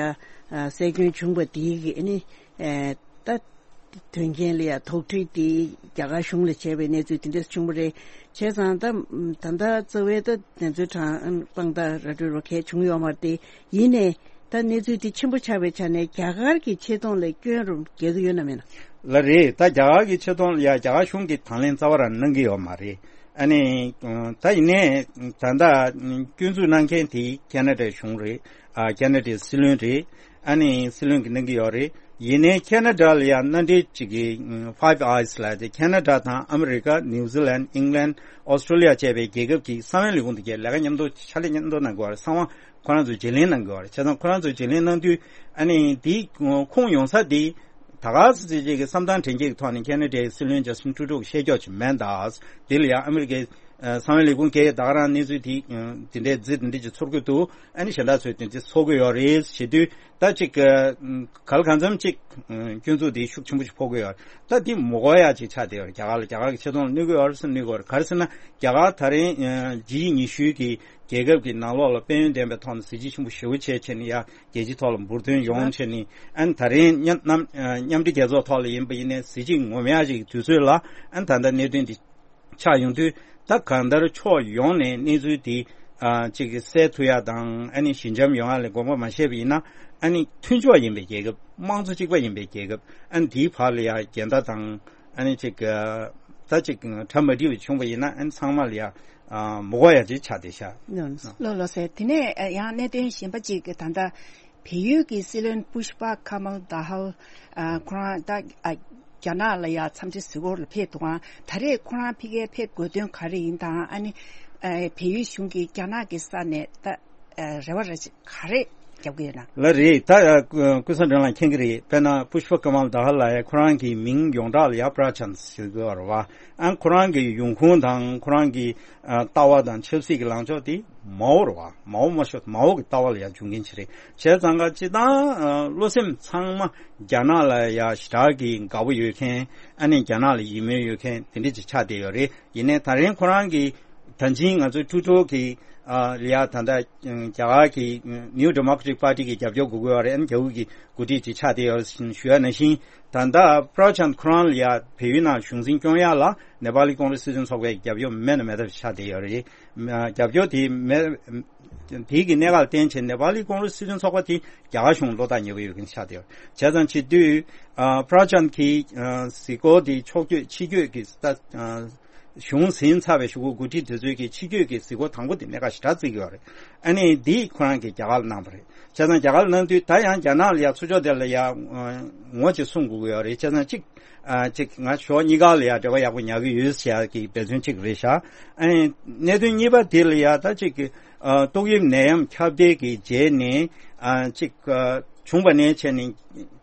སྲོག་སྐྱོན་བྱུང་བ་དེའི་གི་ཨ་ནི་ད་ དོན་རྐྱེན་ལ་ཡ་དོགས་འདྲི་དེ་རྒྱ་གར་གཞུང་ལ་བྱས་པའི་གནས་ཚུལ་དེ་འདྲ་བྱུང་བ་རེད། བྱས་ཙང་ད་ད་ལྟ་རྩ་བའི་ད་དེ་ཚོའི་གྲངས་དཔང་རྟགས་ར་སྤྲོད་རོགས་གས་བྱུང་ཡོད་མ་རེད་དེ། ཡིན་ནའི་ད་གནས་ཚུལ་དེ་ཆེན་པོ་ཆགས་པའི་ཆ་ནས་རྒྱ་གར་གྱི་ཆེ་མཐོང་ལ་སྐྱོན་རུ་འགེལ་གྱི་ཡོད་ན་མེད་ན། ལགས་རེད། ད་རྒྱ་གར་གྱི་ཆེ་མཐོང་ལ་ཡ་རྒྱ་གར་གཞུང་གིས་དང་ལེན་རྩ་བ་རང་གནང་གི་ཡོད་མ་རེད། ཨ་ནི་ད་ཡིན་ནའི་ད་ལྟ་སྐྱོན་འཛུགས་གནང་མཁན་དེ་ཁེ་ན་ཌའི་གཞུང་རེད། ཨ་ཁེ་ན་ཌའི་སྲིད་བློན་རེད། ཨ་ནི་སྲིད་བློན་གྱིས་གནང་གི་ཡོད་རེད། ཡིན་ནའི་ཁེ་ན་ཌ་ལ་ཡང་མནའ་འབྲེལ་གཅིག་གི་Five Eyes་ལ་དེ་ཁེ་ན་ཌ་དང་ཨ་མི་རི་ཀ། ནིའུ་ཛི་ལན། ཨིང་ལན། ཨོ་སི་ཀྲོ་ལི་ཡ་བཅས་པའི་རྒྱལ་ཁབ་ཀྱི་གསང་བའི་ལས་ཁུངས་དེ་གས་ལས་ཀ་མཉམ་དུ་ཕྱག་ལས་མཉམ་དུ་གནང་དགོས་རེད། གསང་བ་ཁོ་རང་ཚོས་བརྗེ་ལེན་གནང་དགོས་རེད། བྱས་ཙང་ཁོ་རང་ཚོས་བརྗེ་ལེན་གནང་དུས་ཨ་ནི་དེའི་ཁུངས་ཡོང་ས་དེ་ད་ག་སེ་ཅིག་གི་བསམ་སྟངས་དྲན་སྐྱེད་ཀྱི་ཐོག་ནས་ཁེ་ན་ཌའི་སྲིད་བློན་ཇ་སི་ཊིན་ཊུ་རུ་ཌོ་གིས་བཤད་ཀྱོག་ཅིག་མེད་ད། དེ་ལ་ཡང་ཨ་མི་རི་ཀའི་ཨ་གསང་བའི་ལས་ཁུངས་ཀྱིས་ད་ག་རང་གནས་ཚུལ་དེ་ཨ་དེ་འདྲའི་རྫི་དེ་འདྲ་ཅིག་ཚོར་གྱི་འདུག་ཨ་ནི་གཞན་དག་ཚོས་དེ་འདྲ་ཚོར་གྱི་ཡོད་རེད་བྱེད་དུས་ད་ཅིག་ཨ་ག་ལ་གང་འཚམ་ཅིག་ཨ་སྐྱོན་འཛུགས་དེ་ཤུགས་ཆེན་པོ་ཞིག་ཕོག་གི་ཡོད་རེད། ད་དེ་མི་དགོས་ཡ་ཅིག་ཆགས་བསྡད་ཡོད་རེད། རྒྱ་གར་ལ་རྒྱ་གར་གྱི་ཆེ་མཐོང་ལ་གནོད་ཀྱི་ཡོད་རེད་ཟེར་གནོད་ཀྱི་ཡོད་རེད། ག་རེ་ཟེར་ན་རྒྱ་གར་ད་རིང་ཨ་ཇི་ཡི་ཉི་ཤུའི་གི་རྒྱལ་ཁབ་ཀྱི་ནང་ལོགས་ལ་དཔལ་ཡོན་ལྡན་པའི་ཐོག་ནས་གཟི་བརྗིད་ཆེན་པོ་ཞེ་པོ་བྱས་བྱས་ནས་ཡ་རྒྱལ་སྤྱིའི་ཐོག་ལ་འབུར་ཐོན་ཡོང་བྱས་ནས་ཨ་ནི་ད་རིང་མཉམ་མཉམ་མཉམ་འབྲེལ་རྒྱལ་ཚོགས་ཐོག་ལ་ཡིན་པ་ཡིན་ནའི་གཟི་བརྗིད་ངོམ་ཡག་ཅིག་གི་དུས་ཚོད་ལ་ཨ་ནི་ད་ལྟ་གནད་དོན་འདི་ཆགས་ཡོང་དུས་ད་གང་ལྟར་ཕྱོགས་ཡོངས་ནས་གནས་ཚུལ་འདི་ཨ་ཅིག་གི་སེལ་ཐུབ་ཡག་དང་ཨ་ནི་ཞི་འཇམ་ཡོང་ཡག་ལ་དགོངས་པ་མ་བཞེས་པ་ཡིན་ན་ཨ་ནི་མཐུན་ཕྱོགས་ཡིན་པའི་རྒྱལ་ཁབ། དམངས་གཙོ་གཅིག་པ་ཡིན་པའི་རྒྱལ་ཁབ་ཨ་ནི་དེའི་བར་ལ་ཡ་འགལ་ཟླ་དང་ཨ་ནི་ཅིག་ཨ་ད་ཅིག་གྲ་མ་འགྲིག་པ་བྱུང་བ་ཡིན་ན་ཨ་ནི་ཚང་མ་ལ་ཡ་ཨ་མི་དགོས་ཡ་ཅིག་ཆགས་བསྡད་ཤག་ལགས་ལགས་སེ། དེ་ནས་ཨ་ཡང་གནད་དོན་གཞན་པ་ཅིག་ད་ལྟ་བལ་ཡུལ་གྱི་སྲིད་བློན་པུཤ་པ་ཁ་མལ་དཱ་ཧལ་ཨ་ཁོ་རང་ད་ཨ་རྒྱ་ནག་ལ་ཡ་འཚམས་འདྲི་གཟིགས་སྐོར་ལ་ཕེབས་འདུག་ག་ད་རེས་ཁོ་རང་ཕ་གིར་ཕེབས་དགོས་དོན་ག་རེ་ཡིན་དང་ཨ་ནི་ཨ་བལ་ཡུལ་གཞུང་གིས་རྒྱ་ནག་གི་ས་ནས་ད་ཨ་རེ་བ་རེ་ག་རེ་རྒྱབ་ཀྱི་ཡོད་ན། ལགས་རེད། ད་ཨ་ཀུ་ཀུན་བཟང་སྒྲོལ་ལགས་མཁྱེན་གྱི་རེད། དཔེར་ན་པུཤ་པ་ཀ་མལ་དཱ་ཧལ་ལགས་ཡ་ཁོ་རང་གི་མིང་ཡོངས་གྲགས་ལ་ཡ་པྲ་ཆན་ཟེར་གྱི་ཡོད་རེད་བ། ཨ་ཁོ་རང་གི་ཡོང་ཁུངས་དང་ཁོ་རང་གི་ཨ་ལྟ་བ་དང་ཆབ་སྲིད་ཀྱི་ལངས་ཕྱོགས་དེ་མའོ་རེད་བ། མའོ་མ་ཤོད་མའོ་གི་ལྟ་བ་ལ་ཡ་འབྱུང་མཁན་ཅིག་རེད། བྱས་ཙང་ཀ་སྤྱིར་བཏང་ཨ་བློ་སེམས་ཚང་མ་རྒྱ་ནག་ལ་ཡ་ཞེ་དྲག་གི་དགའ་པོ་ཡོད་མཁན། ཨ་ནི་རྒྱ་ནག་ལ་ཡིད་སྨོན་ཡོད་མཁན་དེ་འདྲ་ཅིག་ཆགས་བསྡད་ཡོད་རེད། ཡིན་ནའི་ད་རིང་ཁོ་རང་གི་ད་ཅིང་ང་ཚོའི་ཀྲུའུ་ཀྲུའུ་གི་ཨ་ལ་ཡ་ད་ལྟ་རྒྱ་གར་གྱི་New Democratic Party་གི་རྒྱབ་སྐྱོར་དགོས་ཀྱི་ཡོད་རེད། ཨ་ནི་རྒྱ་དབུས་ཀྱི་འགོ་ཁྲིད་ཅིག་ཆགས་བསྡད་ཡོད་ཞུ་ཡ་ནང་བཞིན། ད་ལྟ་པྲ་ཆན་ཁོ་རང་ལ་ཡ་བལ་ཡུལ་ནང་གཞུང་འཛིན་སྐྱོང་ཡ་ལ་ནེ་པ་ལི་ཀོང་རེས་སྲིད་དོན་ཚོགས་པའི་རྒྱབ་སྐྱོར་མེད་ན་མེད་ཐབས་ཆགས་བསྡད་ཡོད་རེད། རྒྱབ་སྐྱོར་དེ་མེད་དེ་གི་གནད་འགག་ལ་བརྟེན་བྱས་ནེ་པ་ལི་ཀོང་རེས་སྲིད་དོན་ཚོགས་པ་དེ་རྒྱ་གར་གཞུང་བློ་ཐག་ཉེ་པོ་ཡོད་མཁན་ཆགས་བསྡད་ཡོད། བྱས་ཙང་བྱེད་དུས་ཨ་པྲ་ཆན་གྱི་ཨ་གཟིགས་སྐོར་དེ་ཕྱོགས་བསྐྱོད་ཕྱི་བསྐྱོད་ཀྱི་ལྟ་ཨ་གཞུང་ཟིན་ཚར་བའི་གཞུག་གུ་འགོ་ཁྲིད་དེ་ཚོའི་གི་ཕྱི་བསྐྱོད་ཀྱི་གཟིགས་སྐོར་དང་པོ་དེ་གནད་འགག་ཞེ་དྲག་བརྩི་གི་ཡོད་རེད། ཨ་ནི་འདི་ཁོ་རང་གིས་རྒྱ་གར་ལ་གནང་བ་རེད། བྱས་ཙང་རྒྱ་གར་ལ་གནང་དུས་ད་ཡང་རྒྱ་ནག་ལ་ཡ་ཚུར་ཕྱོགས་དེ་ལ་ཡ་ངོ་ཅིག་སྲུང་དགོས་ཀྱི་ཡོད་རེད། བྱས་ཙང་གཅིག་ཨ་གཅིག་ང་ཕྱོགས་གཉིས་ཀ་ལ་ཡ་འབྲེལ་བ་ཡག་པོ་ཉར་གི་ཡོད་ཟེར་ཡ་གི་འབད་བརྩོན་གཅིག་རེད་ཤག་ཨ་ནི་གནད་དོན་གཉིས་པ་དེ་ལ་ཡ་ད་གཅིག་གི་ཨ་ཏོག་དབྱིབས་ནད་ཡམས་ཁྱབ་གདལ་གྱི་རྗེས་ནས་ཨ་གཅིག་ཨ་བྱུང་བ་ནས་བྱས་ནས་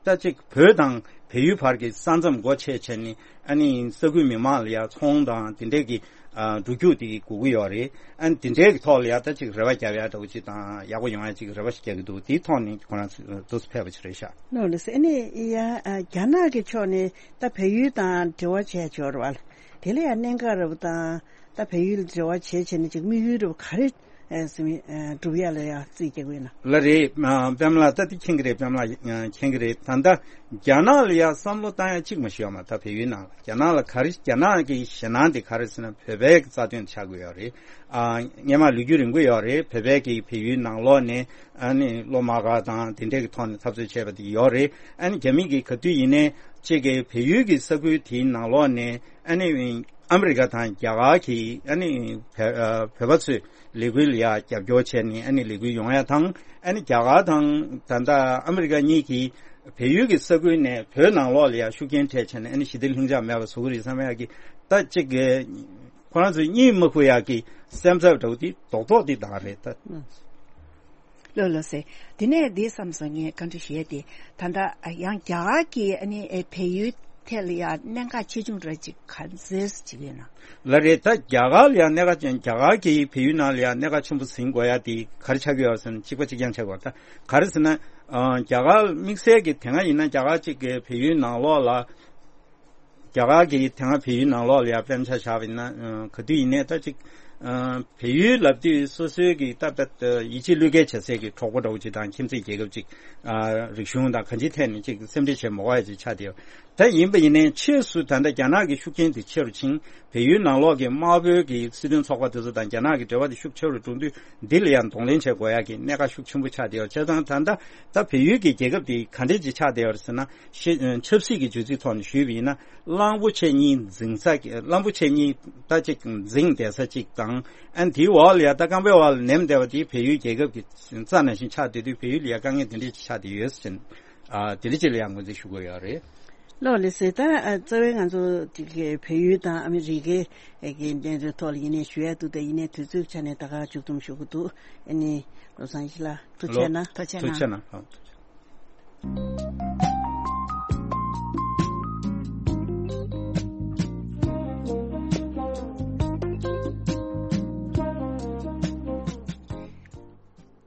ད་གཅིག་བོད་དང་བལ་ཡུལ་བར་གྱི་ས་མཚམས་སྒོ་ཕྱེ་བྱས་ནས་ཨ་ནི་ས་ཁུལ་མི་མང་ལ་ཡ་ཚོང་དང་དེ་འདྲས་ཀྱི་ཨ་འགྲོ་རྒྱུག་དེ་དགོས་ཀྱི་ཡོད་རེད། ཨ་ནི་དེ་འདྲའི་གི་ཐོག་ལ་ཡ་ད་ཅིག་རེ་བ་རྒྱབ་ཡ་འདྲ་བོ་ཅིག་དང་ཡག་པོ་ཡོང་ཡ་ཅིག་རེ་བ་ཞིག་རྒྱག་གི་འདུག་དེའི་ཐོག་ནས་ཁོ་རང་ཚོ་འདུག་སེ་ཕེབས་པ་ཅིག་རེད་ཤག་ལགས་ལགས་སེ། ཨ་ནི་ཡ་ཨ་རྒྱ་ནག་གི་ཕྱོགས་ནས་ད་བལ་ཡུལ་དང་འབྲེལ་བ་བྱས་ཡོད་རེད་བ། དེ་ལ་ཡ་གནད་འགག་རེད་བ་དང་ད་བལ་ཡུལ་ལ་འབྲེལ་བ་བྱས་བྱས་ནས་ཅིག་དམིགས་ཡུལ་རེད་བ་ག་རེ་ཨ་ཟིན་ཨ་སྒྲུབ་ཡ་ལ་ཡ་རྩིས་རྒྱག་གི་ཡོད་ན། ལགས་རེད། ཨ་པདྨ་ལགས་ད་དེ་མཁྱེན་གི་རེད། པདྨ་ལགས་ཨ་མཁྱེན་གི་རེད། ད་ལྟ་རྒྱ་ནག་ལ་ཡ་བསམ་བློ་བཏང་ཡ་གཅིག་མ་ཞིག་ཡོད་མ་ད་བལ་ཡུལ་ནང་ལ། རྒྱ་ནག་ལ་ག་རེ་རྒྱ་ནག་གི་ཞེད་སྣང་དེ་ག་རེ་ཟེར་ན་བོད་པའི་རྩ་དོན་ཆགས་ཀྱི་ཡོད་རེད། ཨ་སྔོན་མ་ལོ་རྒྱུས་རིང་པོ་ཡོད་རེད། བོད་པའི་གི་བལ་ཡུལ་ནང་ལོགས་ནས་ཨ་ནི་སློབ་མ་ག་དང་དེ་འདྲས་ཀྱི་ཐོག་ནས་འཐབ་རྩོད་བྱས་པ་དེ་ཡོད་རེད། ཨ་ནི་རྒྱ་མི་གི་ག་དུས་ཡིན་ནའི་གཅིག་གི་བལ་ཡུལ་གྱི་ས་ཁུལ་དེའི་ནང་ལོགས་ནས་ཨ་ནི་ཨ་མི་རི་ཀ་དང་རྒྱ་གར་གྱི་ཨ་ནི་བོད་ཨ་བོད་པ་ཚོས་ལས་འགུལ་ལ་ཡ་རྒྱབ་སྐྱོར་བྱས་ནས་ཨ་ནི་ལས་འགུལ་ཡོང་ཡ་དང་། ཨ་ནི་རྒྱ་གར་དང་ད་ལྟ་ཨ་མི་རི་ཀ་གཉིས་ཀྱིས་བལ་ཡུལ་གྱི་ས་ཁུལ་ནས་བོད་ནང་ལོགས་ལ་ཡ་ཤུགས་རྐྱེན་སྤྲད་བྱས་ནས་ཨ་ནི་ཞི་བདེ་ལྷིང་འཇགས་མེད་པ་བཟོ་གི་རེད་བསམ་ཡ་གི་ད་གཅིག་གི་ཁོ་རང་ཚོས་གཉིད་མ་ཁུག་ཡ་གི་སེམས་འཚབ་འདྲ་བོ་དེ་རྡོག་རྡོག་དེ་བཏང་རེད་ད། ལགས་ལགས་སེ། དེ་ནས་འདི་བསམ་སོང་ངས་བཀའ་འདྲི་ཞུ་ཡས་དེ། ད་ལྟ་ཡང་རྒྱ་གར་གྱིས་ཨ་ནི་ཨེ་བལ་ཡུལ་ཐད་ལ་ཡང་གནད་འགག་ཆེ་ཆུང་འདྲ་ཅིག་ག་ཚོད་ཅིག་ཡོད་ན། ལགས་རེད། ད་རྒྱ་གར་ལ་ཡང་གནད་འགག་ཅན་རྒྱ་གར་གྱིས་བལ་ཡུལ་ནང་ལ་ཡང་གནད་འགག་ཆེན་པོ་ཟིན་དགོས་ཡ་དེ་ག་རེ་ཆགས་ཀྱི་ཡོད་ཟེར་ན་གཅིག་པ་གཅིག་རྐྱང་ཆགས་དགོས་ད་ག་རེ་ཟེར་ན། ཨ་རྒྱ་གར་དམིགས་བསལ་གྱི་དེ་སྔ་ཡིན་ན་རྒྱ་གར་གཅིག་གི་བལ་ཡུལ་ནང་ལོགས་ལ། རྒྱ་གར་གྱིས་དེ་སྔ་བལ་ཡུལ་ནང་ལོགས་ལ་ཡང་དཔེ་ཆ་བཞག་པ་ཡིན་ན་ཨ་ག་དུས་ཡིན་ནའི་ད་ཅིག་ཨ་བལ་ཡུལ་ལབ་དུས་སོ་སོའི་གི་ད་ད་ཡིད་ཆེས་བློས་འགེལ་བྱ་སའི་གི་གྲོགས་པོ་འདྲ་བོ་ཅིག་དང་ཁྱིམ་མཚེས་རྒྱལ་ཁབ་ཅིག་ཨ་རིག་གཞུང་དང་གང་ཅིའི་ཐད་ནས་ཅིག་སེམས་ཁྲལ་བྱེད་མ་དགོས་ཡ་ཅིག་ཆགས་བསྡད་ཡོད། ད་ཡིན་པ་ཡིན་ནའི་ཕྱིས་སུ་ད་ལྟ་རྒྱ་ནག་གི་ཤུགས་རྐྱེན་དེ་ཆེ་རུ་ཕྱིན། བལ་ཡུལ་ནང་ལོགས་ཀྱི་དམར་པོའི་གི་སྲིད་དོན་ཚོགས་པ་དེ་ཚོ་དང་རྒྱ་ནག་གི་འབྲེལ་བ་དེ་ཤུགས་ཆེ་རུ་འགྲོ་དུས། འདི་ལ་ཡང་གདོང་ལེན་བྱེད་དགོས་ཡག་གི་གནད་འགག་ཤུགས་ཆེན་པོ་ཆགས་བསྡད་ཡོད། བྱས་ཙང་ད་ལྟ་ད་བལ་ཡུལ་གྱི་རྒྱལ་ཁབ་དེ་ག་འདྲས་ཅིག་ཆགས་བསྡད་ཡོད་ཟེར་ན། ཤེ་ཆབ་སྲིད་ཀྱི་བརྗོད་ཚིག་ཐོག་ནས་ཞུས་པ་ཡིན་ན། གླང་པོ་ཆེ་གཉིས་འཛིང་ས་གི་གླང་པོ་ཆེ་གཉིས་ད་ཅིག་འཛིང་བསྡད་ས་ཅིག་དང་། ཨ་ནི་དེའི་འོག་ལ་ཡ་ད་རྐང་པའི་འོག་ལ་ནེམ་བསྡད་པ་དེ་བལ་ཡུལ་རྒྱལ་ཁབ་ཀྱི་རྩ་ནང་བཞིན་ཆགས་བསྡད་དུས། བལ་ཡུལ་ལ་ཡ་དཀའ་ངལ་དེ་འདྲས་ཅིག་ཆགས་བསྡད་ཡོད་ཟེར། ཨ། དེ་འདྲ་ཅིག་ལ་ཡང་ངོས་འཛིན་ཞུ་དགོས་ཡོད་རེད། ལགས་ལགས་སོ། ད་ཨ་རྩ་བའི་ང་ཚོ་དེ་གའི་བལ་ཡུལ་དང་ཨ་མི་རི་ཀའི་ཨ་གི་གནད་དོན་ཐོག་ལ་ཡིན་ནའི་ཞུ་ཡ་འདུག་ད་ཡིན་ནའི་དུས་ཚོད་ཆ་ནས་ད་ག་མཇུག་སྡོམ་ཞུ་དགོས་འདུག་ཨ་ནི་བློ་བཟང་ཡེ་ཤེས་ལགས་ཐུགས་རྗེ་གནང་། ཐུགས་རྗེ་གནང་། ཐུགས་རྗེ་གནང་། ཨ།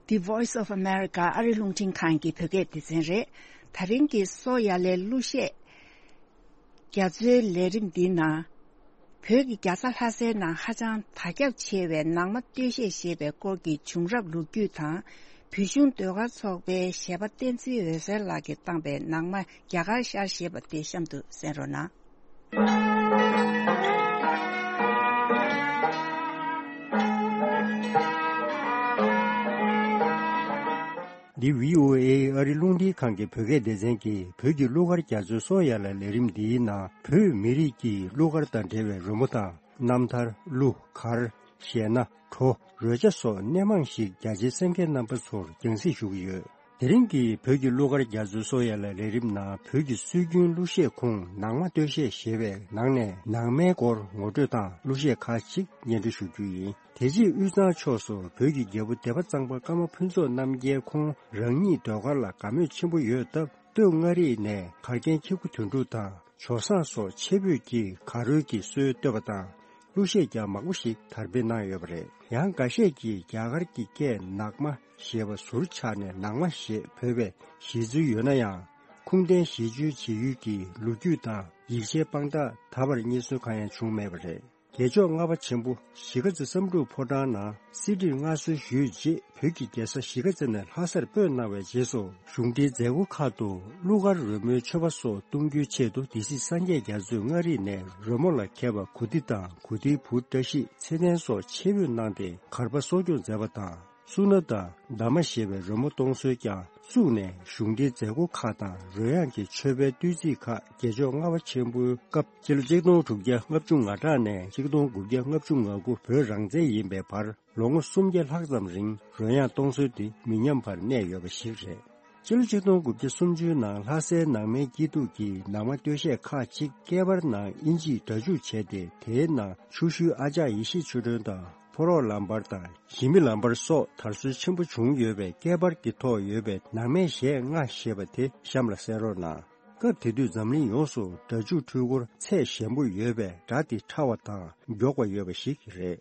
The Voice of America ཨ་རི་རླུང་འཕྲིན་ཁང་གི་བོད་སྐད་སྡེ་ཚན་རེད། ད་རིང་གི་སོ་ཡ་ལའི་གླུ་གཞས་རྒྱ་མཚོའི་ལས་རིམ་འདིའི་ནང་། བོད་ཀྱི་རྒྱལ་ས་ལྷ་སའི་ནང་ཧ་ཅང་དར་ཁྱབ་ཆེ་བའི་ནང་མ་སྟོད་གཞས་ཞེས་པའི་སྐོར་གྱི་བྱུང་རབས་ལོ་རྒྱུས་དང་། བོད་གཞུང་ཟློས་གར་ཚོགས་པའི་གཞས་པ་བསྟན་འཛིན་འོད་ཟེར་ལགས་ཀྱིས་བཏང་པའི་ནང་མ་རྒྱ་གར་ཤར་ཞེས་པ་དེ་གཤམ་དུ་གསན་རོགས་གནང་། འདི་བྷི་ཨོ་ཨེ་ཨ་རི་རླུང་འཕྲིན་ཁང་གི་བོད་སྐད་སྡེ་ཚན་གྱིས་བོད་ཀྱི་གླུ་གར་རྒྱ་མཚོའི་སོ་ཡ་ལ་ལས་རིམ་འདིའི་ནང་བོད་མི་རིགས་ཀྱི་གླུ་གར་དང་འབྲེལ་བའི་རོལ་མོ་དང་། རྣམ་ཐར། གླུ་གར། གཞས་སྣ། བྲོ། རོལ་ཆ་སོགས་སྣེ་མང་ཞིག་རྒྱ་ཆེའི་གསན་མཁན་རྣམ་པ་ཚོར་རྒྱང་སྲིང་ཞུ་གི་ཡོད། དེ་རིང་གི་བོད་ཀྱི་གླུ་གར་རྒྱ་མཚོའི་སོ་ཡ་ལ་ལས་རིམ་ནང་བོད་ཀྱི་སྲོལ་རྒྱུན་གླུ་གཞས་ཁོངས་ནང་མ་སྟོད་གཞས་ཞེས་པའི་ནང་ནས་ནང་མའི་སྐོར་ངོ་སྤྲོད་དང་གླུ་གཞས་ཁག་ཅིག་སྙན་སྒྲོན་ཞུ་རྒྱུ་ཡིན། དེ་རྗེས་དབུས་གཙང་ཕྱོགས་སུ་བོད་ཀྱི་རྒྱལ་པོ་སྡེ་པ་གཙང་པ་ཀརྨ་ཕུན་ཚོགས་རྣམ་རྒྱལ་ཁོང་རང་ཉིད་ཟློས་གར་ལ་དགའ་མོས་ཆེན་པོ་ཡོད་སྟབས། སྟོད་མངའ་རིས་ནས་གར་མཁན་ཁྱི་གུ་དོན་གྲུབ་དང་ཇོ་བཟང་སོགས་ཆེ་བོད་ཀྱི་གར་རོལ་གྱི་སྲོལ་གཏོད་པ་དང་། གླུ་གཞས་ཀྱང་མང་པོ་ཞིག་དར་སྤེལ་གནང་ཡོད་པ་རེད། ཡང་འགའ་ཤས་ཀྱིས་རྒྱ་གར་གྱི་སྐད་ནག་མ་ཞེས་པ་ཟུར་ཆག་ནས་ནང་མ་ཞེས་འབོད་པའི་གཞི་འཛུལ་ཡོད་ན་ཡང་། ཁུངས་ལྡན་གཞི་བཅོལ་བྱེད་ཡུལ་གྱི་ལོ་རྒྱུས་དང་ཡིག་ཆའི་དཔང་རྟགས་ད་བར་རྙེད་སོན་གང་ཡང་བྱུང་མེད་པ་རེད། རྒྱལ་མཆོག་ལྔ་པ་ཆེན་པོ་གཞིས་ཀ་རྩེ་བསམ་གྲུབ་ཕོ་བྲང་ནང་གསེར་བྲིས་མངའ་གསོལ་ཞུས་རྗེས། བོད་ཀྱི་རྒྱལ་ས་གཞིས་ཀ་རྩེ་ནས་ལྷ་སར་སྤོས་གནང་བའི་རྗེས་སུ། གཞུང་འབྲེལ་མཛད་སྒོ་ཁག་ཏུ་གླུ་གར་རོལ་མོའི་མཆོད་པ་སོགས་གཏོང་རྒྱུའི་ཆེད་དུ། སྡེ་སྲིད་སངས་རྒྱས་རྒྱ་མཚོས་མངའ་རིས་ནས་རོལ་མོ་ལ་མཁས་པ་གུ་ཏི་དང་། གུ་ཏིའི་བུ་བཀྲ་ཤིས་ཚེ་བརྟན་སོགས་ཆེད་འབོད་གནང་སྟེ། གར་པ་གསོ་སྐྱོང་མཛད་པ་དང་། སུ་ན་དང་། ཟླ་མ་ཞེས་པའི་རོལ་མོ་གཏོང་སྲོལ་ཀྱང་བཙུགས་ནས། གཞུང་འབྲེལ་མཛད་སྒོ་ཁག་དང་རོལ་དབྱངས་ཀྱི་མཆོད་པའི་བསྟོད་ཚིག་ཁག་རྒྱལ་མཆོག་ལྔ་པ་ཆེན་པོའི་སྐབས། སྤྱི་ལོ་ཆིག་སྟོང་དྲུག་བརྒྱ་ལྔ་བཅུ་ང་དྲུག་ནས་ཆིག་སྟོང་དགུ་བརྒྱ་ལྔ་བཅུ་ང་དགུ་བོད་རང་བཙན་ཡིན་པའི་བར། ལོ་ངོ་སུམ་བརྒྱ་ལྷག་ཙམ་རིང་རོལ་དབྱངས་གཏོང་སྲོལ་འདི་མི་ཉམས་པར་གནས་ཡོད་པ་ཞིག་རེད། སྤྱི་ལོ་ཆིག་སྟོང་དགུ་བརྒྱ་སུམ་ཅུ་ནང་ལྷ་སའི་ནང་མའི་སྐྱིད་སྡུག་གི་ནང་མ་སྟོད་གཞས་ཁག་ཅིག་སྐེད་པར་ནང་དབྱིན་ཇིས་སྒྲ་འཇུག་བྱས་ཏེ། དེའི་ནང་ཆུ་ཤུལ་ཨ་ཅག་ཡེ་ཤེས་ཆོས་སྒྲོན་དང་། ཕོ་རོག་ལམ་བར་དང་། ཞི་མི་ལམ་བར་སོགས་དར་སྲོལ་ཆེན་པོ་བྱུང་ཡོད་པས། སྐེད་པར་གྱི་ཐོག་ཡོད་པའི་ནང་མའི་གཞས་ལྔ་ཞེས་པ་དེ་གཤམ་ལ་གསན་རོགས་གནང་། སྐབས་དེ་དུས་འཛམ་གླིང་ཡོངས་སུ་སྒྲ་འཇུག་འཕྲུལ་འཁོར་ཚད་ཞན་པོ་ཡོད་པས། སྒྲ་དེ་ཕྲ་བ་དང་མགྱོགས་པ་ཡོད་པ་ཞིག་རེད།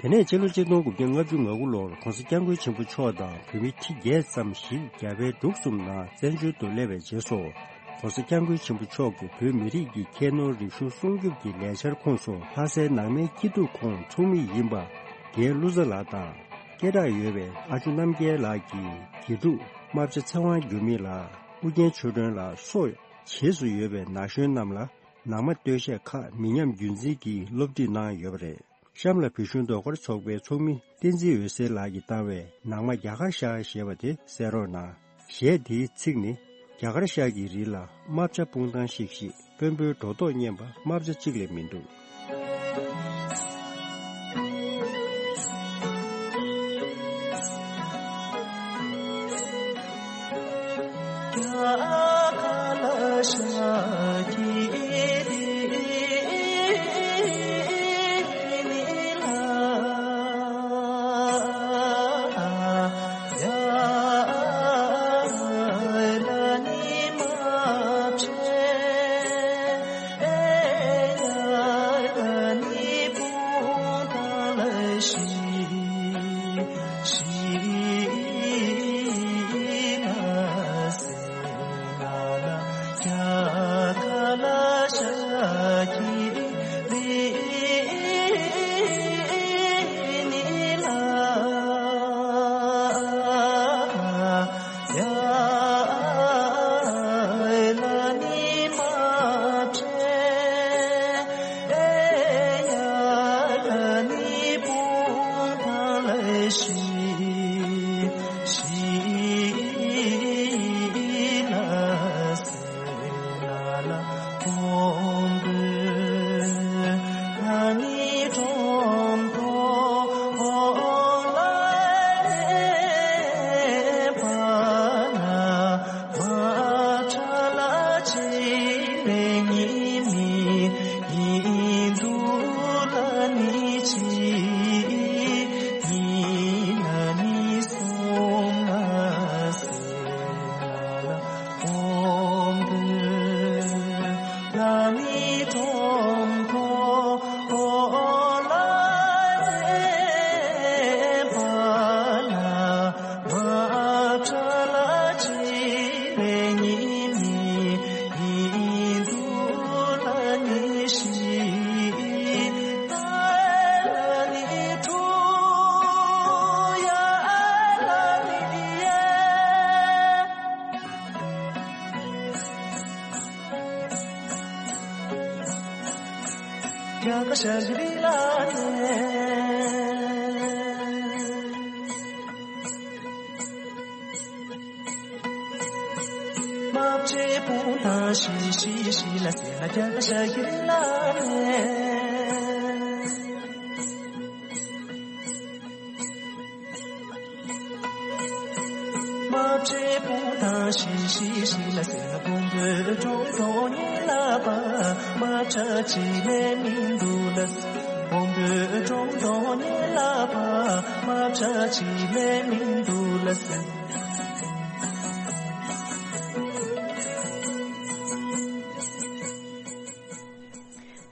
དེ་ནས་ཕྱི་ལོ་ཆིག་སྟོང་དགུ་བརྒྱ་ལྔ་བཅུ་ང་དགུ་ལོར་༸གོང་ས་༸སྐྱབས་མགོན་ཆེན་པོ་མཆོག་དང་བོད་མི་ཁྲི་བརྒྱད་ཙམ་ཞིག་རྒྱ་བལ་འབྲུག་གསུམ་ནང་བཙན་བྱོལ་དུ་སླེབས་པའི་རྗེས་སུ། ༸གོང་ས་༸སྐྱབས་མགོན་ཆེན་པོ་མཆོག་གིས་བོད་མི་རིགས་ཀྱི་ཁྱད་ནོར་རིག་གཞུང་སྲུང་སྐྱོབ་ཀྱི་ལས་འཆར་ཁོངས་སུ། ལྷ་སའི་ནང་མའི་སྐྱིད་སྡུག་ཁོངས་ཚོགས་མི་ཡིན་པ་རྒན་ཀླུ་བཟའ་ལགས་དང་། སྐད་གྲགས་ཡོད་པའི་ཨ་ཇོ་རྣམ་རྒྱལ་ལགས་ཀྱི་དགེ་ཕྲུག་རྨ་བྱ་ཚེ་དབང་འགྱུར་མེད་ལགས། ཨུ་རྒྱན་ཆོས་སྒྲོན་ལགས་སོགས་བྱེས་སུ་ཡོད་པའི་ན་གཞོན་རྣམས་ལ། ནང་མ་སྟོད་གཞས་ཁག་མི་ཉམས་རྒྱུན་འཛིན་གྱིས་སློབ་ཁྲིད་གནང་ཡོད་པ་རེད། གཤམ་ལ་བོད་གཞུང་ཟློས་གར་ཚོགས་པའི་ཚོགས་མི་བསྟན་འཛིན་འོད་ཟེར་ལགས་ཀྱིས་བཏང་བའི་ནང་མ་རྒྱ་གར་ཤར་ཞེས་པ་དེ་གསན་རོགས་གནང་། གཞས་དེའི་ཚིག་ནི། རྒྱ་གར་ཤར་གྱི་རི་ལ་རྨ་བྱ་སྤུངས་ཐང་བཤིག་བཤིག་དཔོན་པོའི་སྒྲོ་འདོགས་ཉན་པ་རྨ་བྱ་གཅིག་ལས་མི་འདུག་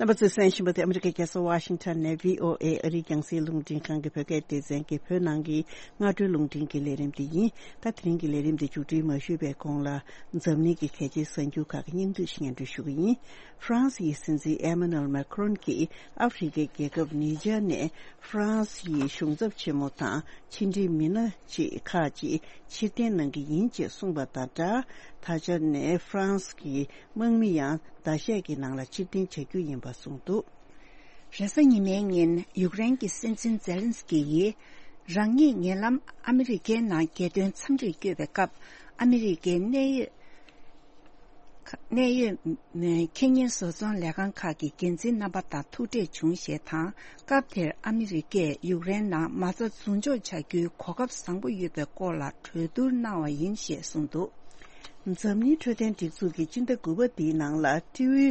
རྣམ་པ་ཚོས་གསན་བཞིན་པ་དེ་ཨ་མི་རི་ཀའི་རྒྱལ་ས་ཝ་ཤིང་ཊོན་ནས་བྷི་ཨོ་ཨེ་ཨ་རིའི་རྒྱང་སྲིང་རླུང་འཕྲིན་ཁང་གི་བོད་སྐད་སྡེ་ཚན་གྱི་བོད་ནང་གི་སྔ་དྲོའི་རླུང་འཕྲིན་གྱི་ལས་རིམ་དེ་ཡིན། ད་དེ་རིང་གི་ལས་རིམ་དེ་མཇུག་སྒྲིལ་མ་ཞུས་པའི་གོང་ལ། འཛམ་གླིང་གི་གལ་ཆེའི་གསར་འགྱུར་ཁག་གི་སྙིང་བསྡུས་ཤིག་སྙན་སྒྲོན་ཞུ་གི་ཡིན། ཧྥ་རན་སི་ཡི་སྲིད་འཛིན་ཨེ་མ་ནུ་ཨེལ་མེ་ཁ་རོན་གྱིས་ཨ་ཧྥེ་རི་ཁའི་རྒྱལ་ཁབ་ནི་ཇར་ནས་ཧྥ་རན་སི་ཡི་གཞུང་ཚབ་ཆེན་མོ་དང་ཕྱི་འབྲེལ་མི་སྣ་ཅིག་ཁག་ཅིག་ཕྱིར་འཐེན་གནང་གི་ཡིན་ཅེས་གསུངས་པ་དང་སྦྲགས། ད་ཆ་ནས་ཧྥ་རན་སི་གི་དམག་མི་ཡང་ཟླ་ཤས་ཀྱི་ནང་ལ་ཕྱིར་འཐེན་བྱ་རྒྱུ་ཡིན་པ་གསུངས་འདུག་རེས་གཟའ་ཉི་མའི་ཉིན་ཡུཀ་རེན་གྱི་སྲིད་འཛིན་ཛེ་ལན་སི་ཀི་ཡིས་རང་ཉིད་ཉེ་ལམ་ཨ་མི་རི་ཀའི་ནང་རྒྱལ་དོན་འཚམས་འདྲིར་བསྐྱོད་པའི་སྐབས། ཨ་མི་རི་ཀའི་གནད་ཡོད་གནད་ཡོད་ཁེ་ཉེན་བཟོ་ཚོང་ལས་ཁང་ཁག་གི་འགན་འཛིན་རྣམ་པ་དང་ཐུག་འཕྲད་བྱུང་ཞེས་དང་། སྐབས་དེར་ཨ་མི་རི་ཀས་ཡུཀ་རེན་ནང་མ་རྩ་འཛུགས་འཇོག་བྱ་རྒྱུའི་གོ་སྐབས་བཟང་པོ་ཡོད་པའི་སྐོར་ལ་གྲོས་བསྡུར་གནང་བ་ཡིན་ཞེས་གསུངས་འདུག་འཛམ་གླིང་འཕྲོད་བསྟེན་སྒྲིག་འཛུགས་ཀྱིས་སྤྱི་ཟླ་དགུ་པ་འདིའི་ནང་ལ་ཊི་བི་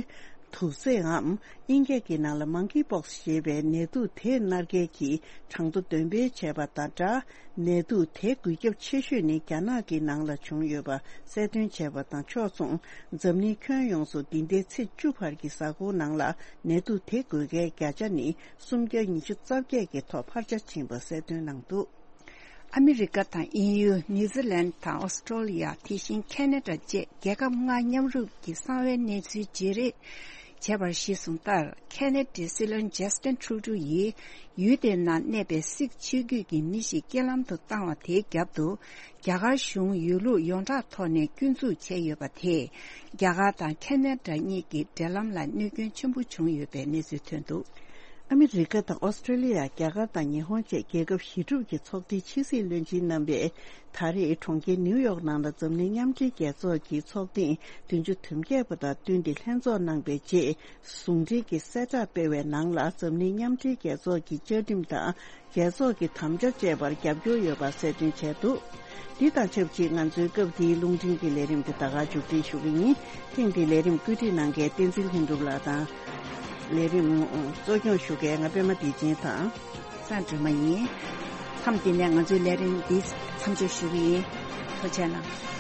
དུག་སེའམ་དབྱིན་སྐད་ཀྱི་ནང་ལ་མང་ཀི་པོག་སི་ཞེས་པའི་ནད་དུག་དེ་མནར་མཁན་གྱི་གྲངས་ཐོ་འདོན་སྤེལ་བྱས་པ་དང་སྦྲགས། ནད་དུག་དེ་འགོས་ཁྱབ་ཆེ་ཤོས་ནི་རྒྱ་ནག་གི་ནང་ལ་བྱུང་ཡོད་པ་གསལ་སྟོན་བྱས་པ་དང་ཕྱོགས་མཚུངས། འཛམ་གླིང་ཁྱོན་ཡོངས་སུ་འདི་ཟླའི་ཚེས་བཅུ་བར་གྱི་གཟའ་འཁོར་ནང་ལ་ནད་དུག་དེ་འགོས་མཁན་བརྒྱ་ཆ་ནི་སུམ་བརྒྱ་ཉི་ཤུ་རྩ་བརྒྱད་ཀྱི་ཐོག་འཕར་ཆ་ཕྱིན་པ་གསལ་སྟོན་གནང་འདུག་ཨ་མི་རི་ཀ་དང་དབྱིན་ཡུལ། ནིའུ་ཛི་ལན་དང་ཨོ་སི་ཀྲོ་ལི་ཡ། དེ་བཞིན་ཁེ་ན་ཌ་བཅས་རྒྱལ་ཁབ་ལྔ་མཉམ་རུབ་ཀྱིས་གསང་བའི་གནས་ཚུལ་བརྗེ་རེས་བྱས་པར་གཞི་བཟུང་ལྟར། ཁེ་ན་ཌའི་སྲིད་བློན་ཇ་སི་ཊིན་ཁྲུ་ཌོ་ཡིས་ཡུལ་དེའི་ནང་གནས་པའི་སིག་ཆོས་བརྒྱུད་ཀྱི་མི་ཞིག་རྐྱེན་ལམ་དུ་བཏང་བ་དེའི་རྒྱབ་ཏུ། རྒྱ་གར་གཞུང་ཡོད་ལུགས་ཡོངས་གྲགས་ཐོག་ནས་སྐྱོན་འཛུགས་བྱས་ཡོད་པ་དེས། རྒྱ་གར་དང་ཁེ་ན་ཌ་གཉིས་ཀྱི་འབྲེལ་ལམ་ལ་གནོད་སྐྱོན་ཆེན་པོ་བྱུང་ཡོད་པའི་གནས་ཚུལ་ཐོན་འདུག་ཨ་མི་རི་ཀ་དང་ཨོ་སི་ཀྲེ་ལི་ཡ། རྒྱ་གར་དང་ཉི་ཧོང་བཅས་རྒྱལ་ཁབ་བཞི་གྲུབ་ཀྱི་ཚོགས་སྡེའི་ཕྱི་སྲིད་བློན་ཆེན་རྣམ་པས་ད་རེས་གྲོང་ཁྱེར་ནིའུ་ཡོག་ནང་ལ་འཛམ་གླིང་མཉམ་འབྲེལ་རྒྱལ་ཚོགས་ཀྱི་ཚོགས་ཐེངས་བདུན་ཅུ་དོན་བརྒྱད་པ་དང་བསྟུན་ཏེ་ལྷན་ཚོགས་གནང་པའི་རྗེས། ཟུང་འབྲེལ་གྱི་གསལ་བསྒྲགས་སྤེལ་བའི་ནང་ལ། འཛམ་གླིང་མཉམ་འབྲེལ་རྒྱལ་ཚོགས་ཀྱི་བཅའ་ཁྲིམས་དང་རྒྱལ་ཚོགས་ཀྱི་དམ་བཅའ་བཅས་པར་རྒྱབ་སྐྱོར་ཡོད་པ་གསལ་སྟོན་བྱས་འདུག་འདི་དང་ཆབས་ཅིག་ང་ཚོའི་སྐབས་འདིའི་རླུང་འཕྲིན་གྱི་ལས་རིམ་དེ་ད་ག་མཇུག་སྒྲིལ་ཞུ་གི་ཡིན། ཐེངས་འདིའི་ལས་རིམ་བཀོད་སྒྲིག་གནང་མཁན་བསྟན་འཛིན་ལྷུན་གྲུབ་ལགས་དང་། ལས་རིམ་གཙོ་སྐྱོང་ཞུ་མཁན་ང་པད་མ་བདེ་ཆེན་དང་། སངས་སྒྲོལ་མ་ཡིན། མཚམས་འདི་ནས་ང་ཚོའི་ལས་རིམ་འདི་མཚམས་འཇོག་ཞུ་གི་ཡིན། ཐུགས་རྗེ་གནང་།